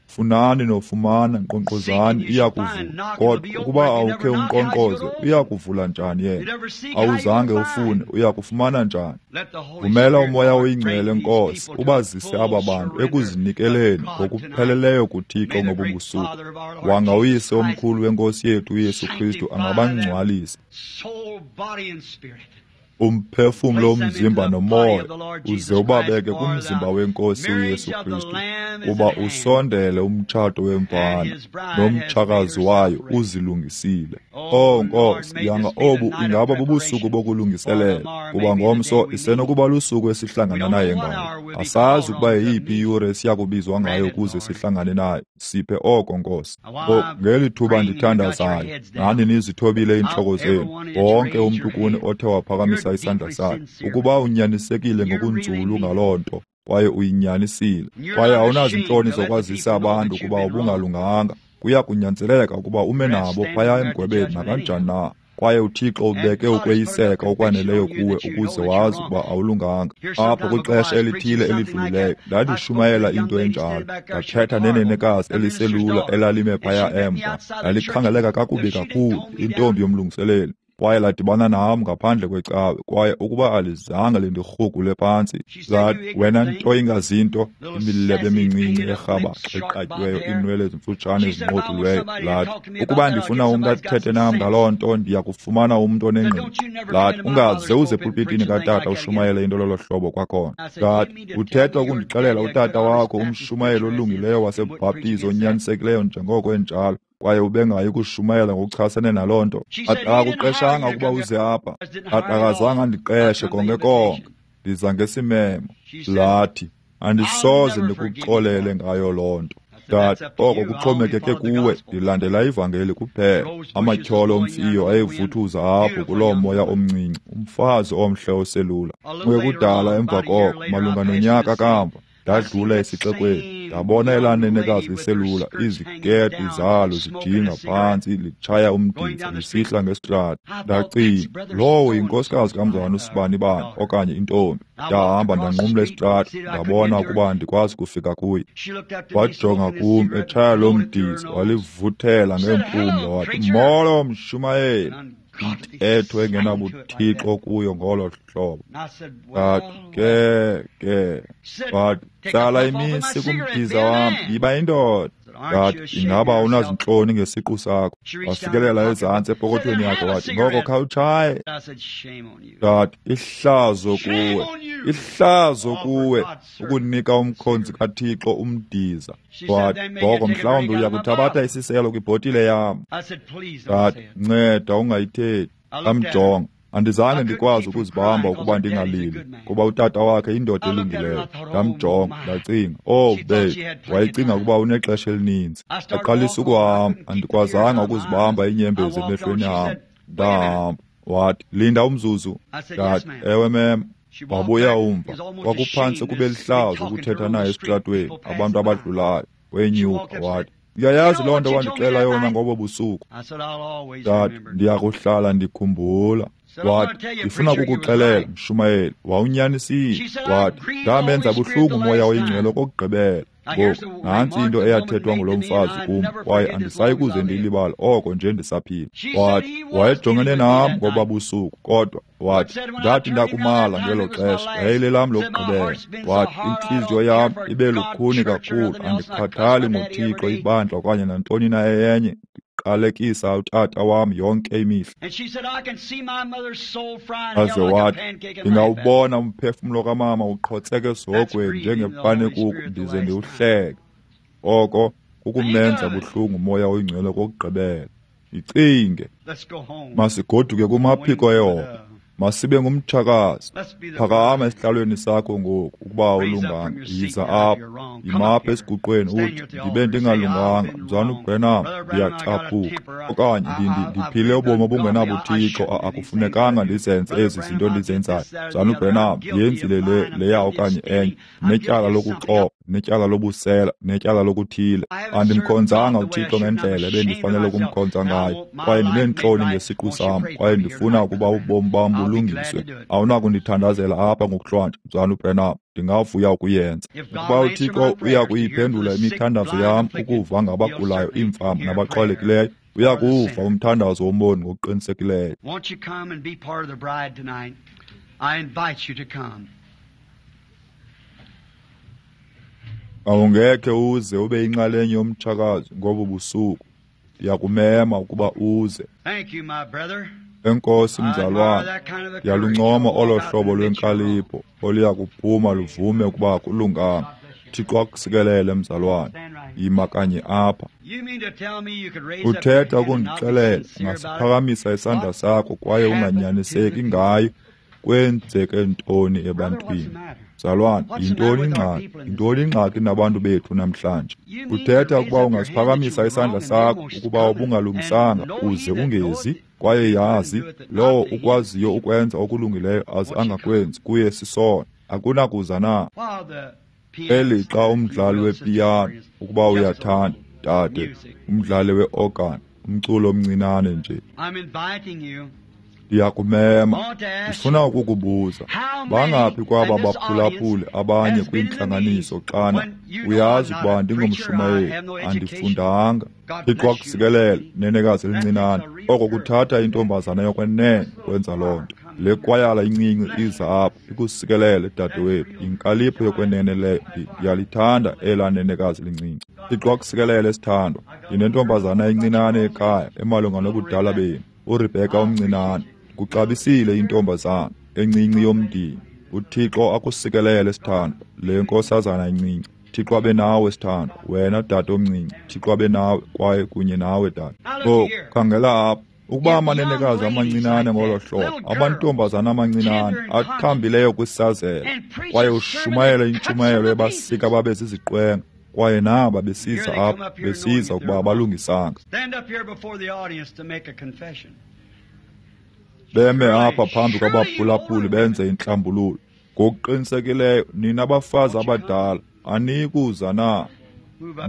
Funani nofumana, nkqonkqozani, iyakuvula. Kodwa ukuba awukhe unkqonkqoze, uyakuvula njani yena? Awuzange ufune, uyakufumana njani? Vumela uMoya oyiNgcwele, Nkosi, ubazise aba bantu ekuzinikeleni ngokupheleleyo kuThixo ngobu busuku. Wanga uYise omkhulu weNkosi yethu uYesu Kristu angabangcwalisa umphefumlo, umzimba nomoya, uze ubabeke kumzimba weNkosi uYesu Kristu, kuba usondele umtshato wemvana nomtshakazi wayo uzilungisile. Oh Nkosi, yanga obu ingaba bubusuku bokulungiselela, kuba ngomso isenokuba lusuku esihlangana naye ngalo. Asazi ukuba yeyiphi iyure esiyakubizwa ngayo ukuze sihlangane naye. Siphe oko, Nkosi. Ngeli thuba ndithandazayo, nani nizithobile iintloko zenu, wonke umntu kuni othe waphakamisa isandla sakhe, ukuba unyanisekile ngokunzulu ngaloo nto, kwaye uyinyanisile, kwaye awunazintloni zokwazisa abantu ukuba ubungalunganga, kuya kunyanzeleka ukuba ume nabo phaya emgwebeni nakanjani na. Kwaye uThixo ubeke ukweyiseka okwaneleyo kuwe ukuze wazi ukuba awulunganga. Apho kwixesha elithile elidlulileyo ndandishumayela into enjalo, ndathetha nenenekazi eliselula elalime phaya emva. Lalikhangeleka kakubi kakhulu, intombi yomlungiseleli. Kwaye ladibana nam ngaphandle kwecawe, kwaye ukuba alizange lindirhugule phantsi, zathi, wena nto ingazinto, imilebe emincinci erhabaxa eqatyiweyo, iinwele ezimfutshane ezinqothuliweyo. Lathi, ukuba ndifuna umntu athethe nam ngaloo nto, ndiya kufumana umntu onengqiqo. Lathi, ungaze uze epulpitini katata ushumayele into lolo hlobo kwakhona. Ndathi, uthetha ukundixelela utata wakho umshumayeli olungileyo waseBhaptizi onyanisekileyo njengoko enjalo, kwaye ubengayi kushumayela ngokuchasene naloo nto. Akakuqeshanga ukuba uze apha. Akazange andiqeshe konke konke. Ndiza ngesimemo. Lathi, andisoze ndikuxolele ngayo loo nto. Ndathi, oko kuxhomekeke kuwe, ndilandela ivangeli kuphela. Amatyholo omfiyo ayevuthuza apho kuloo moya omncinci, umfazi omhle oselula. Kungekudala emva koko, malunga nonyaka kamva, ndadlula esixekweni, ndabona elaa nenekazi liselula, iziketi zalo zijinga phantsi, litshaya umdiza, lisihla ngesitrato. Ndacinga, lowo yinkosikazi kamzalwana uSibani-bani okanye intombi. Ndahamba ndanqumla esitrato, ndabona ukuba andikwazi kufika kuye. Wajonga kum etshaya loo mdiza, walivuthela ngeempumlo wathi, molo mshumayeli. Intetho engenabuthixo kuyo ngolo hlobo. Ndathi, ke ke, wathi, tsala imisi kumdiza wam, yiba yindoda. Ndathi, ingaba awunazintloni ngesiqu sakho? Wafikelela ezantsi epokothweni yakhe wathi, ngoko khawutshaye. Ndathi, ihlazo kuwe, ihlazo kuwe ukunika umkhonzi kaThixo umdiza. Wathi, ngoko mhlawumbi uyakuthabatha isiselo kwibhotile yam. Ndathi, nceda ungayithethi. Ndamjonga. Andizange ndikwazi ukuzibamba ukuba ndingalili, kuba utata wakhe indoda elungileyo. Ndamjonga, ndacinga, oh babe, wayecinga ukuba unexesha elininzi. Ndaqalisa ukuhamba, andikwazanga ukuzibamba iinyembezi emehlweni am. Ndahamba. Wathi, linda umzuzu. Ndathi, ewe mem. Wabuya umva. Kwakuphantsi kube lihlazo ukuthetha naye esitratweni, abantu abadlulayo. Wenyuka wathi, uyayazi loo nto wandixela yona ngobo busuku? Ndathi, ndiyakuhlala ndikhumbula. Wathi, ndifuna ukukuxelela, mshumayeli, wawunyanisile. Wathi, ndamenza buhlungu uMoya oyiNgcwele okokugqibela. Ngoku, nantsi into eyathethwa ngulo mfazi kum, kwaye andisayi kuze ndiyilibale oko nje ndisaphila. Wathi, wayejongene nam ngoba busuku, kodwa wathi, ndathi ndakumala ngelo xesha, yayilelam lokugqibela. Wathi, intliziyo yam ibe lukhuni kakhulu, andikhathali ngoThixo, ibandla okanye nantoni na eyenye. Qalekisa utata wam yonke imihla. Aze wathi, ndingawubona umphefumlo kamama uqhotseke esihogweni njengepanekuku ndize ndiwuhleke. Oko kukumenza buhlungu uMoya oyiNgcwele kokugqibela. Icinge, masigoduke kumaphiko ehoko. Masibe ngumtshakazi. Phakama esihlalweni sakho ngoku ukuba ulunganga. Yiza apha. Yima apha esiguqweni uthi, ndibe ndingalunganga, Mzalwana uBranham, ndiyacaphuka. Okanye ndiphile ubomi obungenabuthixo, akufunekanga ndizenze ezi zinto ndizenzayo. Mzalwana uBranham, ndiyenzile le leya okanye enye. Netyala lokuxoka, netyala lobusela, netyala lokuthile. Andimkhonzanga uThixo ngendlela ebendifanele ukumkhonza ngayo, kwaye ndineentloni ngesiqu sam, kwaye ndifuna ukuba ubomi bam bulungiswe. Awunakundithandazela apha ngokuhlwanje, Mzalwana uBranham, ndingavuya ukuyenza. Ukuba uThixo uya kuyiphendula imithandazo yam ukuva ngabagulayo, iimfama nabaxhwalekileyo, uya kuwuva umthandazo womoni ngokuqinisekileyo. Won't you come and be part of the bride tonight? I invite you to come. Awungekhe uze ube yinxalenye yomtshakazi ngobu busuku. Ndiyakumema ukuba uze. Thank you, my brother. Enkosi mzalwana, ndiyaluncoma olo hlobo lwenkalipho oluya kuphuma luvume ukuba kulunganga. Thixo akusikelele mzalwana. Yima kanye apha. Uthetha ukundixelela, ungasiphakamisa isandla sakho kwaye unganyaniseki ngayo. Kwenzeke ntoni ebantwini? Mzalwana, yintoni ingxaki? Yintoni ingxaki nabantu bethu namhlanje? Uthetha ukuba ungasiphakamisa isandla sakho ukuba ubungalungisanga uze ungezi, kwaye yazi lowo ukwaziyo ukwenza okulungileyo aze angakwenzi kuye sisono. Akunakuza na? Elixa umdlali wepiyano, ukuba uyathanda, dade, umdlali we-organ, umculo omncinane nje. Ndiyakumema. Ndifuna ukukubuza, bangaphi kwaba baphulaphuli abanye kwintlanganiso xana uyazi ukuba ndingumshumayeli, andifundanga? Thixo akusikelele, nenekazi elincinane. Oko kuthatha intombazana yokwenene kwenza loo nto. Le kwayala incinci iza apha ikusikelele, dadewethu. Yinkalipho yokwenene leyo. Ndiyalithanda elaa nenekazi lincinci. Thixo akusikelele, sithandwa. Ndinentombazana encinane ekhaya emalunga nobudala benu, uRebheka omncinane. Kuxabisile intombazana encinci yomndini. UThixo akusikelele, sithandwa, le nkosazana incinci. Thixo abe nawe, sithandwa. Wena dade omncinci, Thixo abe nawe kwaye kunye nawe, dade. Ngoku khangela apha. Ukuba amanenekazi amancinane ngolo hlobo, amantombazana amancinane athambileyo kwisazela, kwaye ushumayela intshumayelo ebasika babe ziziqwenga, kwaye naba besiza apha besiza ukuba abalungisanga. Beme apha phambi kwabaphulaphuli benze intlambululo. Ngokuqinisekileyo nina bafazi abadala aniyikuza na?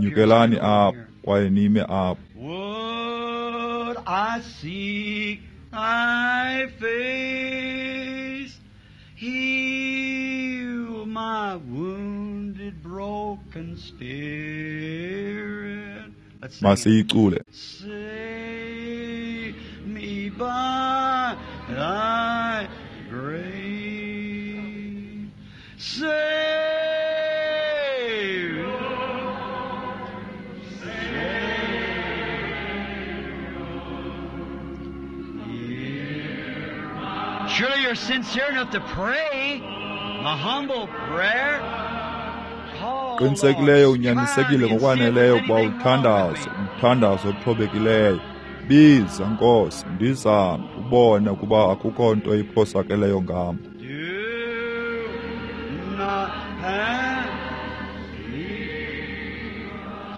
Nyukelani apha kwaye nime apha. Would I seek thy face, heal my wounded, broken spirit. Let's sing it. Masiyicule. Save me by thy grace. Save, save. Surely you're sincere enough to pray a humble prayer. Qinisekileyo unyanisekile ngokwaneleyo ukuba uthandaze umthandazo othobekileyo. Biza, Nkosi, ndizame ubone ukuba akukho nto iphosakeleyo ngam. Do not pass me.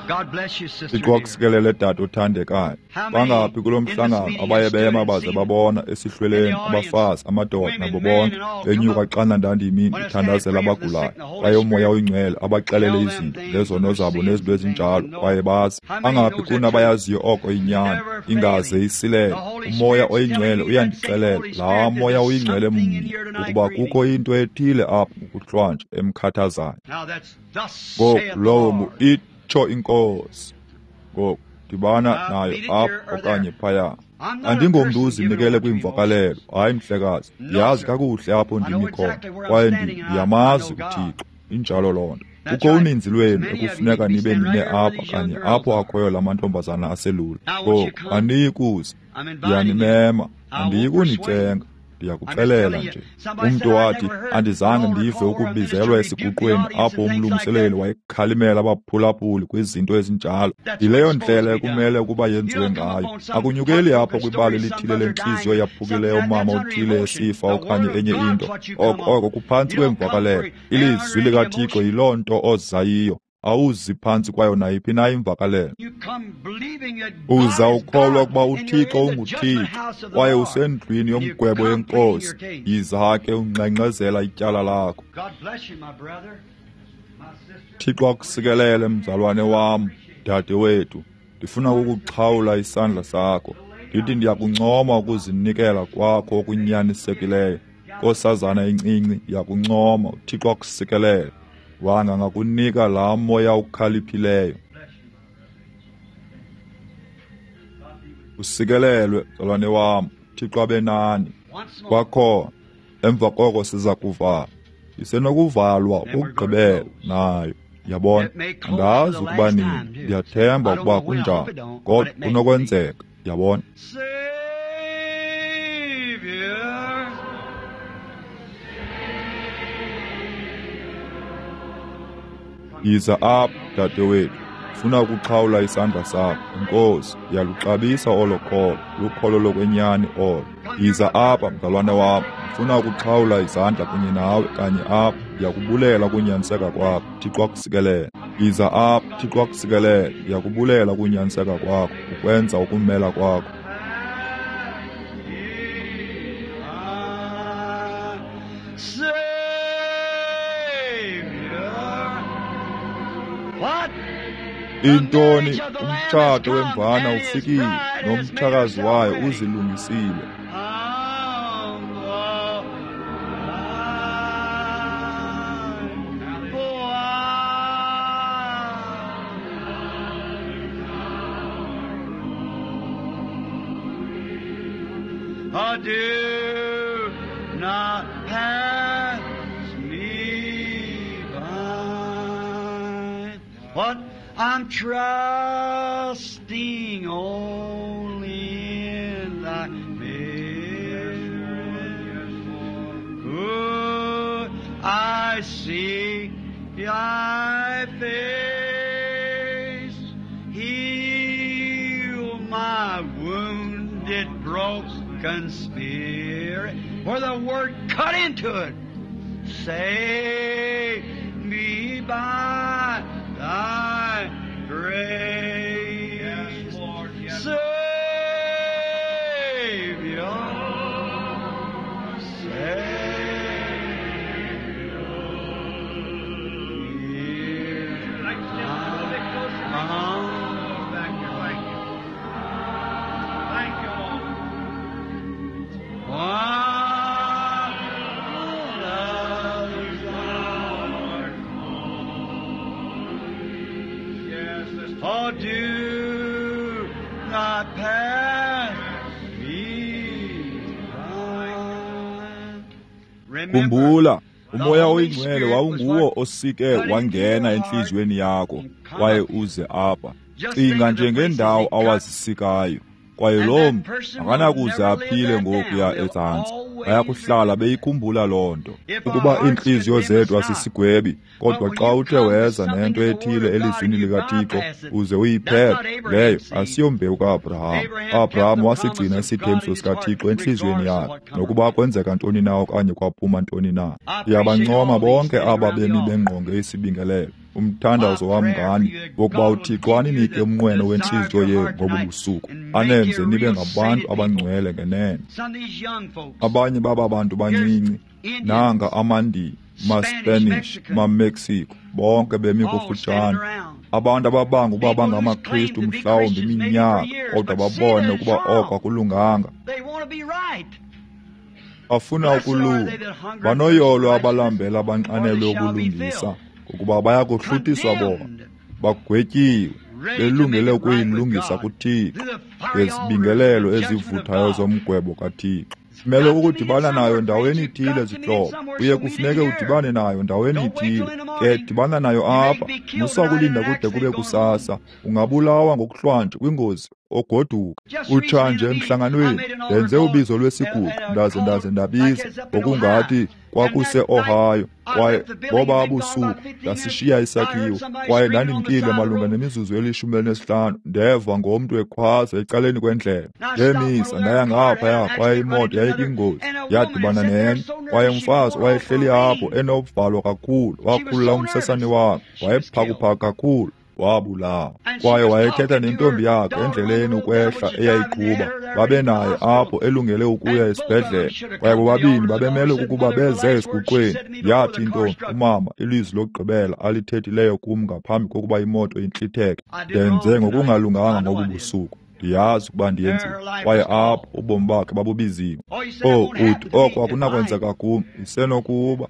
God bless you, sister. Thixo Dear. akusikelele, dade othandekayo. Bangaphi kulo mhlangano abaye bema baze babona esihlweleni abafazi, amadoda nabo bonke benyuka xana ndandimi ndithandazela abagulayo, kwaye uMoya oyiNgcwele abaxelele izinto ngezono zabo nezinto ezinjalo, kwaye bazi. Bangaphi kuni abayaziyo oko inyani ingaze isilele? UMoya oyiNgcwele uyandixelela, laa Moya oyiNgcwele mnye, ukuba kukho into ethile apha ngokuhlwanje emkhathazayo. Now that's thus Ngoku saith the lowo Lord. ngu itsho iNkosi. Ngoku dibana nayo apha okanye phaya. Andingomntu uzinikele kwiimvakalelo, hayi mhlekazi. Ndiyazi kakuhle apho ndimi khona, kwaye ndiyamazi uThixo. Injalo loo nto. Kukho uninzi lwenu ekufuneka nibe nime apha kanye apho akhoyo la mantombazana aselula. Ngoku andiyi kuza, I'm inviting you. ndiyanimema, andiyi kunicenga. Ndiyakuxelela nje. Umntu wathi, andizange ndive ukubizelwa esiguqweni apho umlungiseleli wayekhalimela abaphulaphuli kwizinto ezinjalo. Yileyo ndlela ekumele ukuba yenziwe ngayo. Akunyukeli apha kwibali elithile lentliziyo eyaphukileyo umama othile esifa okanye enye into. Oko oko kuphantsi kwemvakalelo. Ilizwi likaThixo yiloo nto oza yiyo. Awuzi phantsi kwayo nayiphi na imvakalelo. Uza ukholwa ukuba uThixo unguThixo kwaye usendlwini yomgwebo yenkosi. Yiza ke ungxengxezela ityala lakho. Thixo akusikelele, mzalwane wam, dadewethu. Ndifuna ukukuxhawula isandla sakho. Ndithi ndiyakuncoma ukuzinikela kwakho okunyanisekileyo. Nkosazana encinci, ndiyakuncoma. uThixo akusikelele. Wanga ngakunika laa moya ukhaliphileyo. Usikelelwe, mzalwane wam. Thixo abe nani. Kwakhona, emva koko siza kuvala. Isenokuvalwa okokugqibela nayo. Yabona, andazi ukuba nini. Ndiyathemba ukuba kunjalo, kodwa kunokwenzeka. Yabona. Yiza apha, dadewethu. Funa ukuxhawula isandla sakho. Inkosi, ndiyaluxabisa olo kholo, lukholo lokwenyani olo. Yiza apha, mzalwane wam. Ndifuna ukuxhawula izandla kunye nawe kanye apha. Ndiyakubulela ukunyaniseka kwakho. Thixo akusikelele. Yiza apha, Thixo akusikelele. Ndiyakubulela ukunyaniseka kwakho, ukwenza ukumela kwakho. Intoni? Umtshato wemvana ufikile, nomtshakazi wayo uzilungisile. Do not pass me by. What? I'm trusting only in thy mercy. Good, I see thy face. Heal my wounded, broken spirit. Where the word cut into it. Save me by thy grace. Yes, Lord, yes. Savior, Savior. Like to step a little bit closer. Uh-huh. Back here, thank you. Thank you, Lord. Yes, let's Oh, do not pass me by. Remember, Khumbula, umoya oyingcwele wawunguwo osike wangena entliziyweni yakho kwaye uze apha. Cinga nje ngendawo awazisikayo. Kwaye loo mntu akanakuze aphile ngokuya ezantsi. Bayakuhlala beyikhumbula loo nto. Ukuba iintliziyo zethu asisigwebi, kodwa xa uthe weza nento ethile elizwini likaThixo uze uyiphephe, leyo asiyombewu ka-Abraham. U-Abraham wasigcina isithembiso sikaThixo entliziyweni yakhe, nokuba kwenzeka ntoni na okanye kwaphuma ntoni na. Ndiyabancoma bonke aba bemi bengqonge isibingelelo. Umthandazo wam ngani wokuba uThixo aninike umnqweno wentliziyo yenu ngobu busuku, anenze nibe ngabantu abangcwele ngenene. Some of these young folks, Abanye baba bantu bancinci, nanga amaNdiya, maSpanish, maMexico, bonke bemi all standing kufutshane. around. Abantu ababanga ukuba bangamaKristu mhlawumbi iminyaka, kodwa babone ukuba oko akulunganga. They want to be right. Bafuna ukulunga. Banoyolo abalambela abanxanelwe ubulungisa, ngokuba baya kuhluthiswa bona. Bagwetyiwe, belungele ukuyilungisa kuThixo ngezibingelelo ezivuthayo zomgwebo kaThixo. Kumele ukudibana nayo ndaweni ithile, zihlobo. Kuye kufuneke udibane nayo ndaweni ithile. Ke dibana nayo apha. Musa ukulinda kude kube kusasa. Ungabulawa ngokuhlwanje kwingozi ogoduka. Utshanje emhlanganweni ndenze ubizo lwesiguqo, ndaze ndaze ndabiza ngokungathi kwakuse-Ohio, kwaye ngoba busuku ndasishiya isakhiwo, kwaye ndandimkile malunga nemizuzu elishumi elinesihlanu, ndeva ngomntu ekhwaza ecaleni kwendlela. Ndemisa ndaya ngaphaya, kwaye imoto yayikwingozi, yadibana nenye, kwaye umfazi wayehleli apho enovalo kakhulu, wakhulula umsesane wakhe, wayephakuphaku kakhulu, wabulawa. Kwaye wayethetha nentombi yakhe endleleni ukwehla eyayiqhuba, babenaye apho elungele ukuya esibhedlele, kwaye bobabini babemele ukuba beze esiguqweni. Yathi intombi, umama, ilizwi lokugqibela alithethileyo kum ngaphambi kokuba imoto intlitheke, ndenze ngokungalunganga ngobu busuku, ndiyazi ukuba ndiyenzile. Kwaye apho ubomi bakhe babubiziwe. Oh, uthi oko akunakwenzeka kum, isenokuba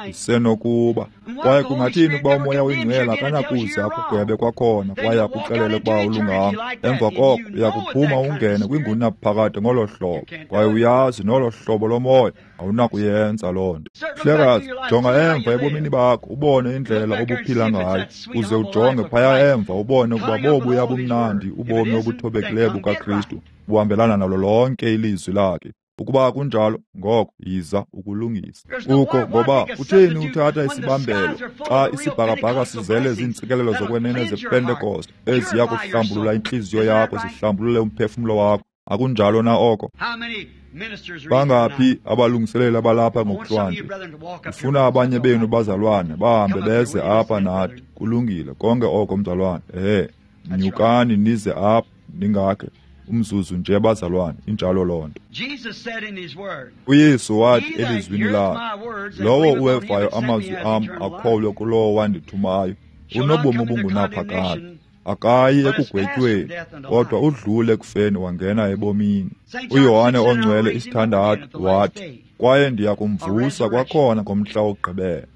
isenokuba. Kwaye kungathini ukuba uMoya oyiNgcwele akanakuze akugwebe kwakhona kwaye akuxelele ukuba ulunganga? Emva koko uyakuphuma ungene kwingunaphakade ngolo hlobo, kwaye uyazi nolo hlobo lomoya awunakuyenza loo nto. Mhlekazi, jonga emva ebomini bakho ubone indlela obuphila ngayo, uze ujonge phaya emva ubone ukuba bobuya bumnandi ubomi obuthobekileyo bukaKristu buhambelana nalo lonke ilizwi lakhe. Ukuba kunjalo, ngoko yiza ukulungisa. Kukho ngoba kutheni uthatha isibambelo xa isibhakabhaka sizele ziintsikelelo zokwenene zePentekoste eziya kuhlambulula intliziyo yakho, zihlambulule umphefumlo wakho? Akunjalo na oko? Bangaphi abalungiseleli abalapha ngokuhlwanje? Ndifuna abanye benu bazalwane bahambe beze apha nathi. Kulungile konke oko, mzalwane. Ehe, nyukani nize apha, ningakhe umzuzu nje bazalwane, injalo loo nto. UYesu wathi elizwini lakhe, lowo uwevayo amazwi am akholwe kulowo wandithumayo unobomi obungunaphakade, akayi ekugwetyweni, kodwa udlule ekufeni wangena ebomini. UYohane oNgcwele isithandathu wathi, kwaye ndiya kumvusa kwakhona ngomhla wokugqibela.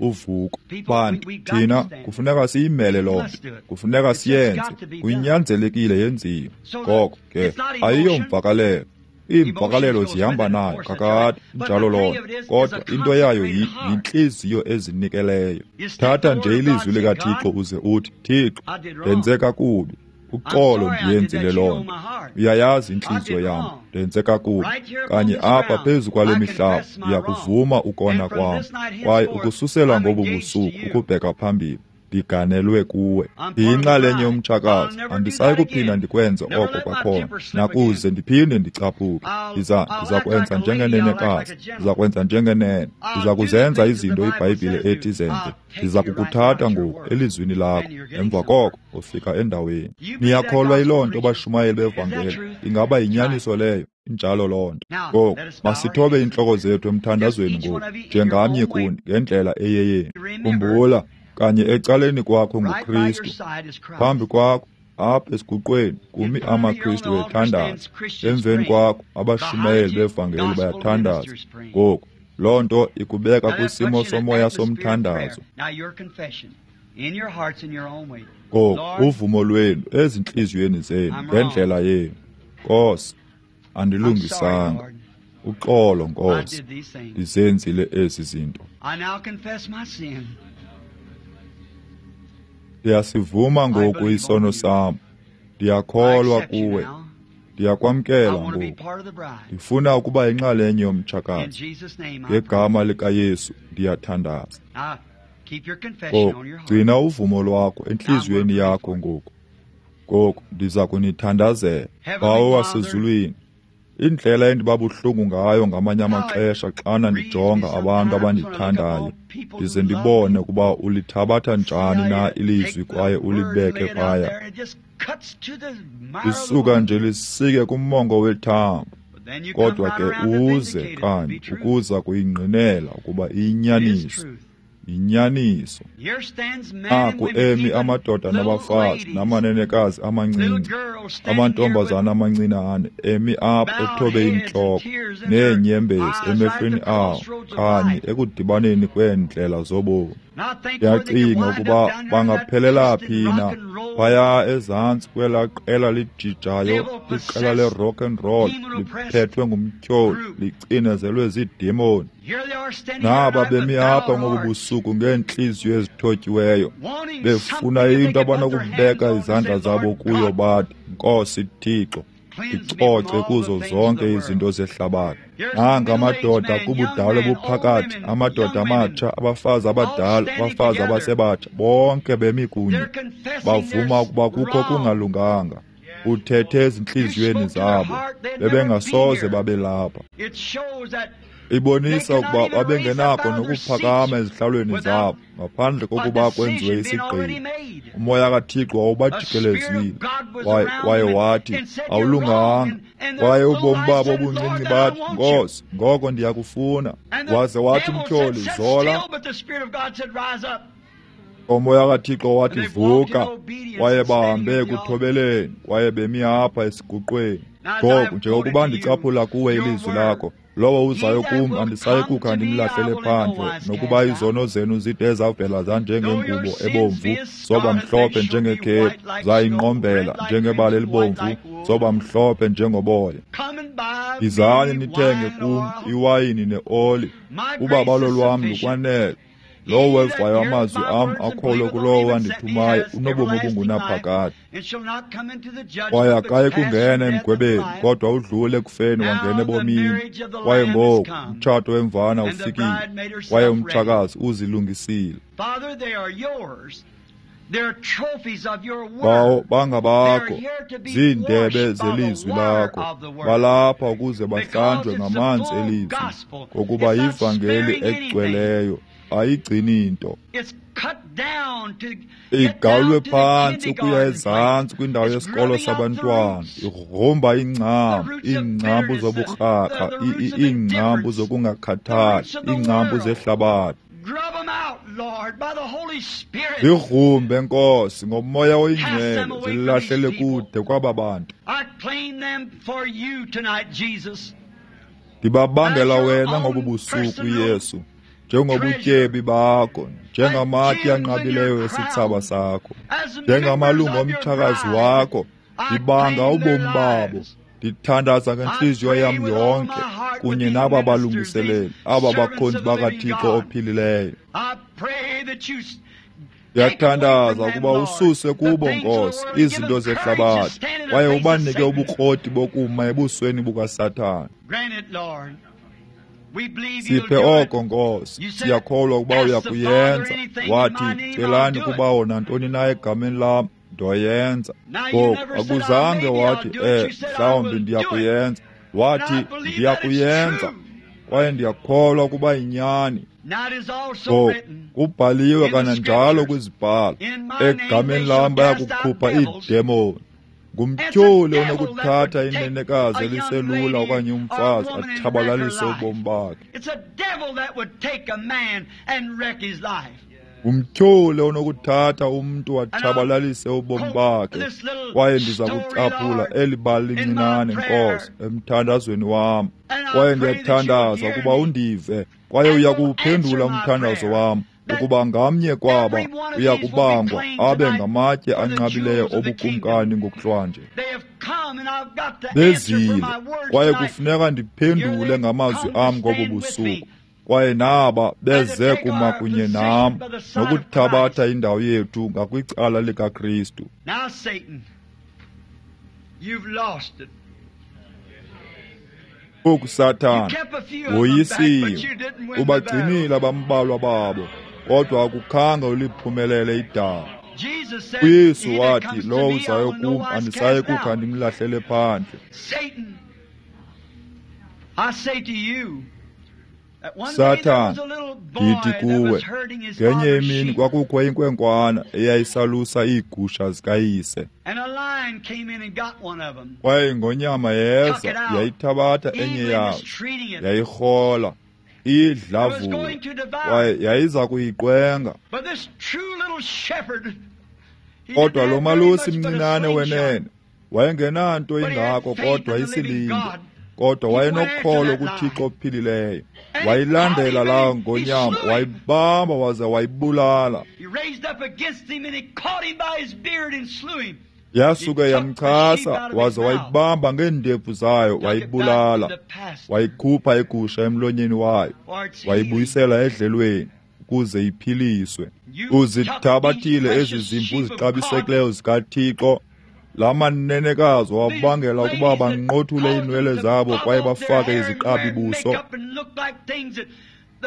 Uvuko. Bantu, thina kufuneka siyimele loo nto, kufuneka siyenze, kunyanzelekile yenziwe. Ngoko ke ayiyomvakalelo, iimvakalelo zihamba nayo kakade, injalo loo nto, kodwa into yayo yintliziyo ezinikeleyo. Thatha nje ilizwi likaThixo uze uthi, Thixo, ndenze kakubi, uxolo ndiyenzile loo nto, uyayazi intliziyo yam, ndenze kakubi. Kanye apha phezu kwale mihlaba ndiyakuvuma ukona kwam, kwaye ukususela ngobu busuku ukubheka phambili ndiganelwe kuwe. Ndiyinxalenye yomtshakazi, andisayi kuphinda ndikwenze oko kwakhona, nakuze ndiphinde ndicaphuke. Ndiza ndiza kwenza njengenenekazi, ndiza kwenza njengenene, ndiza kuzenza izinto iBhayibhile ethi zenze. Ndiza kukuthatha ngoku elizwini lakho, emva koko ufika endaweni. Niyakholwa yiloo nto, bashumayeli bevangeli? Ingaba yinyaniso leyo? Injalo loo nto. Ngoku masithobe iintloko zethu emthandazweni ngoku, njengamnye kuni ngendlela eyeyenu. Khumbula, kanye ecaleni kwakho nguKristu, phambi kwakho apha esiguqweni kumi amaKristu ethandaza, emveni kwakho abashumayeli bevangeli bayathandaza. Ngoku loo nto ikubeka kwisimo somoya somthandazo. Ngoku uvumo lwenu ezintliziyweni zenu ngendlela yenu, Nkosi, andilungisanga, uxolo Nkosi, ndizenzile ezi zinto. Ndiyasivuma ngoku isono sam, ndiyakholwa kuwe, ndiyakwamkela ngoku. Ndifuna ukuba yinxalenye yomtshakazi. Ngegama likaYesu ndiyathandaza. Ngoku gcina uvumo lwakho entliziyweni yakho ngoku. Ngoku ndiza kunithandazela. Bawo wasezulwini, indlela endiba buhlungu ngayo ngamanye amaxesha xana ndijonga abantu abandithandayo, ndize ndibone ukuba ulithabatha njani na ilizwi kwaye ulibeke phaya. Lisuka nje lisike kumongo wethambo, kodwa ke uze kanye ukuza kuyingqinela ukuba iyinyaniso. Yinyaniso. Naku emi amadoda nabafazi namanenekazi amancinci, amantombazana amancinane emi apha ethobe intloko neenyembezi emehlweni awo kanye ekudibaneni kweendlela zobomi. Ndiyacinga ukuba bangaphelela phi na phaya ezantsi kwelaa qela lijijayo, iqela le-rock and roll liphethwe ngumtyholi, licinezelwe ziidemoni. Naba bemi apha ngobu busuku ngeentliziyo ezithotyiweyo, befuna into abanokubeka izandla zabo kuyo bathi, Nkosi Thixo, ndicoce kuzo zonke izinto zehlabathi. Nanga amadoda kubudala obuphakathi, amadoda amatsha, abafazi abadala, abafazi abasebatsha, bonke bemi kunye bavuma ukuba kukho kungalunganga. Uthethe ezintliziyweni zabo, bebengasoze babe lapha. Ibonisa ukuba babengenako nokuphakama ezihlalweni zabo ngaphandle kokuba kwenziwe isigqibo. Umoya kaThixo wawubajikelezile kwaye kwaye wathi awulunganga. Kwaye ubomi babo obuncinci bathi, Nkosi, ngoko ndiyakufuna. Waze wathi umtyholi, zola. Umoya kaThixo wathi, vuka. Kwaye bahambe ekuthobeleni, kwaye bemi apha esiguqweni. Ngoku njengokuba ndicaphula kuwe ilizwi lakho, lowo uzayo kum andisayi kukha ndimlahlele phandle, nokuba izono zenu zide zavela zanjengengubo ebomvu, zoba mhlophe njengekhephu, zayingqombela njengebala elibomvu, zoba mhlophe njengoboya. Yizani nithenge kum iwayini neoli, ubabalo lwam lukwanele. Lowo wevayo amazwi am akholwe kulowo wandithumayo unobomi obungunaphakade, kwaye akayi kungena emgwebeni, kodwa udlule ekufeni wangena ebomini. Kwaye ngoku umtshato wemvana ufikile, kwaye umtshakazi uzilungisile. Bawo, bangabakho, ziindebe zelizwi lakho, balapha ukuze bahlanjwe ngamanzi elizwi, ngokuba yivangeli egcweleyo ayigcini into. Igawulwe phantsi ukuya ezantsi kwindawo yesikolo sabantwana, igrumba iingcambu, iingcambu zobukrakra, iingcambu zokungakhathali, iingcambu zehlabathi. Zigrumbe, Nkosi, ngomoya oyingcwele, zilahlele kude kwaba bantu. Ndibabangela wena ngobu busuku, Yesu, njengobutyebi bakho, njengamatye anqabileyo esithsaba sakho, njengamalungu omtshakazi wakho, ndibanga ubomi babo. Ndithandaza ngentliziyo yam yonke kunye naba balungiseleli, aba bakhonzi bakaThixo ophilileyo. Ndiyathandaza ukuba ususe kubo, Nkosi, izinto zehlabathi, kwaye ubanike ubukroti bokuma ebusweni bukaSathana. Siphe oko, Nkosi. Siyakholwa ukuba uyakuyenza. Wathi, celani kubawo nantoni na egameni lam, ndoyenza. Ngoku akuzange wathi, eh, mhlawumbi ndiyakuyenza. Wathi, ndiyakuyenza, kwaye ndiyakholwa ukuba yinyani. Ngoku kubhaliwe kananjalo kwizibhalo, egameni lam bayakukhupha iidemoni. Ngumtyholi onokuthatha inenekazi eliselula okanye umfazi atshabalalise ubomi bakhe. Ngumtyholi onokuthatha umntu atshabalalise ubomi bakhe. Kwaye ndiza kucaphula eli bali lincinane, Nkosi, emthandazweni wam. Kwaye ndiyathandaza ukuba undive, kwaye uya kuwuphendula umthandazo wam, ukuba ngamnye kwaba uya kubangwa abe ngamatye anqabileyo obukumkani ngokuhlwanje. Bezile, kwaye kufuneka ndiphendule ngamazwi am ngobu busuku. Kwaye naba beze kuma kunye nam nokuthabatha indawo yethu ngakwicala likaKristu. Ngoku, Sathana, woyisiwe, ubagcinile abambalwa babo, kodwa akukhange uliphumelele idabi. uYesu wathi, lowo uzayo kum andisayi kukha ndimlahlele phandle. Sathana, ndithi kuwe, ngenye imini kwakukho inkwenkwana eyayisalusa iigusha zikayise. Kwaye ingonyama yeza yayithabatha enye yazo, yayirhola, iyidlavula, kwaye yayiza kuyiqwenga. Kodwa lo malusi mncinane wenene wayengenanto ingako kodwa isilingo, kodwa wayenokholo kuThixo ophilileyo. Wayilandela laa ngonyama, wayibamba waze wayibulala. Yasuke yamchasa waze wayibamba ngeendevu zayo, wayibulala. Wayikhupha igusha emlonyeni wayo, wayibuyisela edlelweni ukuze iphiliswe. Uzithabathile ezi zimvu zixabisekileyo zikaThixo, La manenekazi wabangela ukuba banqothule iinwele zabo kwaye bafake iziqabi buso,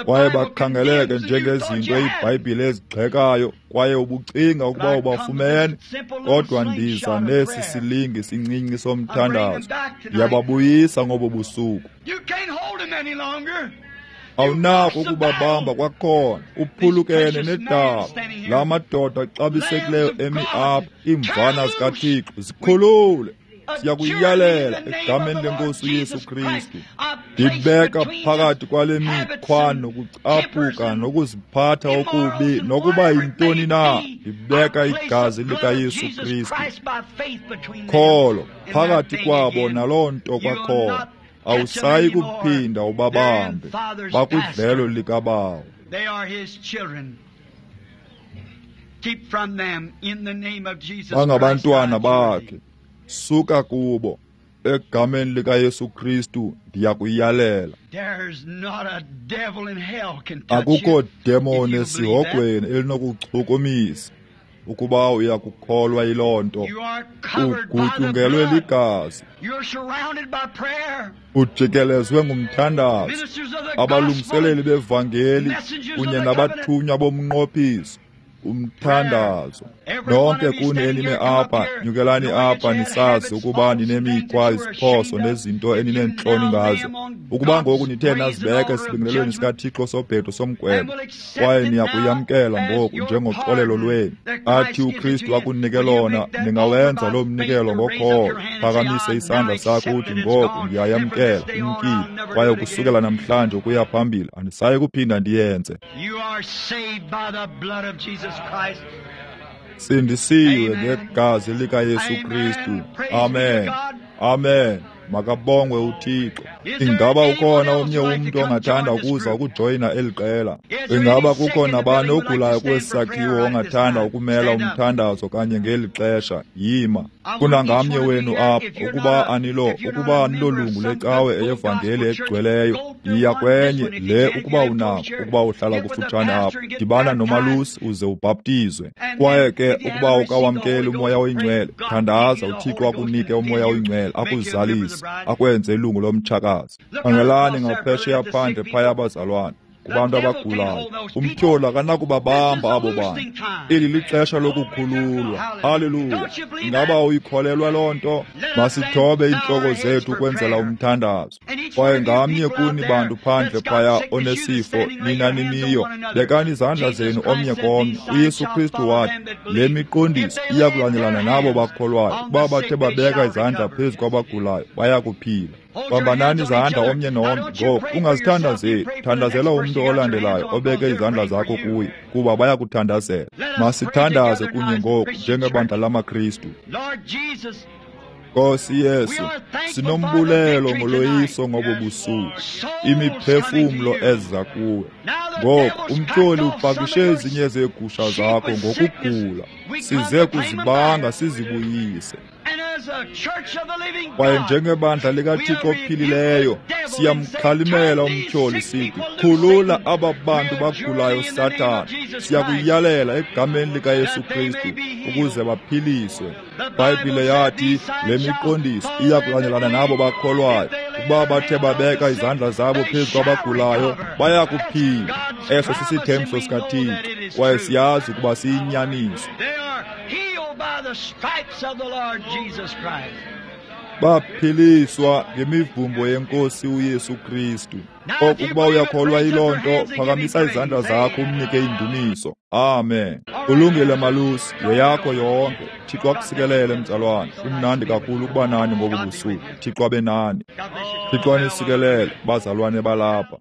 kwaye bakhangeleke njengezinto iBhayibhile ezigxekayo, kwaye ubucinga ukuba ubafumene. Kodwa ndiza nesi silingi sincinci somthandazo, ndiyababuyisa ngobo busuku. Awunako ukubabamba kwakhona, uphulukene nedaba. La madoda axabisekileyo emi apha, iimvana zikaThixo, zikhulule. Siyakuyalela egameni lenkosi uYesu Kristu. Ndibeka phakathi kwale mikhwa nokucaphuka nokuziphatha okubi nokuba yintoni na, ndibeka igazi likaYesu Kristu. Kholo phakathi kwabo naloo nto kwakhona. Awusayi kuphinda ubabambe, bakwidlelo likaBawo. Bangabantwana bakhe. Suka kubo, egameni likaYesu Kristu ndiyakuyalela. Akukho demoni esihogweni elinokuchukumisa ukuba uyakukholwa yiloo nto. Ugutyungelwe ligazi, ujikelezwe ngumthandazo, abalungiseleli bevangeli kunye nabathunywa bomnqophiso. Umthandazo. Nonke kuni enime apha, nyukelani apha nisazi ukuba ninemikhwa, iziphoso nezinto enineentloni ngazo. Ukuba ngoku nithe nazibeka esibingelelweni sikaThixo sobhedu somgwebo, kwaye niyakuyamkela ngoku njengoxolelo lwenu athi uKristu akunike lona, ningawenza loo mnikelo ngokholo. Phakamise isandla sakho uthi, ngoku ndiyayamkela, imkile, kwaye kusukela namhlanje ukuya phambili andisayi kuphinda ndiyenze. Sindisiwe ngegazi likaYesu Kristu. Amen. Amen. Makabongwe uThixo. Ingaba ukhona omnye umntu ongathanda ukuza ukujoyina eli qela? Ingaba kukho nabani ogulayo kwesi sakhiwo ongathanda ukumela umthandazo kanye ngeli xesha? Yima. Kunangamnye wenu apha, ukuba anilo, ukuba anilolungu lecawe eyevangeli egcweleyo, yiya kwenye le ukuba unako, ukuba uhlala kufutshane apha. Dibana nomalusi uze ubhaptizwe. Kwaye ke ukuba ukawamkeli uMoya oyiNgcwele, thandaza uThixo akunike uMoya oyiNgcwele, akuzalise, akwenze ilungu lomtshakazi. Khangelani ngaphesheya phandle phaya abazalwane, kubantu abagulayo. Umtyholi akanakubabamba abo bantu. Eli lixesha lokukhululwa. Haleluya. Ingaba uyikholelwa loo nto? Masithobe iintloko zethu ukwenzela umthandazo. Kwaye ngamnye kuni bantu phandle phaya onesifo, nina nimiyo, bekani izandla zenu omnye komnye. uYesu Kristu wathi, le miqondiso iyakulandelana nabo bakholwayo. Ukuba bathe babeka izandla phezu kwabagulayo, bayakuphila. Bambanani izandla omnye nomnye. Ngoku ungazithandazeli, thandazela umntu olandelayo obeke izandla zakho kuye, kuba bayakuthandazela. Masithandaze kunye ngoku njengebandla lamaKristu. Nkosi Yesu, sinombulelo ngoloyiso ngobo busuku, imiphefumlo eza kuwe. Ngoku umtyholi upakishe ezinye zeegusha zakho ngokugula, size kuzibanga sizibuyise. Kwaye njengebandla likaThixo ophilileyo, siyamkhalimela umtyholi sithi, khulula aba bantu bagulayo, Sathana. Siyakuyalela egameni likaYesu Kristu ukuze baphiliswe. IBhayibhile yathi le miqondiso iyakulandelana nabo bakholwayo. Ukuba bathe babeka izandla zabo phezu kwabagulayo, bayakuphila. Eso sisithembiso sikaThixo, kwaye siyazi ukuba siyinyaniso. Baphiliswa ngemivumbo yenkosi uYesu Kristu. Ukuba uyakholwa yiloo nto, phakamisa izandla zakho umnike indumiso. Amen. Kulungile malusi, yeyakho yonke. Thixo akusikelele mzalwane. Kumnandi kakhulu ukuba nani ngobu busuku. Thixo abe nani. Thixo anisikelele bazalwane balapha.